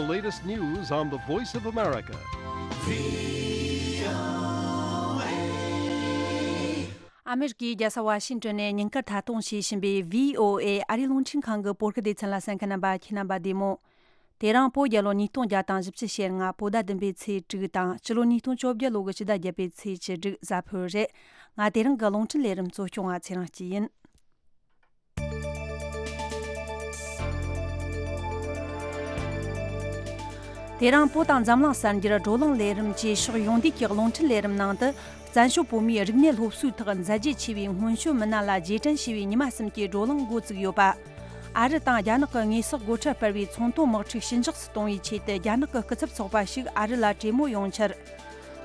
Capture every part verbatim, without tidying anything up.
The latest news on the Voice of America. ཨ་མེ་རི་ཀའི་རྒྱལ་ས་ཝ་ཤིང་ཏོན་ནས་ཉིན་དཀར་མཐའ་སྟོན་བྱེད་བཞིན་པའི་བྷི་ཨོ་ཨེ་ཨ་རིའི་རླུང་འཕྲིན་ཁང་གི་བོད་སྐད་སྡེ་ཚན་ལ་གསན་མཁན་རྣམ་པ་ཁྱེད་རྣམ་པ་བདེ་མོ། དེ་རིང་བོད་རྒྱལ་ལོ་ཉིས་སྟོང་བརྒྱ་དང་བཞི་བཅུ་ཞེ་ལྔ་བོད་ཟླ་བདུན་པའི་ཚེས་དྲུག་དང་སྤྱི་ལོ་ཉིས་སྟོང་བཅོ་བརྒྱད་ལོ་གི་ཕྱི་ཟླ་བརྒྱད་པའི་ཚེས་བཅུ་དྲུག་གཟའ་ཕུར་བུ་རེད། ང་དེ་རིང་གི་རླུང་འཕྲིན་ལས་རིམ་གཙོ་སྐྱོང་བ་ཚེ་རིང་སྐྱིད་ཡིན། དེ་རིང་བོད་དང་འཛམ་གླིང་གསར་འགྱུར། བགྲོ་གླེང་ལས་རིམ་བཅས་ཕྱོགས་ཡོངས་བསྡུས་ཀྱི་རླུང་འཕྲིན་ལས་རིམ་ནང་དུ། བཙན་བྱོལ་བོད་མིའི་རིག་གནས་སློབ་གསོའི་ཐོག་མཛད་རྗེས་ཆེ་བའི་སྔོན་བྱོན་མི་སྣ་ལ་རྗེས་དྲན་ཞུ་བའི་ཉི་མ་གསུམ་གྱི་བགྲོ་གླེང་འགོ་བཙུགས་ཡོད་པ། ཨ་རི་དང་རྒྱ་ནག་གི་དངོས་ཟོག་སྒོ་ཁྲལ་སྤེལ་བའི་ཚོང་དོན་དམག་འཁྲུག་ཞི་འཇགས་སུ་གཏོང་བའི་ཆེད་དུ་རྒྱ་ནག་གི་སྐུ་ཚབ་ཚོགས་པ་ཞིག་ཨ་རི་ལ་གྲོས་མོལ་ཡོང་འཆར།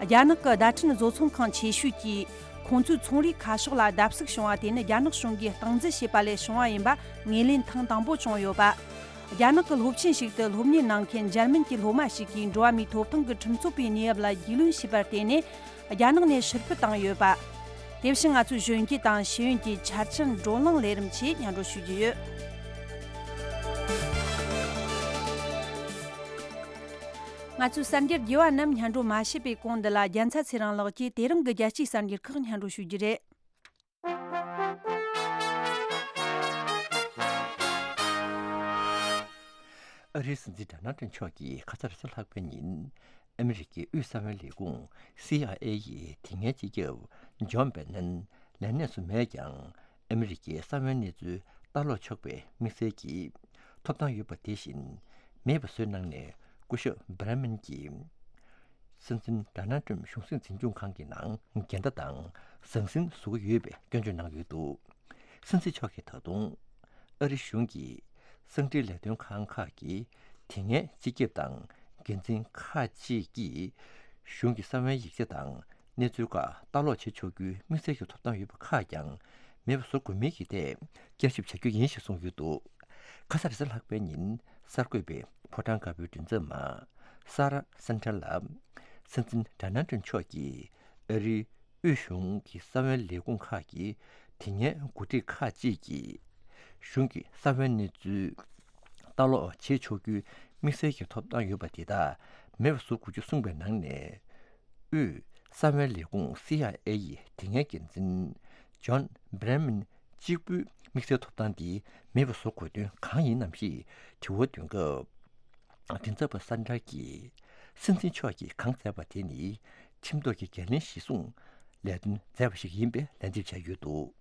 རྒྱ་ནག་གི་བརྡ་འཕྲིན་བཟོ་ཚོང་ཁང་ཆེ་ཤོས་ཀྱིས་ཁོང་ཚོའི་ཚོང་རའི་ཁ་ཕྱོགས་ལ་བརྡབ་གསིག་བྱུང་བ་དེ་ནི་རྒྱ་ནག་གཞུང་གིས་སྟངས་འཛིན་བྱས་པ་ལས་བྱུང་བ་ཡིན་པ་ངོས་ལེན་ཐེངས་དང་པོ་བྱུང་ཡོད་པ། རྒྱ་ནག་གི་སློབ་ཆེན་ཞིག་ཏུ་སློབ་གཉེར་གནང་མཁན་འཇར་མན་གྱི་སློབ་མ་ཞིག་གིས་འགྲོ་བ་མིའི་ཐོབ་ཐང་གི་ཁྲིམས་རྩོད་པའི་གནས་བབ་ལ་རྒྱུས་ལོན་བྱས་པར་བརྟེན་ནས་རྒྱ་ནག་ནས་ཕྱིར་འཕུད་བཏང་ཡོད་པ། དེ་བཞིན་ང་ཚོའི་གཞོན་སྐྱེས་དང་ཤེས་ཡོན་གྱི་ཆ་རྐྱེན་བགྲོ་གླེང་ལས་རིམ་ཆེད་སྙན་སྒྲོན་ཞུ་རྒྱུ་ཡོད། ང་ཚོའི་གསར་འགྱུར་རྒྱས་པ་རྣམས་སྙན་སྒྲོན་མ་བྱས་པའི་གོང་འདི་ལ་རྒྱལ་མཚན་ཚེ་རིང་ལགས་ཀྱིས་དེ་རིང་གི་རྒྱལ་སྤྱིའི་གསར་འགྱུར་ཁག་སྙན་སྒྲོན་ཞུ་རྒྱུ་རེད། ཨ་རིའི་སྲིད་འཛིན་ཌོ་ནལ་ཊམ་མཆོག་གིས་ཁ་སང་རེས་གཟའ་ལྷག་པའི་ཉིན་ཨ་མི་རི་ཀའི་དབུས་གསང་བའི་ལས་ཁུངས་སི་ཨའི་ཨེ་ཡི་དེ་སྔའི་སྤྱི་ཁྱབ་ཇོན་བྷེ་ནན་ལས་གནས་སུ་མེད་ཀྱང་། ཨ་མི་རི་ཀའི་གསང་བའི་གནས་ཚུལ་ལྟ་ཀློག་ཆོག་པའི་དམིགས་བསལ་གྱི་ཐོབ་ཐང་ཡོད་པ་དེ་བཞིན་མེད་པ་བཟོས་གནང་ནས། སྐུ་ཞབས་བྷི་རེ་མན་གྱིས་སྲིད་འཛིན་ཌོ་ནལ་ཊམ་གཞུང་སྲིད་འཛིན་སྐྱོང་ཁང་གི་ནང་འགལ་ཟླ་དང་ཟང་ཟིང་བཟོ་གི་ཡོད་པའི་སྐྱོན་བརྗོད་གནང་ཡོད་འདུག་སྲིད་འཛིན་མཆོག་གིས་ད་དུང་ཨ་རི་གཞུང་གིས་གསང་འཕྲིན་ལས་དོན་ཁང་ཁག་གིས་དེ་སྔའི་སྤྱི་ཁྱབ་དང་འགན་འཛིན་ཁག་ཅིག་གིས་གཞུང་གི་གསང་བའི་ཡིག་ཆ་དང་གནས་ཚུལ་ཁག་ལྟ་ཀློག་བྱེད་ཆོག་རྒྱུའི་དམིགས་བསལ་གྱི་ཐོབ་ཐང་ཡོད་པ་ཁག་ཀྱང་མེད་པ་བཟོ་དགོས་མིན་གྱི་ཐད་བསྐྱར་ཞིབ་བྱ་རྒྱུ་ཡིན་ཞེས་གསུངས་ཡོད་འདུག་ཁ་སང་རེས་གཟའ་ལྷག་པའི་ཉིན་གསར་འགོད་པས་ཕོ་བྲང་དཀར་པོའི་མགྲིན་ཚབ་མ་སཱ་ར་སན་ཁྲེ་ལ་སྲིད་འཛིན་ཌོ་ནལ་ཊམ་མཆོག་གིས་ཨ་རིའི་དབུས་གཞུང་གི་གསང་བའི་ལས་ཁུངས་ཁག་གིས་དེ་སྔའི་འགོ་ཁྲིད་ཁག་ཅིག་གིས་གཞུང་གི་གསང་བའི་གནས་ཚུལ་ལྟ་ཀློག་བྱེད་ཆོག་རྒྱུའི་དམིགས་བསལ་གྱི་ཐོབ་ཐང་ཡོད་པ་དེ་དག་མེད་པ་བཟོ་དགོས་རྒྱུ་གསུངས་པའི་ནང་ནས། དབུས་གསང་བའི་ལས་ཁུངས་སི་ཨའི་ཨེ་ཡི་དེ་སྔའི་འགན་འཛིན་ཇོན་བྷི་རེ་མན་གཅིག་པུའི་དམིགས་བསལ་ཐོབ་ཐང་འདི་མེད་པ་བཟོ་དགོས་དོན་གང་ཡིན་ནམ་ཞེས་དྲི་བ་འདོན་སྐབས། མགྲིན་ཚབ་པ་སན་ཁྲེ་གིས་སྲིད་འཛིན་མཆོག་གིས་གང་མཛད་པ་དེ་ནི་ཁྲིམས་ཐོག་གི་འགན་ལེན་གཞིར་བཟུང་ལས་དོན་མཛད་པ་ཞིག་ཡིན་པའི་ལན་འདེབས་བྱས་ཡོད་འདུག་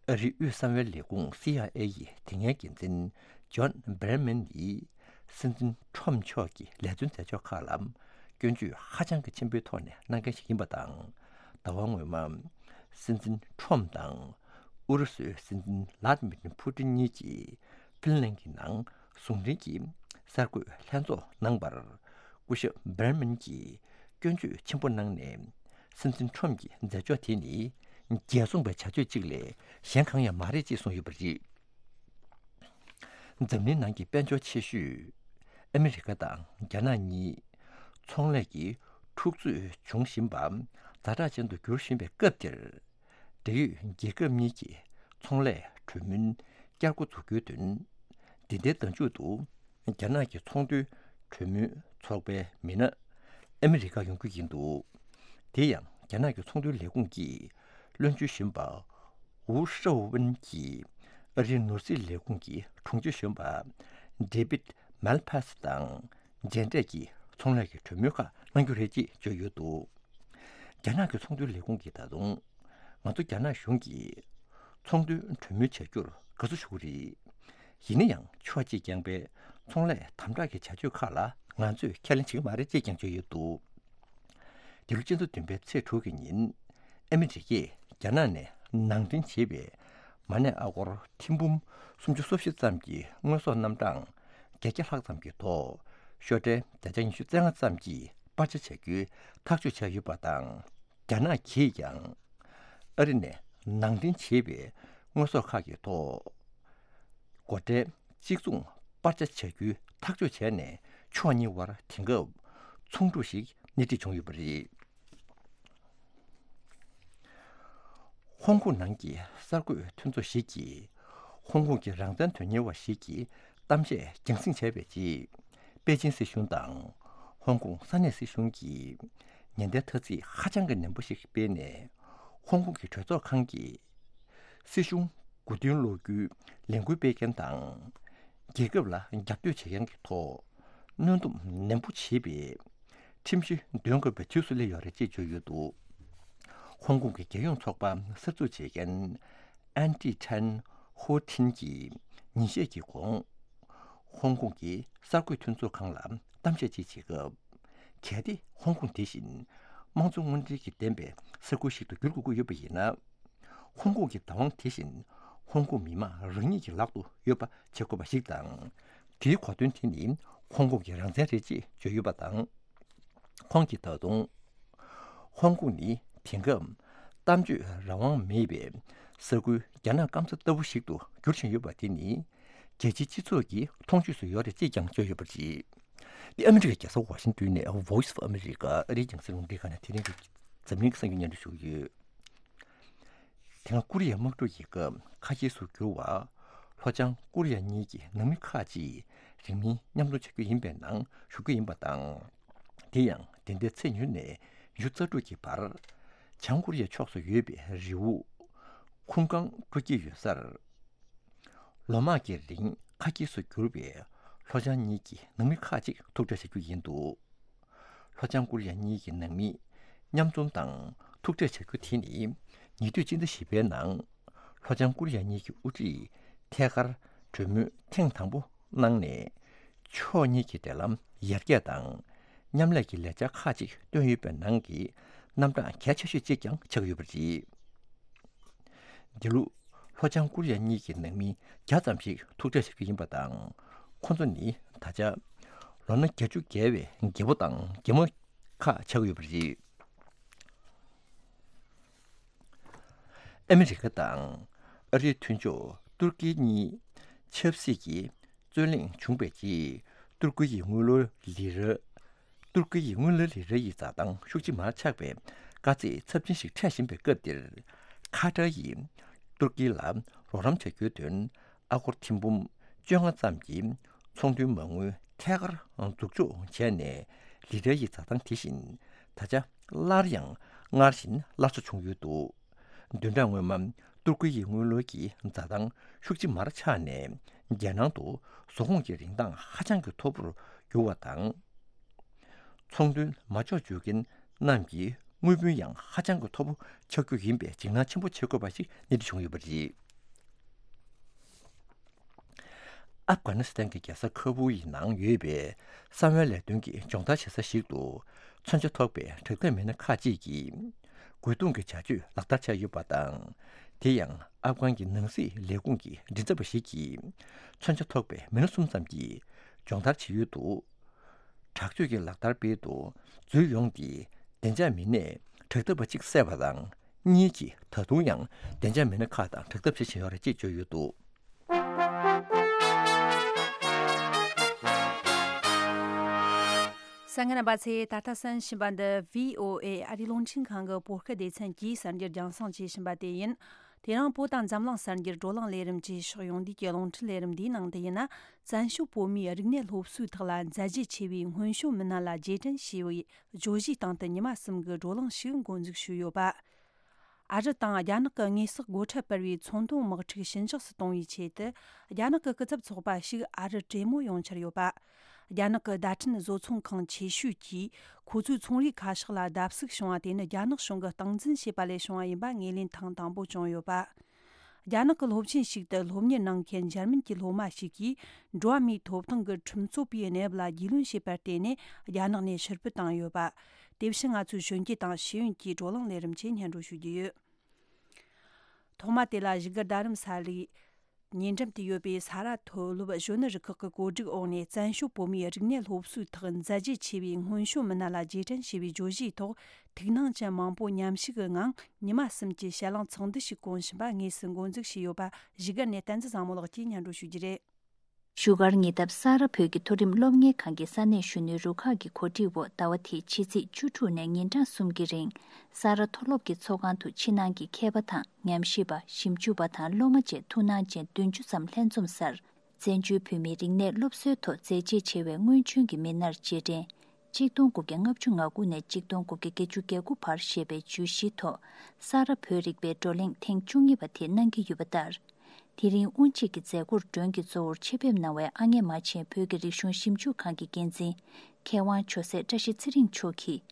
ཨ་རིའི་དབུས་གསང་བའི་ལས་ཁུངས་སི་ཨའི་ཨེ་ཡི་དེ་སྔའི་འགན་འཛིན་ཇོན་བྷི་རེ་མན་ནི་སྲིད་འཛིན་ཁྲོམ་མཆོག་གི་ལས་དོན་མཛད་ཕྱོགས་ཁག་ལ་སྐྱོན་བརྗོད་ཧ་ཅང་གི་ཆེན་པོའི་ཐོག་ནས་གནང་མཁན་ཞིག་ཡིན་པ་དང་། ཟླ་བ་སྔོན་མ་སྲིད་འཛིན་ཁྲོམ་དང་ཨུ་རུ་སུའི་སྲིད་འཛིན་ལཱ་ཏི་མིར་ཕུ་ཏིན་གཉིས་ཀྱིས་ཧྥིན་ལན་གྱི་ནང་ཟུང་འབྲེལ་གྱི་གསར་འགོད་ལྷན་ཚོགས་གནང་བར། སྐུ་ཞབས་བྷི་རེ་མན་གྱིས་སྐྱོན་བརྗོད་ཆེན་པོ་གནང་ནས། སྲིད་འཛིན་ཁྲོམ་གྱི་མཛད་ཕྱོགས་དེ་ནི་རྒྱལ་བཙོང་པའི་བྱ་སྤྱོད་ཅིག་ལས་གཞན་གང་ཡང་མ་རེད་ཅེས་གསུངས་ཡོད་པ་རེད། འཛམ་གླིང་ནང་གི་དཔལ་འབྱོར་ཆེ་ཤོས་ཨ་མི་རི་ཀ་དང་རྒྱ་ནག་གཉིས་ཚོང་ལས་ཀྱི་འཁྲུག་རྩོད་འབྱུང་བཞིན་པ་ཛ་དྲག་ཅན་དུ་འགྱུར་བཞིན་པའི་སྐབས་འདིར། འབྲེལ་ཡོད་རྒྱལ་ཁབ་གཉིས་ཀྱི་ཚོང་ལས་གྲོས་མོལ་བསྐྱར་འགོ་འཛུགས་རྒྱུའི་དོན། འདི་ཟླའི་ཟླ་མཇུག་ཏུ་རྒྱ་ནག་གི་ཚོང་དོན་གྲོས་མོལ་ཚོགས་པའི་མི་སྣ་ཨ་མི་རི་ཀར་ཡོང་རྒྱུ་ཡིན་འདུག་དེ་ཡང་རྒྱ་ནག་གི་ཚོང་དོན་ལས་ཁུངས་ཀྱི་བློན་ཆེན་གཞོན་པ་ཝུའུ་ཧྲའོ་ཝུན་གྱིས་ཨ་རིའི་ནོར་སྲིད་ལས་ཁུངས་ཀྱི་དྲུང་ཆེ་གཞོན་པ་ཌེ་བིད་མལ་ཕ་སི་དང་མཇལ་འཕྲད་ཀྱིས་ཚོང་ལས་ཀྱི་གྲོས་མོལ་ཁག་གནང་རྒྱུ་རེད་ཅེས་བརྗོད་ཡོད་འདུག་རྒྱ་ནག་གི་ཚོང་དོན་ལས་ཁུངས་ཀྱིས་ད་དུང་། ང་ཚོ་རྒྱ་ནག་གཞུང་གིས་ཚོང་དོན་གྲོས་མོལ་བྱ་རྒྱུར་དགའ་བསུ་ཞུ་གི་རེད། ཡིན་ན་ཡང་ཕྱོགས་གཅིག་རྐྱང་པའི་ཚོང་ལས་དམ་དྲག་གི་བྱ་སྤྱོད་ཁག་ལ་ང་ཚོས་ཁས་ལེན་བྱེད་ཀྱི་མ་རེད་ཅེས་ཀྱང་བརྗོད་ཡོད་འདུག་འདི་ལོ་སྤྱི་ཟླ་བདུན་པའི་ཚེས་དྲུག་གི་ཉིན་ཨ་མི་རི་ཀས་རྒྱ་ནག་ནས་ནང་འདྲེན་བྱས་པའི་མ་ཎི་ཨ་སྒོར་ཐེར་འབུམ་སུམ་ཅུ་སོ་བཞི་ཙམ་གྱི་དངོས་ཟོག་རྣམ་གྲངས་བརྒྱད་བརྒྱ་ལྷག་ཙམ་གྱི་ཐོག་ཤོག་ཁྲལ་བརྒྱ་ཆ་ཉི་ཤུ་རྩ་ལྔ་ཙམ་གྱི་སྤར་ཆ་བྱ་རྒྱུའི་ཐག་གཅོད་བྱས་ཡོད་པ་དང་། རྒྱ་ནག་གིས་ཀྱང་ཨ་རི་ནས་ནང་འདྲེན་བྱས་པའི་དངོས་ཟོག་ཁག་གི་ཐོག་སྒོ་ཁྲལ་གཅིག་མཚུངས་སྤར་ཆ་བྱ་རྒྱུའི་ཐག་གཅོད་བྱས་ནས་ཕྱོགས་གཉིས་དབར་དེང་སྐབས་ཚོང་འཁྲུག་ཞིག་སྣེ་ཁྲིད་བྱུང་ཡོད་པ་རེད། ཧོང་ཀོང་ནང་གི་གསར་འགོད་མཐུན་ཚོགས་ཤིག་གིས་ཧོང་ཀོང་གི་རང་བཙན་དོན་གཉེར་བ་ཞིག་གིས་ གཏམ་བཤད་རྒྱང་སྲིང་བྱས་པའི་རྗེས། པེ་ཅིན་སྲིད་གཞུང་དང་ཧོང་ཀོང་ས་གནས་སྲིད་གཞུང་གིས་ཉེན་བརྡའི་ཐ་ཚིག་ཧ་ཅང་གི་ནན་པོ་ཞིག་སྤེལ་ནས། ཧོང་ཀོང་གི་གྲོས་ཚོགས་ཁང་གིས་སྲིད་གཞུང་དགུ་ཐོན་ལོ་རྒྱུས་ལས་འགུལ་སྤེལ་མཁན་དང་། རྒྱལ་ཁབ་ལ་རྒྱབ་གཏོད་བྱེད་མཁན་གྱི་ཐོག་གནོན་སྡོམ་ནན་པོ་བྱེད་པའི་ཁྲིམས་གཞི་འདོན་དགོས་པའི་དུས་སུ་སླེབས་ཡོད་རེད་ཅེས་བརྗོད་ཡོད་འདུག་ཧོང་ཀོང་གི་རྒྱལ་ཡོངས་ཚོགས་པ་གསར་འཛུགས་བྱེད་མཁན་ཨན་ཏི་ཁྲན་ཧོ་ཐིན་གྱིས་ཉིན་ཤས་ཀྱི་གོང་། ཧོང་ཀོང་གི་གསར་འགོད་མཐུན་ཚོགས་ཁང་ལ་གཏམ་བཤད་ཅིག་བྱེད་སྐབས། གལ་ཏེ་ཧོང་ཀོང་དེ་བཞིན་དམངས་གཙོ་དངོས་འབྲེལ་གྱི་ལྡན་པའི་ས་ཁུལ་ཞིག་ཏུ་འགྱུར་དགོས་ཀྱི་ཡོད་པ་ཡིན་ན། ཧོང་ཀོང་གི་བདག་དབང་དེ་བཞིན་ཧོང་ཀོང་མི་དམངས་རང་ཉིད་ཀྱི་ལག་ཏུ་ཡོད་པ་བྱེད་དགོས་པ་ཞིག་དང་། དེའི་གོ་དོན་དེ་ནི་ཧོང་ཀོང་གི་རང་བཙན་རེད་ཅེས་བརྗོད་ཡོད་པ་དང་། ཁོང་གིས་ད་དུང་། ཧོང་ཀོང་ནི་དེང་སྐབས་གཏམ་བརྗོད་རང་དབང་མེད་པའི་ས་ཁུལ་རྒྱ་ནག་སྐམ་ས་ལྟ་བུ་ཞིག་ཏུ་འགྱུར་བཞིན་ཡོད་པ་དེ་ནི། རྒྱལ་སྤྱིའི་སྤྱི་ཚོགས་ཀྱི་མཐོང་ཆོས་སུ་ཡོད་རེད་ཅེས་ཀྱང་བརྗོད་ཡོད་པ་རེད། འདི་ཨ་མི་རི་ཀའི་རྒྱལ་ས་ཝ་ཤིང་ཏོན་ནས་Voice of America ཨ་རིའི་རྒྱང་སྲིང་རླུང་འཕྲིན་ཁང་ནས་དེ་རིང་གི་འཛམ་གླིང་གི་གསར་འགྱུར་སྙན་སྒྲོན་ཞུ་གི་ཡོད། དེ་སྔ་ཀོ་རི་ཡའི་དམག་འཁྲུག་གི་སྐབས་ཁ་གྱེས་སུ་གྱུར་བ། ལྷོ་བྱང་ཀོ་རི་ཡ་གཉིས་ཀྱི་ནང་མི་ཁག་ཅིག་རིང་མིན་མཉམ་འཛོམས་བྱ་རྒྱུ་ཡིན་པའི་ནང་ཞུགས་རྒྱུ་ཡིན་པ་དང་། དེ་ཡང་དེ་ཟླའི་ཚེས་ཉེར་ནས་ཉི་ཤུ་རྩ་དྲུག་གི་བར། བྱང་ཀོ་རི་ཡའི་ཕྱོགས་སུ་ཡོད་པའི་རི་བོ་ཁུང་ཀང་དཀྲུག་གི་ཡོད་སར། ལོ་མང་གི་རིང་ཁ་གྱེས་སུ་གྱུར་པའི་ལྷོ་བྱང་གཉིས་ཀྱི་ནང་མི་ཁག་ཅིག་ཐུག་འཕྲད་བྱ་རྒྱུ་ཡིན་འདུག་ལྷོ་བྱང་ཀོ་རི་ཡ་གཉིས་ཀྱི་ནང་མི་མཉམ་འཛོམས་དང་ཐུག་འཕྲད་བྱ་རྒྱུ་དེ་ནི་ཉེ་དུས་སྤྱི་ཟླ་བཞི་པའི་ནང་ལྷོ་བྱང་ཀོ་རི་ཡ་གཉིས་ཀྱི་དབུ་ཁྲིད་ཐད་ཀར་གྲོས་མོལ་ཐེངས་དང་པོ་གནང་ནས། ཕྱོགས་གཉིས་ཀྱི་འབྲེལ་ལམ་ཡར་རྒྱས་དང་མཉམ་ལས་ཀྱི་ལས་འཆར་ཁག་ཅིག་བཏོན་ཡོད་པའི་ནང་གི་རྣམ་གྲངས་གལ་ཆེ་ཤོས་གཅིག་ཀྱང་ཆགས་ཡོད་པ་རེད། འདི་ལོ་ལྷོ་བྱང་ཀོ་རི་ཡ་གཉིས་ཀྱི་ནང་མི་བརྒྱ་ཙམ་ཞིག་ཐུག་འཕྲད་བྱ་རྒྱུ་ཡིན་པ་དང་། ཁོ་ཚོ་ནི་ད་ཆ་ལོ་ན་བརྒྱད་ཅུ་བརྒལ་བའི་རྒད་པོ་དང་རྒན་མོ་ཁག་ཆགས་ཡོད་པ་རེད། ཨ་མི་རི་ཀ་དང་ཨ་རིའི་མཐུན་ཕྱོགས་ཏུར་ཀི་གཉིས་ཆབ་སྲིད་ཀྱི་རྩོད་གླེང་བྱུང་བའི་རྗེས། ཏུར་ཀི་ཡི་དངུལ་ལོར་ལི་ར། ཏུར་ཀི་ཡི་དངུལ་ལོར་ལི་ར་ཡི་འཛའ་ཐང་ཤུགས་ཆེ་མར་ཆག་པའི་དཀའ་ཚེགས་ཚབས་ཆེན་ཞིག་འཕྲད་བཞིན་པའི་སྐབས་འདིར། ཁ་ཏར་ཡིས་ཏུར་ཀི་ལ་རོགས་རམ་བྱ་རྒྱུའི་དོན། ཨ་སྒོར་ཐེར་འབུམ་བཅོ་ལྔ་ཙམ་གྱི་ཚོང་དོན་མ་དངུལ་ཐད་ཀར་འཛུགས་འཇོག་བྱས་ནས། ལི་ར་ཡི་འཛའ་ཐང་དེ་བཞིན་ད་ཆ་སླར་ཡང་སྔར་བཞིན་སླར་གསོ་བྱུང་ཡོད་འདུག་བདུན་ཕྲག་སྔོན་མ་ཏུར་ཀི་ཡི་དངུལ་ལོར་གྱི་འཛའ་ཐང་ཤུགས་ཆེ་མར་ཆག་ནས། རྒྱལ་ནང་དུ་ཟོག་གོང་གི་རིན་ཐང་ཧ་ཅང་གི་མཐོ་པོར་གྱུར་བ་དང་། ཚོང་དོན་མ་འཇོག་བཅུག་མཁན་རྣམས་ཀྱི་དངུལ་བུན་ཡང་ཧ་ཅང་གི་མཐོ་པོ་ཆགས་རྒྱུ་ཡིན་པའི་འཇིགས་སྣང་ཆེན་པོ་བྱེད་དགོས་པ་ཞིག་སྣེ་ཁྲིད་བྱུང་ཡོད་པ་རེད། ཨབ་གྷ་ནི་སི་ཐན་གྱི་རྒྱལ་ས་ཁ་བུལ་ཡི་ནང་ཡོད་པའི་གསང་བའི་ལས་དོན་གྱི་སྦྱོང་བརྡར་བྱེད་ས་ཞིག་ཏུ། མཚོན་ཆ་ཐོགས་པའི་དྲག་འཐབ་མི་སྣ་ཁག་ཅིག་གིས་རྒོལ་རྡུང་གི་བྱ་སྤྱོད་ལག་བསྟར་བྱས་ཡོད་པ་དང་། དེ་ཡང་ཨབ་གྷན་གྱི་ནང་སྲིད་ལས་ཁུངས་ཀྱི་མགྲིན་ཚབ་པ་ཞིག་གིས། མཚོན་ཆ་ཐོགས་པའི་མི་སྣ་གསུམ་ཙམ་གྱིས་སྦྱོང་བརྡར་བྱེད་ཡུལ་དུ། དྲག་སྤྱོད་ཀྱི་ལག་བསྟར་སྤེལ་དུ་འཛུལ་ཡོང་སྟེ། བདེ་འཇགས་མི་སྣས་དྲག་འཐབ་པ་གཅིག་བསད་པ་དང་། གཉིས་ཀྱིས་ད་དུང་ཡང་བདེ་འཇགས་མི་སྣ་ཁག་དང་དྲག་འཐབ་བྱེད་བཞིན་ཡོད་རེད་ཅེས་བརྗོད་ཡོད་འདུག་གསན་མཁན་རྣམ་པ་ཚོས་ད་ལྟ་གསན་བཞིན་པ་འདི་བྷི་ཨོ་ཨེ་ཨ་རིའི་རླུང་འཕྲིན་ཁང་གི་བོད་སྐད་སྡེ་ཚན་གྱིས་གསར་འགྱུར་རྒྱང་སྲིང་བྱེད་བཞིན་པ་དེ་ཡིན། དེ་རིང་བོད་དང་འཛམ་གླིང་གསར་འགྱུར་བགྲོ་གླེང་ལས་རིམ་གྱི་ཕྱོགས་ཡོངས་བསྡུས་ཀྱི་རླུང་འཕྲིན་ལས་རིམ་འདིའི་ནང་དུ་ཡིན་ན། བཙན་བྱོལ་བོད་མིའི་རིག་གནས་སློབ་གསོའི་ཐོག་ལ་མཛད་རྗེས་ཆེ་བའི་སྔོན་བྱོན་མི་སྣ་ལ་རྗེས་དྲན་ཞེས་པའི་བརྗོད་གཞིའི་སྟེང་དུ་ཉི་མ་གསུམ་གྱི་བགྲོ་གླེང་ཞིག་འགོ་འཛུགས་ཞུས་ཡོད་པ། ཨ་རི་དང་རྒྱ་ནག་གི་དངོས་ཟོག་སྒོ་ཁྲལ་སྤར་བའི་ཚོང་དོན་དམག་འཁྲུག་ཞི་འཇགས་སུ་གཏོང་བའི་ཆེད་དུ། རྒྱ་ནག་གི་སྐུ་ཚབ་ཚོགས་པ་ཞིག་ཨ་རིར་གྲོས་མོལ་ཡོང་འཆར་ཡོད་པ། རྒྱ་ནག་གི་བརྡ་འཕྲིན་བཟོ་ཚོང་ཁང་ཆེ་ཤོས་ཀྱིས་ཁོ་ཚོའི་ཚོང་རའི་ཁ་ཤགས་ལ་བརྡབ་གསིག་བྱུང་བ་དེ་ནི་རྒྱ་ནག་གཞུང་གིས་སྟངས་འཛིན་བྱས་པ་ལས་བྱུང་བ་ཡིན་པ་ངོས་ལེན་ཐེངས་དང་པོ་བྱུང་ཡོད་པ། རྒྱ་ནག་གི་སློབ་ཆེན་ཞིག་ཏུ་སློབ་གཉེར་གནང་མཁན་འཇར་མན་གྱི་སློབ་མ་ཞིག་གིས། འགྲོ་བ་མིའི་ཐོབ་ཐང་གི་ཁྲིམས་རྩོད་པའི་གནས་བབ་ལ་རྒྱུས་ལོན་བྱས་པར་བརྟེན་ནས། རྒྱ་ནག་ནས་ཕྱིར་འབུད་བཏང་ཡོད་པ། དེ་བཞིན་ང་ཚོའི་གཞོན་སྐྱེས་དང་ཤེས་ཡོན་གྱི་བགྲོ་གླེང་ལས་རིམ་ཆེད་སྙན་སྒྲོན་ཞུ་རྒྱུ་ཡོད། ཐོག་མ་དེ་ལ་བཞུགས་སྒར་རྡ་རམ་ས་ལའི་ཉེ་འགྲམ་དུ་ཡོད་པའི་ས་ར་མཐོ་སློབ་གཞོན་ནུ་རུ་ཁག་གི་གོ་སྒྲིག་འོག་ནས། བཙན་བྱོལ་བོད་མིའི་རིག་གནས་སློབ་གསོའི་ཐོག་མཛད་རྗེས་ཆེ་བའི་སྔོན་བྱོན་མི་སྣ་ལ་རྗེས་དྲན་ཞེས་པའི་བརྗོད་གཞིའི་ཐོག་ཐུགས་སྣང་ཅན་མང་པོ་མཉམ་ཞུགས་ཀྱི་ངང་། ཉི་མ་གསུམ་གྱི་ཞལ་ལུང་ཚོགས་འདུ་ཞིག་བསྐོང་བཞིན་པ་དངོས་སུ་འགོ་འཛུགས་བྱས་ཡོད་པ། བཞུགས་སྒར་ནས་བསྟན་འཛིན་བཟང་མོ་ལགས་ཀྱིས་སྙན་སྒྲོན་ཞུ་རྒྱུ་རེད། བཞུགས་སྒར་ཉེ་འདབས་ས་ར་བོད་ཀྱི་མཐོ་རིམ་སློབ་གཉེར་ཁང་གི་ས་གནས་གཞོན་ནུའི་རུ་ཁག་གི་གོ་སྒྲིག་འོག་ཟླ་བ་དེའི་ཕྱི་ཚེས་བཅུ་དྲུག་ནས་ཉིན་གྲངས་གསུམ་གྱི་རིང་། ས་ར་མཐོ་སློབ་ཀྱི་ཚོགས་ཁང་དུ་ཕྱི་ནང་གི་མཁས་པ་དང་། ཉམས་ཞིབ་པ། ཞིབ་འཇུག་པ་དང་སློབ་མ་བཅས་ཐུགས་སྣང་ཅན་བདུན་ཅུ་ཙམ་ལྷན་འཛོམས་སར། བཙན་བྱོལ་བོད་མིའི་རིག་གནས་སློབ་གསོའི་ཐོག་མཛད་རྗེས་ཆེ་བའི་སྔོན་བྱོན་གྱི་མི་སྣར་རྗེས་དྲན། གཅིག་སྟོང་དགུ་བརྒྱ་ལྔ་བཅུ་ང་དགུ་ནས་གཅིག་སྟོང་དགུ་བརྒྱ་བརྒྱད་ཅུ་གྱ་དགུ་བར་ཞེས་པའི་བརྗོད་གཞིའི་ཐོག་ས་རཱ་བོད་རིག་པའི་བགྲོ་གླེང་ཐེངས་བཅུ་གཉིས་པ་དེ་གནང་གི་ཡོད་པ་ལྟར། དེ་རིང་དབུ་འབྱེད་ཀྱི་མཛད་སྒོར་མགྲོན་གྱི་གཙོ་བོར་ཆེད་ཕེབས་གནང་བའི་ཨ་མྱེས་རྨ་ཆེན་བོད་ཀྱི་རིག་གཞུང་ཞིབ་འཇུག་ཁང་གི་འགན་འཛིན་མཁས་དབང་ཇོ་སྲས་བཀྲ་ཤིས་ཚེ་རིང་མཆོག་གིས།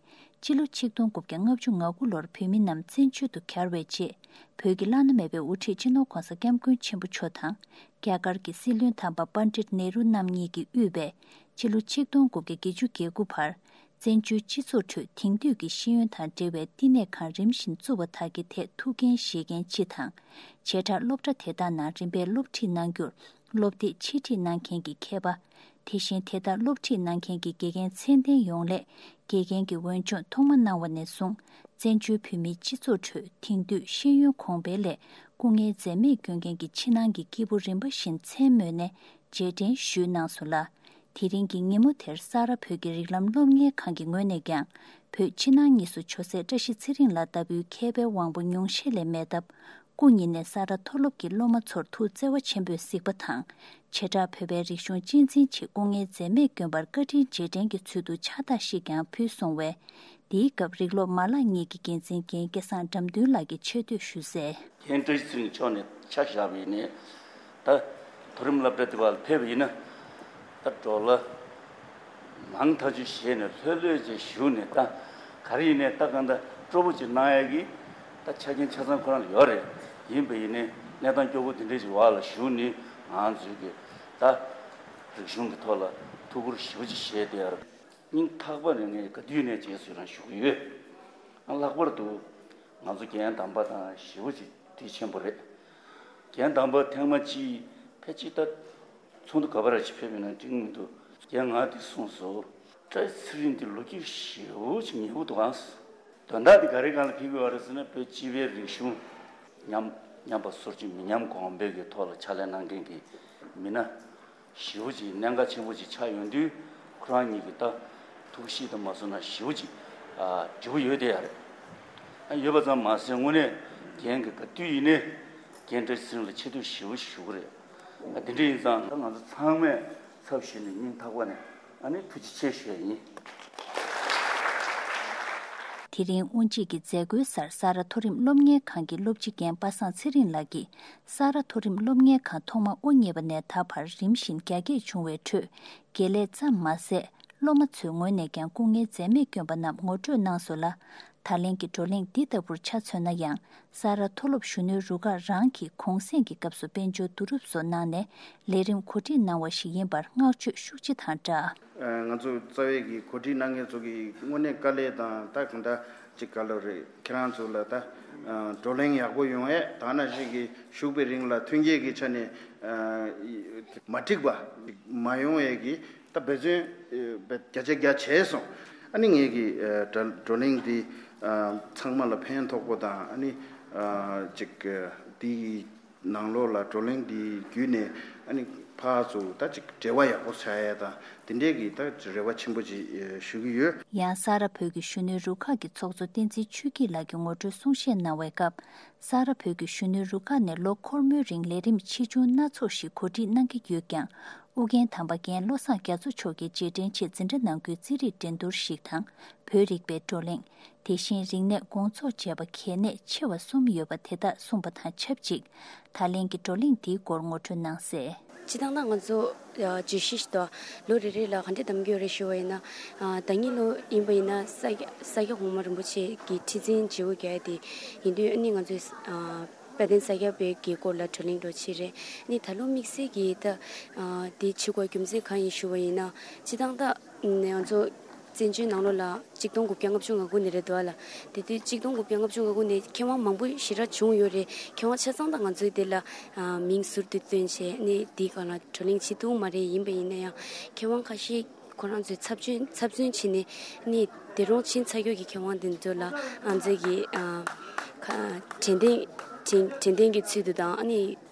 སྤྱི་ལོ་ཆིག་སྟོང་དགུ་བརྒྱ་ལྔ་བཅུ་ང་དགུ་ལོར་བོད་མི་རྣམས་བཙན་བྱོལ་དུ་གྱར་བའི་རྗེས། བོད་ཀྱི་བླ་ན་མེད་པའི་དབུ་ཁྲིད་སྤྱི་ནོར་༧གོང་ས་༧སྐྱབས་མགོན་ཆེན་པོ་མཆོག་དང་། རྒྱ་གར་གྱི་སྲིད་བློན་དམ་པ་པཎྜི་ཏ་ནེ་རུ་རྣམ་གཉིས་ཀྱིས་དབུས་པའི་སྤྱི་ལོ་ཆིག་སྟོང་དགུ་བརྒྱ་བརྒྱད་ཅུ་གྱ་དགུ་བར། བཙན་བྱོལ་སྤྱི་ཚོགས་ཁྲོད་དེང་དུས་ཀྱི་ཤེས་ཡོན་དང་འབྲེལ་བའི་བསྟི་གནས་ཁང་རིམ་བཞིན་བཙུགས་པ་དག་གི་ཐད་ཐུགས་འགན་བཞེས་མཁན་སྤྱི་དང་། བྱེ་བྲག་སློབ་གྲྭ་དེ་དག་ནང་རིམ་པས་སློབ་ཁྲིད་གནང་རྒྱུར། སློབ་དེབ་ཕྱིར་ཁྲིད་གནང་མཁན་གྱི་མཁས་པ། དེ་བཞིན་དེ་ལྟར་སློབ་ཁྲིད་གནང་མཁན་གྱི་དགེ་རྒན་ཚད་ལྡན་ཡོངས་ལས་དགེ་རྒན་གྱི་འོས་སྦྱོང་ཐོག་མ་གནང་བ་ནས་བཟུང་། བཙན་བྱོལ་བོད་མིའི་སྤྱི་ཚོགས་ཁྲོད་དེང་དུས་ཤེས་ཡོན་གོང་འཕེལ་སླད་སྐུ་ངལ་འཛེམས་མེད་བསྐྱོན་མཁན་གྱི་ཕྱི་ནང་གི་སྐྱེས་བུ་རིམ་པ་བཞིན་མཚན་སྨོས་ནས་རྗེས་དྲན་ཞུས་གནང་སོང་ལ། དེ་རིང་གི་ཉིན་མོ་དེར་ས་རཱ་བོད་ཀྱི་རིགས་ལམ་སློབ་གཉེར་ཁང་གི་ངོས་ནས་ཀྱང་། བོད་ཕྱི་ནང་གཉིས་སུ་ཇོ་སྲས་བཀྲ་ཤིས་ཚེ་རིང་ལགས་ལྟ་བུའི་མཁས་པའི་དབང་པོ་ཉུང་ཤས་ལས་མེད་སྟབས། སྐུ་ཉིད་ནས་ས་རཱ་མཐོ་སློབ་ཀྱི་སློབ་མ་ཚོར་ཐུགས་བརྩེ་བ་ཆེན་པོས་གཟིགས་པ་དང་། བྱེ་བྲག་བོད་པའི་རིག་གཞུང་གཅེས་འཛིན་ཆེད་སྐུ་ངལ་འཛེམས་མེད་བསྐྱོན་པར་བཀའ་དྲིན་རྗེས་དྲན་གྱི་ཚུལ་དུ་ཕྱག་རྟགས་ཤིག་ཀྱང་ཕུལ་སོང་བས། འདིའི་སྐབས་རིགས་སློབ་མ་ལག་གཉིས་ཀྱི་འགན་འཛིན་རྒན་སྐལ་བཟང་དགྲ་འདུལ་ལགས་ཀྱིས་ཆེ་བསྟོད་ཞུས་གསལ། རྒན་བཀྲ་ཤིས་ཚེ་རིང་མཆོག་ནས་ཆ་བཞག་པ་ཡིན་ནའི། ད་མཐོ་རིམ་སློབ་གྲྭ་དེ་བ་ལ་ཕེབས་པ་ཡིན་ན། ད་འགྲོ་ལ་མང་ཐག་ཆོད་བྱས་ནས་ལྷོད་ལྷོད་ཅིག་བཞུགས་ནས། ད་ག་རེ་ཡིན་ནའི་ད་གང་ལྟར་སྤྲོ་པོ་ཅིག་གནང་ཡ་གི་ད་ཆ་རྐྱེན་ཆ་ཚང་ཁོ་རང་ལ་ཡོད་རེད། ཡིན་པ་ཡིན་ནའི་གནས་སྟངས་སྐྱོ་པོ་དེ་འདྲས་ཅིག་བ་ལ་བཞུགས་ནས་ང་ཚོའི་གི་ད་རིག་གཞུང་གི་ཐོག་ལ་ཐུགས་ཁུར་ཞེ་པོ་ཅིག་བཞེས་བསྡད་ཡོད་རེད། སྙིང་ཐག་པ་ནས་ངས་ག་དུས་ནས་རྗེས་སུ་ཡི་རང་ཞུ་གི་ཡོད། ཨ་ལྷག་པར་དུ་ང་ཚོ་རྒན་དམ་པ་དང་ཞེ་པོ་ཅིག་དུས་ཆེན་པོ་རེད། རྒན་དམ་པ་ཐེངས་མ་གཅིག་ཕལ་ཆེར་ད་ཚོགས་འདུ་ག་པར་ཅིག་ཕེབས་ཡོད་ན་འགྲིག་མི་འདུག་རྒན་ང་འདི་གསུངས་སོ། བཀྲ་ཤིས་ཚེ་རིང་འདི་ལོ་རྒྱུས་ཞེ་པོ་ཅིག་ཉེ་པོ་འདུག་ཨང་། དོན་དག་འདི་ག་རེ་སྒང་ལ་ཕེབས་ཀྱི་ཡོད་རེད་ཟེར་ན། བོད་སྤྱི་པའི་རིག་གཞུང་ཉམས་ཉམས་པ་སོར་ཆུད་མི་ཉམས་གོང་འཕེལ་གྱི་ཐོག་ལ་ཕྱག་ལས་གནང་མཁན་གྱི་མི་སྣ་ཞེ་པོ་ཅིག་གནད་འགག་ཆེན་པོ་ཅིག་ཆགས་ཡོང་དུས། ཁོ་རང་ཉིད་ཀྱི་ད་ཐུགས་གཤིས་དང་མ་སོང་ན་ཞེ་པོ་ཅིག་ཨ་འབྲས་བུ་ཡོད་བསྡད་ཡ་རེད། ཨ་ཡོད་པ་ཙམ་མ་ཟད་དངོས་གནས་རྒན་གྱི་ག་དུས་ཡིན་ནའི་རྒན་བཀྲ་ཤིས་ཚེ་རིང་ལ་ཆེ་བསྟོད་ཞེ་པོ་ཞུ་གི་རེད། ཨ་དེ་འདྲ་ཡིན་ཙང་ད་ང་ཚོ་ཚང་མས་ཚབ་ཞུས་ནས་སྙིང་ཐག་པ་ནས་ཨ་ནི་ཐུགས་རྗེ་ཆེ་ཞུ་ཡ་ཡིན། དེ་རིང་དབུ་འབྱེད་ཀྱི་མཛད་སྒོའི་སར་ས་རཱ་མཐོ་རིམ་སློབ་གཉེར་ཁང་གི་སློབ་སྤྱི་རྒན་པ་སངས་ཚེ་རིང་ལགས་ཀྱིས། ས་རཱ་མཐོ་རིམ་སློབ་གཉེར་ཁང་ཐོག་མ་དབུ་བརྙེས་པ་ནས་ད་བར་རིམ་བཞིན་རྒྱ་སྐྱེད་བྱུང་བའི་ཁྲོད། དགེ་ལས་ཙམ་མ་ཟད། སློབ་མ་ཚོའི་ངོས་ནས་ཀྱང་སྐུ་ངལ་འཛེམས་མེད་བསྐྱོན་པ་རྣམས་ངོ་སྤྲོད་གནང་སོང་ལ། ད་ལན་གྱི་བགྲོ་གླེང་འདི་ལྟ་བུར་ཆ་མཚོན་ན་ཡང་། ས་རཱ་མཐོ་སློབ་གཞོན་ནུའི་རུ་ཁག་རང་གིས་གུང་གསེང་གི་སྐབས་སུ་དཔལ་འབྱོར་བསྡུ་རུབ་སོགས་གནང་ནས་ལས་རིམ་གོ་སྒྲིག་གནང་བ་ཞིག་ཡིན་པར་བསྔགས་བརྗོད་ཤུགས་ཆེ་དང་སྦྲགས། ང་ཚོ་རྩ་བའི་གི་གོ་སྒྲིག་གནང་མཁན་ཚོ་གི་དངོས་གནས་དཀའ་ལས་དང་། ད་གང་ལྟར་ཅིག་ག་ལོ་རེད། ཁྱེད་རང་ཚོ་ལ་ད་བགྲོ་གླེང་ཡག་པོ་ཡོང་ཡས། ད་ནང་བཞིན་གྱི་བཞུགས་པའི་རིང་ལ་ཐོན་སྐྱེད་ཀྱི་ཆ་ནས་མ་འགྲིག་པ་མ་ཡོང་ཡས་ཀྱི་ད་འབད་བརྩོན་བརྒྱ་ཆ་བརྒྱ་བྱས་སོང་། ཨ་ནི་ངེད་ཀྱི་བགྲོ་གླེང་འདི་ཚང་མ་ལ་ཕན་ཐོགས་པོ་དང་། ཨ་ནི་ཅིག་འདི་ནང་ལོགས་ལ་བགྲོ་གླེང་འདི་བརྒྱུད་ནས་ཨ་ནི་ཕར་ཚུར་ད་ཅིག་འབྲེལ་བ་ཡག་པོ་བྱ་ཡས་དང་། དེ་འདྲས་ཀྱི་ད་རེ་བ་ཆེན་པོ་ཅིག་ཞུ་གི་ཡོད། ཡང་ས་རཱ་བོད་ཀྱི་གཞོན་ནུའི་རུ་ཁག་གི་ཚོགས་གཙོ་བསྟན་འཛིན་ཆོས་སྐྱིད་ལགས་ཀྱིས་ངོ་སྤྲོད་གསུང་བཤད་གནང་བའི་སྐབས། ས་རཱ་བོད་ཀྱི་གཞོན་ནུའི་རུ་ཁག་ནས་ལོ་འཁོར་མོའི་རིང་ལས་རིམ་ཆེ་ཆུང་སྣ་ཚོགས་ཤིག་གོ་སྒྲིག་གནང་གི་ཡོད་ཀྱང་། ཨུ་རྒྱན་དམ་པ་རྒན་བློ་བཟང་རྒྱ་མཚོ་མཆོག་གིས་རྗེས་དྲན་ཆེད་འཛིན་གྲྭ་ནང་ཁུལ་རྩིས་རིག་འགྲན་བསྡུར་ཞིག་དང་། བོད་རིག་པའི་བགྲོ་གླེང་། དེ་བཞིན་རིག་གནས་དགོང་ཚོགས་བཅས་པ་གལ་གནད་ཆེ་བ་གསུམ་ཡོད་པ་དེ་དག་གསུངས་པ་དང་ཆབས་ཅིག་ད་ལན་གྱི་བགྲོ་གླེང་འདིའི་སྐོར་ངོ་སྤྲོད་གནང་གསལ། སྤྱིར་བཏང་ད་ང་ཚོ་བརྗོད་གཞི་ཞིག་དང་། ལོ་རེ་རེ་ལ་ག་འདྲ་གདམ་གྱི་ཡོད་རེད་ཞུ་བ་ཡིན་ན། ད་ཉིད་ལོ་ཡིན་པ་ཡིན་ན་ས་སྐྱ་ས་སྐྱ་གོང་མ་རིན་པོ་ཆེ་གི་ཁྲི་འཛིན་བརྗེ་པོ་རྒྱག་ཡ་དེ་ཡིན་དུས། ཨ་ནི་ང་ཚོས་དཔལ་ལྡན་ས་སྐྱ་པའི་གི་སྐོར་ལ་བགྲོ་གླེང་འདྲ་བྱེད་རེད། ཨ་ནི་ད་ལོ་དམིགས་བསལ་གྱི་ད་དེ་བྱེད་དགོས་རྒྱུ་མཚན་གང་ཡིན་ཞུ་བ་ཡིན་ན། སྤྱིར་བཏང་ད་ང་ཚོ་བཙན་བྱོལ་ནང་ལོགས་ལ་གཅིག་སྟོང་དགུ་བརྒྱ་ལྔ་བཅུ་ང་དགུ་ནས་རེད་འདུག་ཨ་ལ། དེ་དུས་གཅིག་སྟོང་དགུ་བརྒྱ་ལྔ་བཅུ་ང་དགུ་ནས་མཁས་དབང་མང་པོ་ཞེ་དྲག་བྱུང་ཡོད་རེད། མཁས་དབང་ཆ་ཚང་ད་ང་ཚོའི་དེ་ལ་མིང་ཟུར་དུ་བཏོན་བྱས། ཨ་ནི་དེའི་སྒང་ལ་བགྲོ་གླེང་བྱེད་ཐུབ་མ་རེད། ཡིན་པ་ཡིན་ན་ཡང་མཁས་དབང་ཁ་ཤས་ཁོ་རང་ཚོའི་ཚབ་མཚོན་ཚབ་མཚོན་བྱས་ནས། ཨ་ནི་དེ་རུང་ཕྱིན་ཚར་ཡོད་ཀྱི་མཁས་དབང་དེ་ཚོ་ལ་ང་ཚོས་ཀྱི་ཨ་ཁ་དྲན་རྟེན་དྲན་དྲན་རྟེན་གྱི་ཚུལ་དུ་དང་། ཨ་ནི་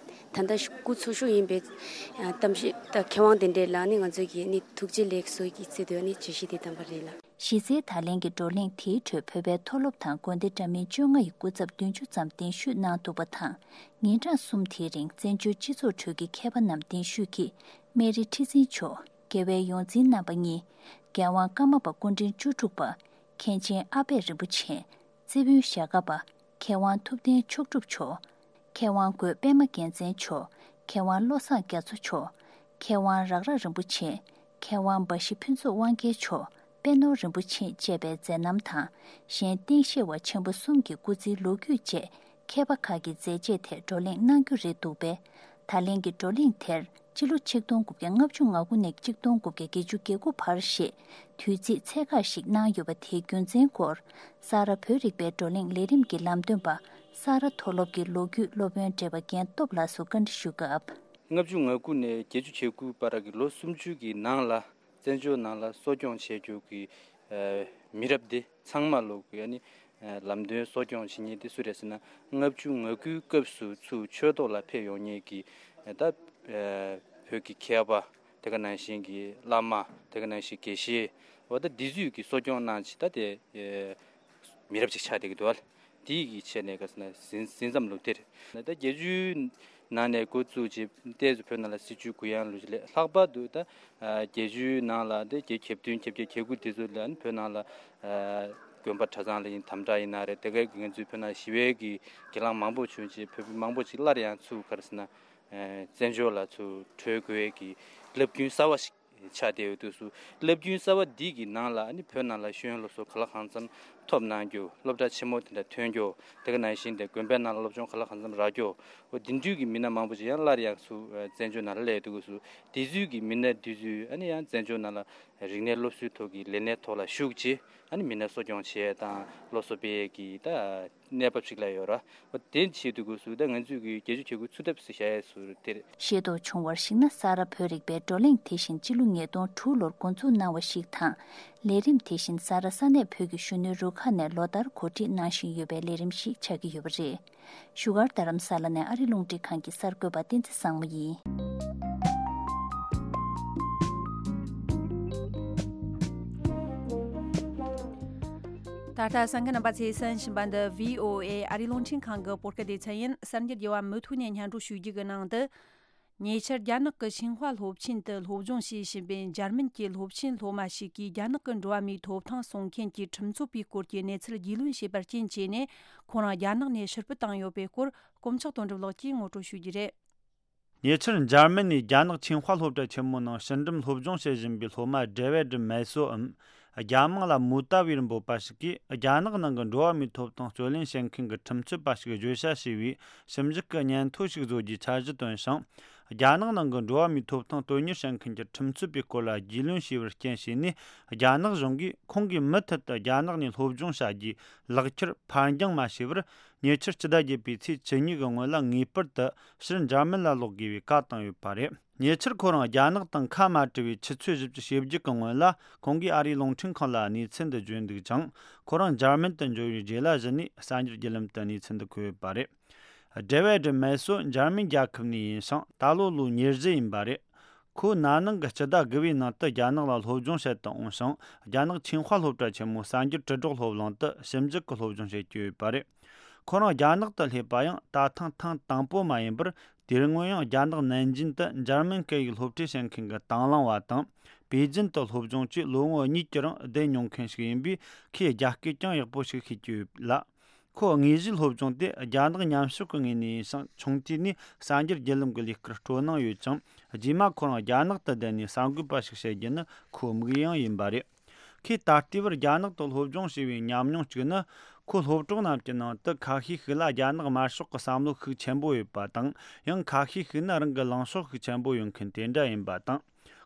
ད་ལྟ་སྐུ་འཚོ་བཞུགས་ཡིན་པའི་ཨ་གཏམ་བཤད་ད་མཁས་དབང་དེ་འདྲས་ལ་ཨ་ནི་ང་ཚོས་ཀྱི་ཨ་ནི་ཐུགས་རྗེ་ལེགས་གསོལ་གྱི་ཚུལ་དུ་ཨ་ནི་བརྗོད་གཞི་དེ་བདམས་པ་རེད་ལ། གཞི་རྩའི་ད་ལན་གྱི་བགྲོ་གླེང་དེའི་ཁྲོད་བོད་པའི་མཐོ་སློབ་དང་དགོན་སྡེ་འདྲ་མིན་བཅོ་ལྔ་ཡི་སྐུ་ཚབ་བདུན་ཅུ་ཙམ་གདན་ཞུས་གནང་འདུག་པ་དང་། ཉིན་གྲངས་གསུམ་དེའི་རིང་བཙན་བྱོལ་སྤྱི་ཚོགས་ཁྲོད་ཀྱི་མཁས་པ་རྣམས་གདན་ཞུས་ཀྱིས། སྨན་རི་ཁྲི་འཛིན་མཆོག་དགེ་བའི་ཡོངས་འཛིན་རྣམ་པ་གཉིས། རྒྱལ་དབང་ཀརྨ་པ་སྐུ་ཕྲེང་བཅུ་དྲུག་པ། མཁན་ཆེན་ཨ་པད་རིན་པོ་ཆེ། རྩེ་དཔོན་ཞྭ་སྒབ་པ། མཁས་དབང་ཐུབ་བསྟན་མཆོག་གྲུབ་མཆོག་མཁས་དབང་རྒོད་པད་མ་རྒྱལ་མཚན་མཆོག་མཁས་དབང་བློ་བཟང་རྒྱ་མཚོ་མཆོག་མཁས་དབང་རག་རག་རིན་པོ་ཆེ། མཁས་དབང་འབའ་ཞིག་ཕུན་ཚོགས་དབང་རྒྱལ་མཆོག་པད་ནོར་རིན་པོ་ཆེ་བཅས་པའི་མཛད་རྣམ་དང་། གཞན་སྟེང་ཤེས་པ་ཆེན་པོ་གསུམ་གྱི་སྐུ་ཚེའི་ལོ་རྒྱུས་བཅས་མཁས་པ་ཁག་གི་མཛད་རྗེས་ཐད་བགྲོ་གླེང་གནང་རྒྱུ་རེད་འདུག་པས། ད་ལན་གྱི་བགྲོ་གླེང་དེར་སྤྱི་ལོ་ཆིག་སྟོང་དགུ་བརྒྱ་ལྔ་བཅུ་ང་དགུ་ནས་ཆིག་སྟོང་དགུ་བརྒྱ་བརྒྱད་ཅུ་གྱ་དགུ་བར་ཞེས་དུས་ཚིགས་ཚད་བཀག་ཞིག་གནང་ཡོད་པ་དེའི་རྒྱུ་མཚན་སྐོར། ས་རཱ་བོད་རིག་པའི་བགྲོ་གླེང་ལས་རིམ་གྱི་ལམ་སྟོན་པ་ས་རཱ་མཐོ་སློབ་ཀྱི་ལོ་རྒྱུས་སློབ་དཔོན་བགྲེས་པ་རྒན་སྟོབས་ལགས་སུ་བཀའ་འདྲི་ཞུ་སྐབས། ལྔ་བཅུ་ང་དགུ་ནས་བརྒྱད་ཅུ་གྱ་དགུ་བར་གྱི་ལོ་སུམ་ཅུ་གི་ནང་ལ་བཙན་བྱོལ་ནང་ལ་གསོ་སྐྱོང་བྱེད་རྒྱུ་གི་ཨ་མི་རབས་འདི་ཚང་མ་ལོ་གི་ཨ་ནི་ཨ་ལམ་སྟོན་གསོ་སྐྱོང་བྱེད་མཁན་དེ་སུ་རེད་ཟེར་ན། ལྔ་བཅུ་ང་དགུའི་སྐབས་སུ་ཚུར་ཆོས་ཐོག་ལ་ཕེབས་ཡོང་མཁན་གྱི་ཨ་ད་ཨ་བོད་ཀྱི་མཁས་པ། དེ་ག་ནང་བཞིན་གྱི་བླ་མ། དེ་ག་ནང་བཞིན་དགེ་བཤེས། འོ་ད་འདི་ཚོས་ཀྱི་གསོ་སྐྱོང་གནང་བྱས་ད་དེ་ཨེ་མི་རབས་ཅིག་ཆགས་བསྡད་ཀྱི་འདུག་བ། དེའི་གི་ཆེད་ནས་ག་ཟེར་ན་ཟིན་ཟིན་མཚམས་ལུགས་དེར། ད་བརྒྱད་ཅུའི་ནང་ནས་འགོ་བཙུགས་བྱས་ཏོག་ཙམ་བོད་ནང་ལ་སྲིད་བྱུས་གུ་ཡངས་ལུགས་ལས་ལྷག་པར་དུ་ད་ཨ་བརྒྱད་ཅུའི་ནང་ལ་དེ་བརྒྱད་གྱ་བདུན་གྱ་བརྒྱད་གྱ་དགུ་དེ་ཚོ་ལ་ནི་བོད་ནང་ལ་ཨ་དགོན་པ་གྲྭ་ཚང་ལ་ཡིན་དམ་དྲག་ཡིན་ན་རེད། དེ་གའི་ང་ཚོའི་བོད་ནང་ཞི་བའི་གི་གྱེན་ལངས་མང་པོ་བྱུང་བྱས་བོད་མི་མང་པོ་ཅིག་སླར་ཡང་ཚུར་ག་རེ་ཟེར་ན། ཨ་བཙན་བྱོལ་ལ་ཚུར་བྲོས་དགོས་ཀྱི་རླབས་རྒྱུན་གསར་བ་ཞིག་ཆགས་བསྡད་ཡོད་དུས་སུ། རླབས་རྒྱུན་གསར་བ་འདི་གི་ནང་ལ་ཨ་ནི་བོད་ནང་ལ་ཤེས་ཡོན་སློབ་གསོ་ག་ལ་གང་འཚམ་ཐོབ་གནང་རྒྱུ། སློབ་གྲྭ་ཆེན་མོ་དེ་འདྲ་ཐོན་རྒྱུ། དེ་ག་ནང་བཞིན་དེ་དགོན་པའི་ནང་ལ་སློབ་སྦྱོང་ག་ལ་གང་འཚམ་རག་རྒྱུ། འོ་དེ་འདྲའི་གི་མི་སྣ་མང་པོ་ཅིག་ཡང་སླར་ཡང་ཚུར་ཨ་བཙན་བྱོལ་ནང་ལ་སླེབས་ཡོད་དུས་སུ། དེ་ཚོའི་གི་མི་སྣ་དེ་ཚོས་ཨ་ནི་ཡང་བཙན་བྱོལ་ནང་ལ་རིག་གནས་སློབ་གསོའི་ཐོག་གི་ལས་གནས་ཐོག་ལ་ཞུགས་བྱས། ཨ་ནི་མི་སྣ་གསོ་སྐྱོང་བྱེད་ཡས་དང་སློབ་གསོ་སྤེལ་ཡས་ཀྱི་ད་གནས་བབ་ཞིག་ལ་ཡོད་ར། འོ་དེ་བྱེད་དུས་སྐབས་སུ་ད་ང་ཚོས་ཀྱི་བརྒྱད་ཅུ་གྱ་དགུ་ཚུད་ཐབས་སུ་བྱ་ཡས་སུ་དེར། ཤེས་རྟོགས་བྱུང་བར་གཞིགས་ན། ས་རཱ་བོད་རིག་པའི་བགྲོ་གླེང་དེ་བཞིན་སྤྱི་ལོ་ཉིས་སྟོང་དྲུག་ལོར་འགོ་འཛུགས་གནང་བ་ཞིག་དང་། ལས་རིམ་དེ་བཞིན་ས་རཱ་ས་གནས་བོད་ཀྱི་གཞོན་ནུའི་རུ་ཁག་ནས་ལོ་ལྟར་གོ་སྒྲིག་གནང་བཞིན་ཡོད་པའི་ལས་རིམ་ཞིག་ཆགས་ཀྱི་ཡོད་པ་རེད། བཞུགས་སྒར་རྡ་རམ་ས་ལ་ནས་ཨ་རི་རླུང་འཕྲིན་ཁང་གི་གསར་འགོད་པ་བསྟན་འཛིན་བཟང་མོ་ཡིན། ད་ལྟ་གསན་མཁན་རྣམ་པ་ཚོས་གསན་བཞིན་པ་འདི་བྷི་ཨོ་ཨེ་ཨ་རི་རླུང་འཕྲིན་ཁང་གི་བོད་སྐད་སྡེ་ཚན་ཡིན། གསར་འགྱུར་རྒྱས་པ་མུ་མཐུད་ནས་སྙན་སྒྲོན་ཞུ་རྒྱུ་གི་ནང་དུ། ཉེ་ཆར་རྒྱ་ནག་གི་ཆིང་ཧྭ་སློབ་ཆེན་དུ་སློབ་སྦྱོང་བྱེད་བཞིན་པའི་འཇར་མན་གྱི་སློབ་ཆེན་སློབ་མ་ཞིག་གིས་རྒྱ་ནག་གི་འགྲོ་བ་མིའི་ཐོབ་ཐང་སྲུང་མཁན་གྱི་ཁྲིམས་རྩོད་པའི་སྐོར་གྱི་གནས་ཚུལ་རྒྱུས་ལོན་བྱས་པར་རྐྱེན་བྱས་ནས། ཁོ་རང་རྒྱ་ནག་ནས་ཕྱིར་འབུད་བཏང་ཡོད་པའི་སྐོར། དཀོན་མཆོག་དོན་གྲུབ་ལགས་ཀྱིས་ངོ་སྤྲོད་ཞུ་རྒྱུ་རེད། ཉེ་ཆར་འཇར་མན་ནས་རྒྱ་ནག་ཆིང་ཧྭ་སློབ་གྲྭ་ཆེན་མོ་ནང་ཕྱི་འགྲིམ་སློབ་སྦྱོང་བྱེད་བཞིན་པའི་སློབ་མ་ཌེ་ཝེད་མེ་སོའམ། རྒྱ་མིང་ལ་མུ་ཏཱ་བིར་འབོད་པ་ཞིག་གིས། རྒྱ་ནག་ནང་གི་འགྲོ་བ་མིའི་ཐོབ་ཐང་རྩོད་ལེན་བྱེད་མཁན་གྱི་ཁྲིམས་རྩོད་པ་ཞིག་བརྗོད་བྱ་ཞེས་པའི་ཞིབ་འཇུག་གི་སྙན་ཐོ་ཞིག་བཟོ་རྒྱུའི་འཆར་གཞི་བཏོན་ཞིང་། རྒྱ་ནག་ནང་གི་འགྲོ་བ་མིའི་ཐོབ་ཐང་དོན་གཉེར་བྱེད་མཁན་གྱི་ཁྲིམས་རྩོད་པའི་སྐོར་ལ་རྒྱུས་ལོན་བྱས་པར་རྐྱེན་བྱས་ནས། རྒྱ་ནག་གཞུང་གིས་ཁོང་གིས་མུ་མཐུད་དུ་རྒྱ་ནག་ནས་སློབ་སྦྱོང་བྱ་རྒྱུའི་ལག་ཁྱེར་ཕར་འགྱངས་མ་བྱས་པར། ཉེ་ཆར་སྤྱི་ཟླ་བརྒྱད་པའི་ཚེས་བཅུ་གཉིས་ཀྱི་སྔོན་ལ་ངེས་པར་དུ་ཕྱིར་འཇར་མན་ལ་ལོག་དགོས་པའི་བཀའ་བཏང་ཡོད་པ་རེད། ཉེ་ཆར་ཁོ་རང་རྒྱ་ནག་དང་ཁ་མ་བྲལ་བའི་ཆུ་ཚོད་བཞི་བཅུ་ཞེ་བརྒྱད་ཀྱི་སྔོན་ལ། ཁོང་གིས་ཨ་རིའི་རླུང་འཕྲིན་ཁང་ལ་གནས་ཚུལ་འདི་བརྗོད་འདུག་ཅིང་། ཁོ་རང་འཇར་མན་དུ་འབྱོར་བའི་རྗེས་ལ་གཞི་ནས་གསར་འགྱུར་བརྒྱུད་ལམ་དུ་གནས་ཚུལ་འདི་འཁོད་ཡོད་པ་རེད། ཌེ་ཝེད་མེ་སོ་འཇར་མན་རྒྱལ་ཁབ་ནས་ཡིན་ཞིང་། ད་ལོ་ལོ་ཉེར་བཞི་ཡིན་པ་རེད། ཁོ་ན་ནིང་གི་སྤྱི་ཟླ་དགུ་པའི་ནང་དུ་རྒྱ་ནག་ལ་སློབ་སྦྱོང་བྱེད་དུ་འོངས་ཤིང་། རྒྱ་ནག་ཆིང་ཧྭ་སློབ་གྲྭ་ཆེན་མོའི་གསར་འགྱུར་དྲིལ་སྒྲོག་སློབ་གླིང་དུ་ཞིབ་འཇུག་གི་སློབ་སྦྱོང་བྱེད་ཀྱི་ཡོད་པ་རེད། ཁོ་རང་རྒྱ་ནག་ཏུ་སླེབས་པ་ཡང་ད་ཐེངས་ཐེངས་དང་པོ་མ་ཡིན་པར། དེ་སྔོན་ཡང་རྒྱ་ནག་ནན་ཅིན་དུ་འཇར་མན་སྐད་ཡིག་སློབ་ཁྲིད་བྱེད་མཁན་གྱི་དང་བླངས་པ་དང་། པེ་ཅིན་དུ་སློབ་སྦྱོང་བཅས་ལོ་ངོ་གཉིས་ཀྱི་རིང་བསྡད་མྱོང་མཁན་ཞིག་ཡིན་པས། ཁོས་རྒྱ་སྐད་ཀྱང་ཡག་པོ་ཞིག་ཤེས་ཀྱི་ཡོད་ལ། ཁོ་དངོས་གཞིའི་སློབ་སྦྱོང་དེ་རྒྱ་ནག་ཉམས་ཞིབ་ཀྱི་ངོས་ནས་ཡིན་ཞིང་། ཆུང་དུས་ནས་གསར་འགྱུར་བརྒྱུད་ལམ་གྱི་ལས་ཀར་སྤྲོ་སྣང་ཡོད་ཅིང་། རྗེས་མ་ཁོ་རང་རྒྱ་ནག་ཏུ་བསྡད་ནས་གསར་འགོད་པ་ཞིག་བྱེད་རྒྱུ་ནི་ཁོའི་དམིགས་ཡུལ་ཡང་ཡིན་པ་རེད། ཁོས་ད་ལྟའི་བར་རྒྱ་ནག་ཏུ་སློབ་སྦྱོང་བྱས་པའི་ཉམས་མྱོང་གཅིག་ནི། ཁོའི་སློབ་གྲོགས་རྣམས་ཀྱི་ནང་དུ་ཁ་ཤས་ཤིག་ལ་རྒྱ་ནག་དམར་ཤོག་གི་བསམ་བློ་ཤུགས་ཆེན་པོ་ཡོད་པ་དང་། ཡང་ཁ་ཤས་ཤིག་ནི་རང་གི་ལངས་ཕྱོགས་ཤུགས་ཆེན་པོ་ཡོད་མཁན་དེ་འདྲ་ཡིན་པ་དང་།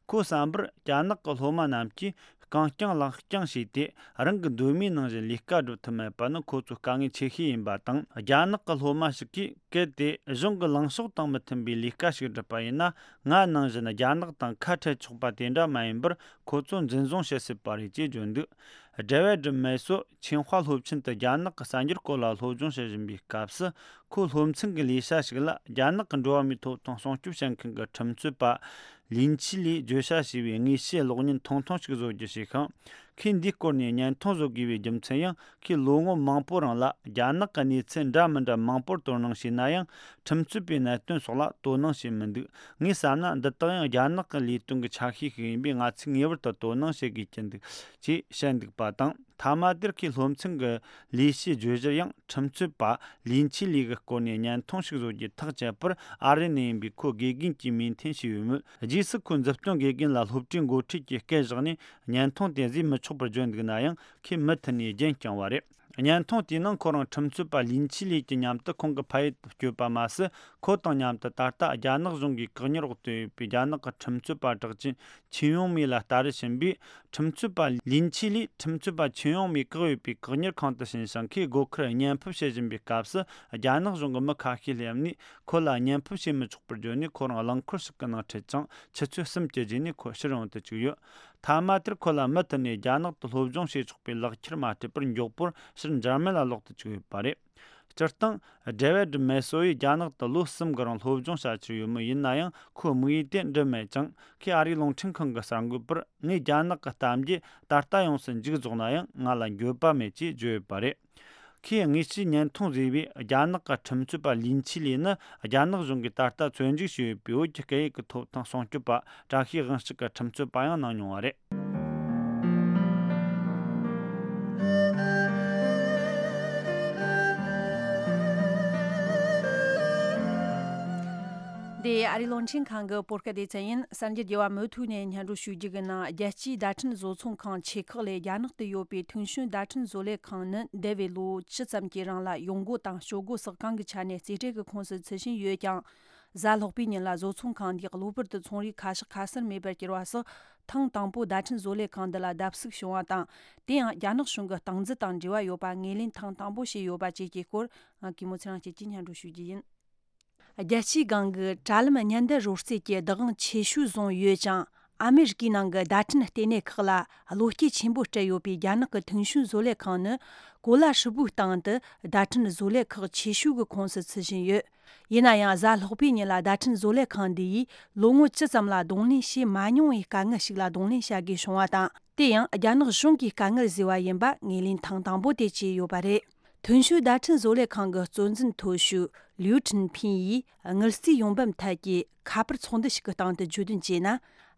ཁོའི་བསམ་པར། རྒྱ་ནག་གི་སློབ་མ་རྣམས་ཀྱིས་རྐང་རྐྱང་ལག་རྐྱང་བྱས་ཏེ། རང་གི་འདོད་མོས་ནང་བཞིན་ལས་ཀ་སྒྲུབ་ཐུབ་མེད་པ་ནི་ཁོ་ཚོའི་དཀའ་ངལ་ཆེ་ཤོས་ཡིན་པ་དང་། རྒྱ་ནག་གི་སློབ་མ་ཞིག་གིས། གལ་ཏེ་གཞུང་གི་ལངས་ཕྱོགས་དང་མི་མཐུན་པའི་ལས་ཀ་ཞིག་བསྒྲུབས་པ་ཡིན་ན། ང་ནང་བཞིན་རྒྱ་ནག་དང་ཁ་བྲལ་ཆོག་པ་དེ་འདྲ་མ་ཡིན་པར། ཁོ་ཚོ་འཛིན་བཟུང་བྱེད་སྲིད་པ་རེད་ཅེས་བརྗོད་འདུག་ཌེ་ཝེད་མེ་སོ་ཆིང་ཧྭ་སློབ་ཆེན་དུ་རྒྱ་ནག་གི་གསར་འགྱུར་སྐོར་ལ་སློབ་སྦྱོང་བྱེད་བཞིན་པའི་སྐབས་སུ། ཁོའི་སློབ་ཚན་གྱི་ལས་བྱ་ཞིག་ལ་རྒྱ་ནག་གི་འགྲོ་བ་མིའི་ཐོབ་ཐང་སྲུང་སྐྱོབ་བྱེད་མཁན་གྱི་ཁྲིམས་རྩོད་པ་ ལིན་ཆི་ལིས་བརྗོད་བྱ་ཞེས་པའི་དངོས་བཤེར་གློག་བརྙན་ཐུང་ཐུང་ཞིག་བཟོ་རྒྱུ་བྱས་ཤིང་། ཁོས་འདིའི་སྐོར་ནས་བརྙན་ཐུང་བཟོ་དགོས་པའི་རྒྱུ་མཚན་ཡང་ཁོས་ལོ་ངོ་མང་པོའི་རིང་ལ་རྒྱ་ནག་གི་གནས་ཚུལ་འདྲ་མི་འདྲ་མང་པོར་དོ་སྣང་བྱས་ན་ཡང་ཁྲིམས་རྩོད་པའི་གནད་དོན་སོགས་ལ་དོ་སྣང་བྱས་མི་འདུག་ངས་བསམ་ན་འདི་དག་ཡང་རྒྱ་ནག་གི་ལས་དོན་གྱི་ཆ་ཤས་ཤིག་ཡིན་པས་ང་ཚོས་ངེས་པར་དུ་དོ་སྣང་བྱེད་དགོས་ཀྱི་འདུག་ཅེས་བཤད་འདུག་པ་དང་། མཐའ་མ་དེར་ཁོས་སློབ་ཚན་གྱི་ལས་བྱེད་བརྗོད་གཞིར་ཡང་ཁྲིམས་རྩོད་པ་ལིན་ཆི་ལི་གི་སྐོར་ནས་བརྙན་ཐུང་ཞིག་བཟོ་རྒྱུ་ཐག་བཅད་པར་ཨ་རི་ནས་ཡིན་པའི་ཁོའི་དགེ་རྒན་གྱིས་མོས་མཐུན་བྱས་ཡོད་མོད། རྗེས་སུ་ཁོས་མཛུབ་སྟོན་དགེ་རྒན་ལ་སློབ་གྲྭའི་འགོ་ཁྲིད་ཀྱིས་སྐད་བཞག་ནས་བརྙན་ཐུང་དེ་བཟོས་མི་ཆོག་པར་བརྗོད་འདུག་ན་ཡང་ཁོས་མུ་མཐུད་ནས་རྒྱུན་བསྐྱངས་པ་རེད། བརྙན་ཐུང་དེའི་ནང་ཁོ་རང་ཁྲིམས་རྩོད་པ་ལིན་ཆི་ལི་གྱི་མཉམ་དུ་ཁོང་གི་ཕ་ཡུལ་དུ་བསྐྱོད་པ་མ་ཟད། ཁོ་དང་མཉམ་དུ་ད་ལྟ་རྒྱ་ནག་གཞུང་གིས་བཀག་ཉར་འོག་ཏུ་ཡོད་པའི་རྒྱ་ནག་གི་ཁྲིམས་རྩོད་པ་གྲགས་ཅན་ཆིན་ཡུང་མེ་ལ་ལྟ་རུ་ཕྱིན་པས། ཁྲིམས་རྩོད་པ་ལིན་ཆི་ལིས་ཁྲིམས་རྩོད་པ་ཆིན་ཡུང་མེ་བཀག་ཡོད་པའི་བཀག་ཉར་ཁང་དུ་ཕྱིན་ཞིང་། ཁོས་སྒོ་ཁར་བརྙན་ཕབ་བྱེད་བཞིན་པའི་སྐབས་སུ་རྒྱ་ནག་གཞུང་གི་མི་ཁ་ཤས་སླེབས་ནས་ཁོ་ལ་བརྙན་ཕབ་བྱེད་མི་ཆོག་པར་བརྗོད་ནས་ཁོ་རང་རླངས་འཁོར་ཞིག་གི་ནང་ཁྲིད་ཅིང་ཆུ་ཚོད་གསུམ་གྱི་རྗེས་ནས་ཁོ་ཕྱིར་ཡོང་དུ་བཅུག་ཡོད། མཐའ་མ་དེར་ཁོ་ལ་མུ་མཐུད་ནས་རྒྱ་ནག་ཏུ་སློབ་སྦྱོང་བྱེད་ཆོག་པའི་ལག་ཁྱེར་མ་སྤྲད་པར་མགྱོགས་པོར་ཕྱིར་འཇར་མན་ལ་ལོག་ཏུ་བཅུག་ཡོད་པ་རེད། སྤྱིར་བཏང་། ཌེ་ཝིད་མེ་སོ་ཡིས་རྒྱ་ནག་ཏུ་ལོ་གསུམ་གི་རིང་སློབ་སྦྱོང་བྱ་རྒྱུ་ཡོད་མོད། ཡིན་ན་ཡང་ཁོའི་དམིགས་ཡུལ་དེ་འགྲུབ་མེད་ཅིང་། ཁོས་ཨ་རིའི་རླུང་འཕྲིན་ཁང་གི་གསར་འགོད་པར། ངས་རྒྱ་ནག་གི་གཏམ་རྒྱུད་ད་ལྟ་ཡོངས་སུ་མཇུག་རྫོགས་ན་ཡང་ང་ལ་འགྱོད་པ་མེད་ཅེས་བརྗོད་ཡོད་པ་རེད། ཁོས་དངོས་སུ་བརྙན་ཐུང་བཟོས་པའི་རྒྱ་ནག་གི་ཁྲིམས་རྩོད་པ་ལིན་ཆི་ལི་ནི། རྒྱ་ནག་གཞུང་གིས་ད་ལྟ་བཙོན་འཇུག་བྱས་ཡོད་པའི་བོད་ཀྱི་སྐད་ཡིག་གི་ཐོབ་ཐང་སྲུང་སྐྱོབ་པ། བཀྲ་ཤིས་དབང་ཕྱུག་གི་ཁྲིམས་རྩོད་པ་ཡང་གནང་མྱོང་བ་རེད། འདི་ཨ་རིའི་རླུང་འཕྲིན་ཁང་གི་བོད་སྐད་སྡེ་ཚན་ཡིན། གསར་འགྱུར་རྒྱས་པ་མུ་མཐུད་ནས་སྙན་སྒྲོན་ཞུ་རྒྱུ་གི་ནང་། རྒྱལ་སྤྱིའི་བརྡ་འཕྲིན་བཟོ་ཚོང་ཁང་ཆེ་ཁག་ལས་རྒྱ་ནག་ཏུ་ཡོད་པའི་ཐུན་ཞུན་བརྡ་འཕྲིན་བཟོ་ལས་ཁང་ནི་འདས་པའི་ལོ་བཅུ་ཙམ་གྱི་རིང་ལ་ཡོང་སྒོ་དང་སྤྱོད་སྒོ་སོགས་གང་གི་ཆ་ནས་རྩིས་སྤྲོད་ཀྱི་ཁོངས་སུ་ཚུད་བཞིན་ཡོད་ཀྱང་། གཟའ་ལྷག་པའི་ཉིན་ལ་བཟོ་ཚོང་ཁང་འདིས་གློ་བུར་དུ་ཚོང་རའི་ཁ་ཕྱོགས་ཁ་གསལ་མེད་པར་གྱུར་བ་སོགས། ཐེངས་དང་པོ་བརྡ་འཕྲིན་བཟོ་ལས་ཁང་འདི་ལ་བརྡབ་གསིག་བྱུང་བ་དང་། དེ་ཡང་རྒྱ་ནག་གཞུང་གི་སྟངས་འཛིན་དང་འབྲེལ་བ་ཡོད་པ་ངོས་ལེན་ཐེངས་དང་པོ་བྱས་ཡོད་པ་བཅས་ཀྱི་སྐོར། ང་གིས་མོ་ཚེ་རིང་སྐྱིད་ཀྱིས་སྙན་སྒྲོན་ཞུ་རྒྱུ་ཡིན། རྒྱལ་སྤྱིའི་སྒང་གི་དྲ་ལམ་སྙན་དར་རོལ་རྩེད་ཀྱི་བདག་དབང་ཆེ་ཤོས་བཟུང་ཡོད་ཅིང་། ཨ་མེ་རི་ཀའི་ནང་གི་བརྡ་འཕྲིན་ལྟེ་གནས་ཁག་ལ་བློ་སྐྱེད་ཆེན་པོ་སྤྲད་ཡོད་པའི་རྒྱ་ནག་གི་ཐུན་ཞུན་བཟོ་ལས་ཁང་ནི། གོ་ལ་ཧྲིལ་པོའི་སྟེང་དུ་བརྡ་འཕྲིན་བཟོ་ལས་ཁག་ཆེ་ཤོས་ཀྱི་ཁོངས་སུ་ཚུད་བཞིན་ཡོད། ཡིན་ན་ཡང་། གཟའ་ལྷག་པའི་ཉིན་ལ་བརྡ་འཕྲིན་བཟོ་ལས་ཁང་འདི་ཡིས་ལོ་ངོ་བཅུ་ཙམ་ལ་གདོང་ལེན་བྱས་མ་མྱོང་བའི་དཀའ་ངལ་ཞིག་ལ་གདོང་ལེན་བྱ་དགོས་བྱུང་བ་དང་། དེ་ཡང་རྒྱ་ནག་གཞུང་གིས་དཀའ་ངལ་བཟོས་པ་ཡིན་པ་ངོས་ལེན་ཐེངས་དང་པོ་དེ་བྱས་ཡོད་པ་རེད། ཐུན་ཞུན་བརྡ་འཕྲིན་བཟོ་ལས་ཁང་གི་གཙོ་འཛིན་མཐོ་ཤོས་ལིའུ་ཁྲིན་ཕིན་ཡིས་དངུལ་རྩིས་ཡོང་འབབ་ཐད་ཀྱི་ཁ་པར་ཚོགས་འདུ་ཞིག་གི་སྟེང་དུ་བརྗོད་དོན་བྱས་ན།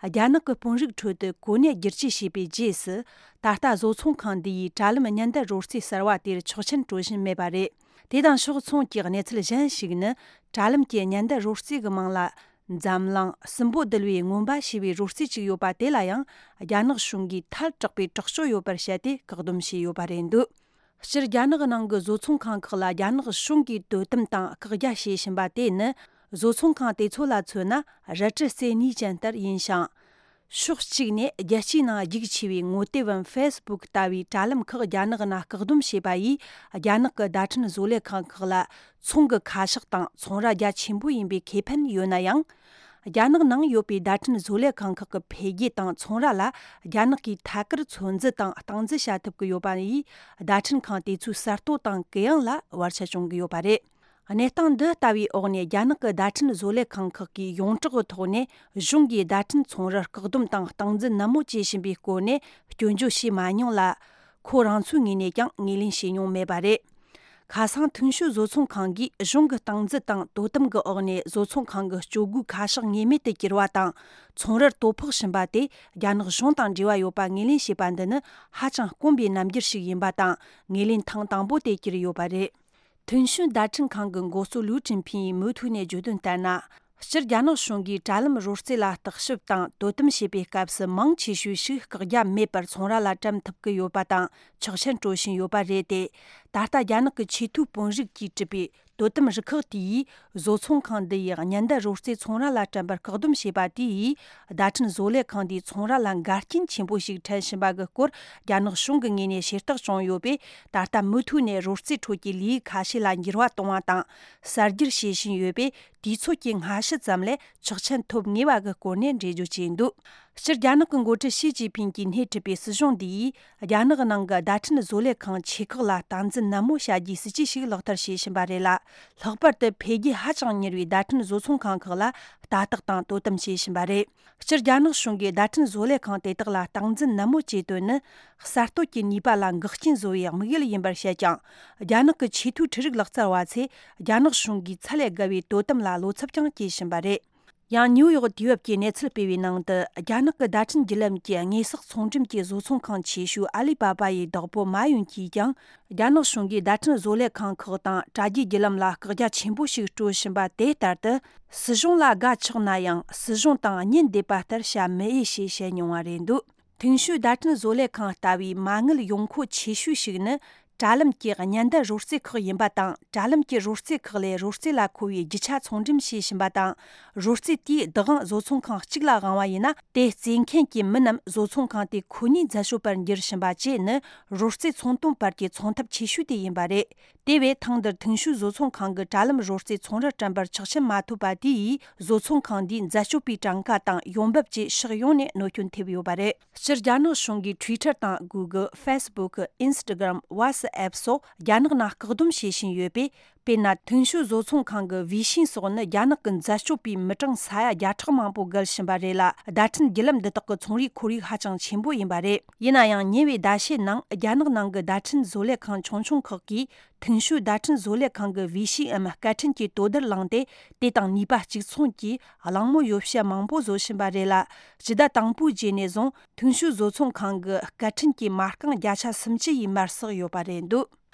རྒྱ་ནག་གི་དཔོན་རིགས་ཁྲོད་དུ་གོ་གནས་བསྒྱུར་བཅོས་བྱས་པའི་རྗེས་སུ། ད་ལྟ་བཟོ་ཚོང་ཁང་འདི་ཡིས་དྲ་ལམ་སྙན་དར་རོལ་རྩེད་གསར་བ་དེར་ཆོག་མཆན་སྤྲོད་བཞིན་མེད་པ་རེད། དེ་དང་ཕྱོགས་མཚུངས་ཀྱི་གནས་ཚུལ་གཞན་ཞིག་ནི། དྲ་ལམ་གྱི་སྙན་དར་རོལ་རྩེད་ཀྱི་མིང་ལ། འཛམ་གླིང་སྲིན་པོ་བསྡུ་བའི་རྔོན་པ་ཞེས་པའི་རོལ་རྩེད་ཅིག་ཡོད་པ་དེ་ལ་ཡང་། རྒྱ་ནག་གཞུང་གིས་ཐལ་དྲགས་པའི་དྲག་སྤྱོད་ཡོད་པར་བཤད་དེ་བཀག་སྡོམ་བྱས་ཡོད་པ་རེད་འདུག་སྤྱིར་རྒྱ་ནག་ནང་གི་བཟོ་ཚོང་ཁང་ཁག་ལ་རྒྱ་ནག་གཞུང་གིས་དོ་དམ་དང་བཀག་རྒྱ་བྱེད་བཞིན་པ་དེ་ནི། བཟོ་ཚོང་ཁང་དེ་ཚོ་ལ་མཚོན་ན་རལ་གྲི་རྩེ་གཉིས་ཅན་ལྟར་ཡིན་ཞིང་། ཕྱོགས་གཅིག་ནས་རྒྱལ་སྤྱིའི་ནང་རྒྱུགས་ཆེ་བའི་ངོ་དེབ་བམ་ཧྥེ་སི་བུག་ལྟ་བུའི་དྲ་ལམ་ཁག་རྒྱ་ནག་ནང་བཀག་སྡོམ་བྱས་པ་ཡིས། རྒྱ་ནག་གི་བརྡ་འཕྲིན་བཟོ་ལས་ཁང་ཁག་ལ་ཚོང་གི་ཁ་ཕྱོགས་དང་ཚོང་ར་རྒྱ་ཆེན་པོ་ཡིན་པའི་ཁེ་ཕན་ཡོད་ན་ཡང་། རྒྱ་ནག་ནང་ཡོད་པའི་བརྡ་འཕྲིན་བཟོ་ལས་ཁང་ཁག་གི་འཕེལ་རྒྱས་དང་ཚོང་ར་ལ་རྒྱ་ནག་གིས་ཐད་ཀར་ཚོད་འཛིན་དང་སྟངས་འཛིན་བྱ་ཐུབ་ཀྱི་ཡོད་པ་ཡིས། བརྡ་འཕྲིན་ཁང་དེ་ཚོའི་གསར་གཏོད་དང་གུ་ཡངས་ལ་བར་ཆད་བྱུང་གི་ཡོད་པ་རེད། གནས་སྟངས་འདི་ལྟ་བུའི་འོག་ནས། རྒྱ་ནག་གི་བརྡ་འཕྲིན་བཟོ་ལས་ཁང་ཁག་གིས་ཡོངས་གྲགས་ཀྱི་ཐོག་ནས་གཞུང་གིས་བརྡ་འཕྲིན་ཚོང་རར་བཀག་སྡོམ་དང་སྟངས་འཛིན་ནན་མོ་བྱེད་བཞིན་པའི་སྐོར་ནས་སྐྱོན་བརྗོད་བྱས་མ་མྱོང་ལ། ཁོ་རང་ཚོའི་ངོས་ནས་ཀྱང་ངོས་ལེན་བྱས་མྱོང་མེད་པ་རེད། ཁ་སང་ཐུན་ཞུན་བཟོ་ཚོང་ཁང་གིས་གཞུང་གི་སྟངས་འཛིན་དང་དོ་དམ་གྱི་འོག་ནས་བཟོ་ཚོང་ཁང་གི་སྤྱོད་སྒོའི་ཁ་ཕྱོགས་ངེས་མེད་དུ་གྱུར་བ་དང་། ཚོང་རར་དོ་ཕོག་བཞིན་པ་དེ་རྒྱ་ནག་གཞུང་དང་འབྲེལ་བ་ཡོད་པ་ངོས་ལེན་བྱས་པ་འདི་ནི་ཧ་ཅང་དཀོན་པའི་རྣམ་འགྱུར་ཞིག་ཡིན་པ་དང་། ངོས་ལེན་ཐེངས་དང་པོ་དེ་གྱུར་ཡོད་པ་རེད། ཐུན་ཞུན་བརྡ་འཕྲིན་ཁང་གི་འགོ་གཙོ་ལུའུ་ཀྲིན་ཕིན་ཡིས་མུ་མཐུད་ནས་བརྗོད་དོན་ལྟར་ན། སྤྱིར་རྒྱ་ནག་གཞུང་གིས་དྲ་ལམ་རོལ་རྩེད་ལ་བརྟག་ཞིབ་དང་དོ་དམ་བྱེད་པའི་སྐབས་སུ་མང་ཆེ་ཤོས་ཤིག་བཀག་རྒྱ་མེད་པར་ཚོང་ར་ལ་བཀྲམ་ཐུབ་ཀྱི་ཡོད་པ་དང་ཆོག་མཆན་སྤྲོད་བཞིན་ཡོད་པ་རེད་དེ། ད་ལྟ་རྒྱ་ནག་གི་ཆེས་མཐོའི་དཔོན་རིགས་ཀྱིས་གྲུབ་པའི་དོ་དམ་རུ་ཁག་དེ་ཡིས་བཟོ་ཚོང་ཁང་འདི་ཡི་སྙན་དར་རོལ་རྩེད་ཚོང་ར་ལ་བཀྲམ་པར་བཀག་སྡོམ་བྱས་པ་དེ་ཡིས་བརྡ་འཕྲིན་བཟོ་ལས་ཁང་འདིའི་ཚོང་ར་ལ་འགལ་རྐྱེན་ཆེན་པོ་ཞིག་འཕྲད་བཞིན་པ་གི་སྐོར་རྒྱ་ནག་གཞུང་གི་ངོས་ནས་ཤེས་རྟོགས་བྱུང་ཡོད་པས། ད་ལྟ་མུ་མཐུད་ནས་རོལ་རྩེད་ཁྲོད་ཀྱི་ལས་ཁ་ཤས་ལ་འགྱུར་བ་གཏོང་བ་དང་གསར་བསྒྱུར་བྱེད་བཞིན་ཡོད་པས། དུས་ཚོད་ཀྱི་སྔ་ཕྱི་ཙམ་ལས་ཆོག་མཆན་ཐོབ་ངེས་པ་གི་སྐོར་ནས་འགྲེལ་བརྗོད་བྱས་འདུག་སྤྱིར་རྒྱ་ནག་གི་འགོ་ཁྲིད་ཞི་ཅིན་ཕིང་གིས་སྣེ་ཁྲིད་པའི་སྲིད་གཞུང་འདི་ཡིས་རྒྱ་ནག་ནང་གི་བརྡ་འཕྲིན་བཟོ་ལས་ཁང་ཆེ་ཁག་ལ་སྟངས་འཛིན་ནན་མོ་བྱ་རྒྱུའི་སྲིད་ཇུས་ཤིག་ལག་བསྟར་བྱེད་བཞིན་པ་རེད་ལ། ལྷག་པར་དུ་འཕེལ་རྒྱས་ཧ་ཅང་མྱུར་བའི་བརྡ་འཕྲིན་བཟོ་ཚོང་ཁང་ཁག་ལ་ལྟ་རྟོག་དང་དོ་དམ་བྱེད་བཞིན་པ་རེད། སྤྱིར་རྒྱ་ནག་གཞུང་གིས་བརྡ་འཕྲིན་བཟོ་ལས་ཁང་དེ་དག་ལ་སྟངས་འཛིན་ནན་མོ་བྱེད་དོན་ནི། གསར་གཏོད་ཀྱི་ནུས་པ་ལ་འགག་རྐྱེན་བཟོ་བའི་དམིགས་ཡུལ་ཡིན་པར་བཤད་ཀྱང་། རྒྱ་ནག་གི་ཆེས་མཐོའི་འཕྲུལ་རིག་ལག་རྩལ་བ་ཚོས་རྒྱ་ནག་གཞུང་གིས་ཚད་ལས་བརྒལ་བའི་དོ་དམ་ལ་བློ་འཚབ་ཀྱང་སྐྱེ་བཞིན་པ་རེད། ཡང་ནིའུ་ཡོག་དུས་བབ་ཀྱིས་གནས་ཚུལ་སྤེལ་བའི་ནང་དུ། རྒྱ་ནག་གི་བརྡ་འཕྲིན་བརྒྱུད་ལམ་གྱི་དངོས་ཟོག་ཚོང་འགྲེམས་ཀྱི་བཟོ་ཚོང་ཁང་ཆེ་ཤོས་ཨ་ལི་པ་པ་ཡི་བདག་པོ་མ་ཡུན་གྱིས་ཀྱང་། རྒྱ་ནག་གཞུང་གིས་བརྡ་འཕྲིན་བཟོ་ལས་ཁང་ཁག་དང་དྲ་རྒྱའི་བརྒྱུད་ལམ་ལ་བཀག་རྒྱ་ཆེན་པོ་ཞིག་སྤྲོད་བཞིན་པ་དེ་ལྟར་དུ། སྲིད་གཞུང་ལ་དགའ་ཆོག་ན་ཡང་། སྲིད་གཞུང་དང་གཉེན་བསྡེབས་པ་ལྟར་བྱ་མི་འོས་ཞེས་བཤད་མྱོང་བ་རེད་འདུག་ཐིང་ཤུའི་བརྡ་འཕྲིན་བཟོ་ལས་ཁང་ལྟ་བུའི་མ་དངུལ་ཡོང་ཁུངས་ཆེ་ཤོས་ཤིག་ནི། དྲ་ལམ་གྱི་ཉེན་བརྡ་རོལ་རྩེད་ཁག་ཡིན་པ་དང་། དྲ་ལམ་གྱི་རོལ་རྩེད་ཁག་ལས་རོལ་རྩེད་ལ་མཁོ་བའི་རྒྱུ་ཆ་ཚོང་འགྲེམས་བྱེད་བཞིན་པ་དང་། རོལ་རྩེད་དེའི་བདག་དབང་བཟོ་ཚོང་ཁང་གཅིག་ལ་དབང་བ་ཡིན་ན། དེ་རྩེད་མཁན་གྱི་མི་རྣམས་བཟོ་ཚོང་ཁང་དེ་ཁོ་ནའི་རྫ་ཤོད་པར་འགྱུར་བཞིན་པ་བཅས་ནི། རོལ་རྩེད་ཚོང་དོན་བར་གྱི་ཚོང་ཐབས་ཆེ་ཤོས་དེ་ཡིན་པ་རེད། དེ་བས་ཐེངས་འདིར་ཐིང་ཤུའི་བཟོ་ཚོང་ཁང་གི་དྲ་ལམ་རོལ་རྩེད་ཚོང་རར་བཀྲམ་པར་ཆོག་མཆན་མ་ཐོབ་པ་དེ་ཡིས། བཟོ་ཚོང་ཁང་འདིའི་རྫ་སྐྱོབ་པའི་གྲངས་ཀ་དང་ཡོང་འབབ་བཅས་ཕྱོགས་ཡོངས་ནས་གནོད་སྐྱོན་ཐེབས་ཡོད་པ་རེད། སྤྱིར་རྒྱ་ནག་གཞུང་གིས་Twitter་དང་Google། Facebook། Instagram། WhatsApp་སོགས་རྒྱ་ནག་ནང་བཀག་སྡོམ་བྱེད་བཞིན་ཡོད་པས། དཔེར་ན། ཐིང་ཤུའི་བཟོ་ཚོང་ཁང་གི་Weixin་སོགས་ནི་རྒྱ་ནག་གི་རྫ་སྐྱོབ་པའི་མི་གྲངས་ས་ཡ་བརྒྱ་ཕྲག་མང་པོ་བརྒལ་བཞིན་པ་རེད་ལ། བརྡ་འཕྲིན་བརྒྱུད་ལམ་འདི་དག་གི་ཚོང་རའི་ཁོར་ཡུག་ཧ་ཅང་ཆེན་པོ་ཡིན་པ་རེད། ཡིན་ན་ཡང་། ཉེ་བའི་ཟླ་ཤས་ནང་རྒྱ་ནག་ནང་གི་བརྡ་འཕྲིན་བཟོ་ལས་ཁང་ཆུང་ཆུང་ཁག་གིས། ཐིང་ཤུའི་བརྡ་འཕྲིན་བཟོ་ལས་ཁང་གི་Weixin་འམ་སྐད་འཕྲིན་གྱི་དོ་ཟླར་བླངས་ཏེ། དེ་དང་ནུས་པ་གཅིག་མཚུངས་ཀྱིས་གླེང་མོལ་ཡོ་བྱད་མང་པོ་བཟོ་བཞིན་པ་རེད་ལ། སྤྱི་ཟླ་དང་པོའི་རྗེས་ནས་བཟུང་། ཐིང་ཤུའི་བཟོ་ཚོང་ཁང་གི་སྐད་འཕྲིན་གྱི་མ་རྐང་བརྒྱ་ཆ་སུམ་ཅུ་ཡིས་མར་བསགས་ཡོད་པ་རེད་འདུག་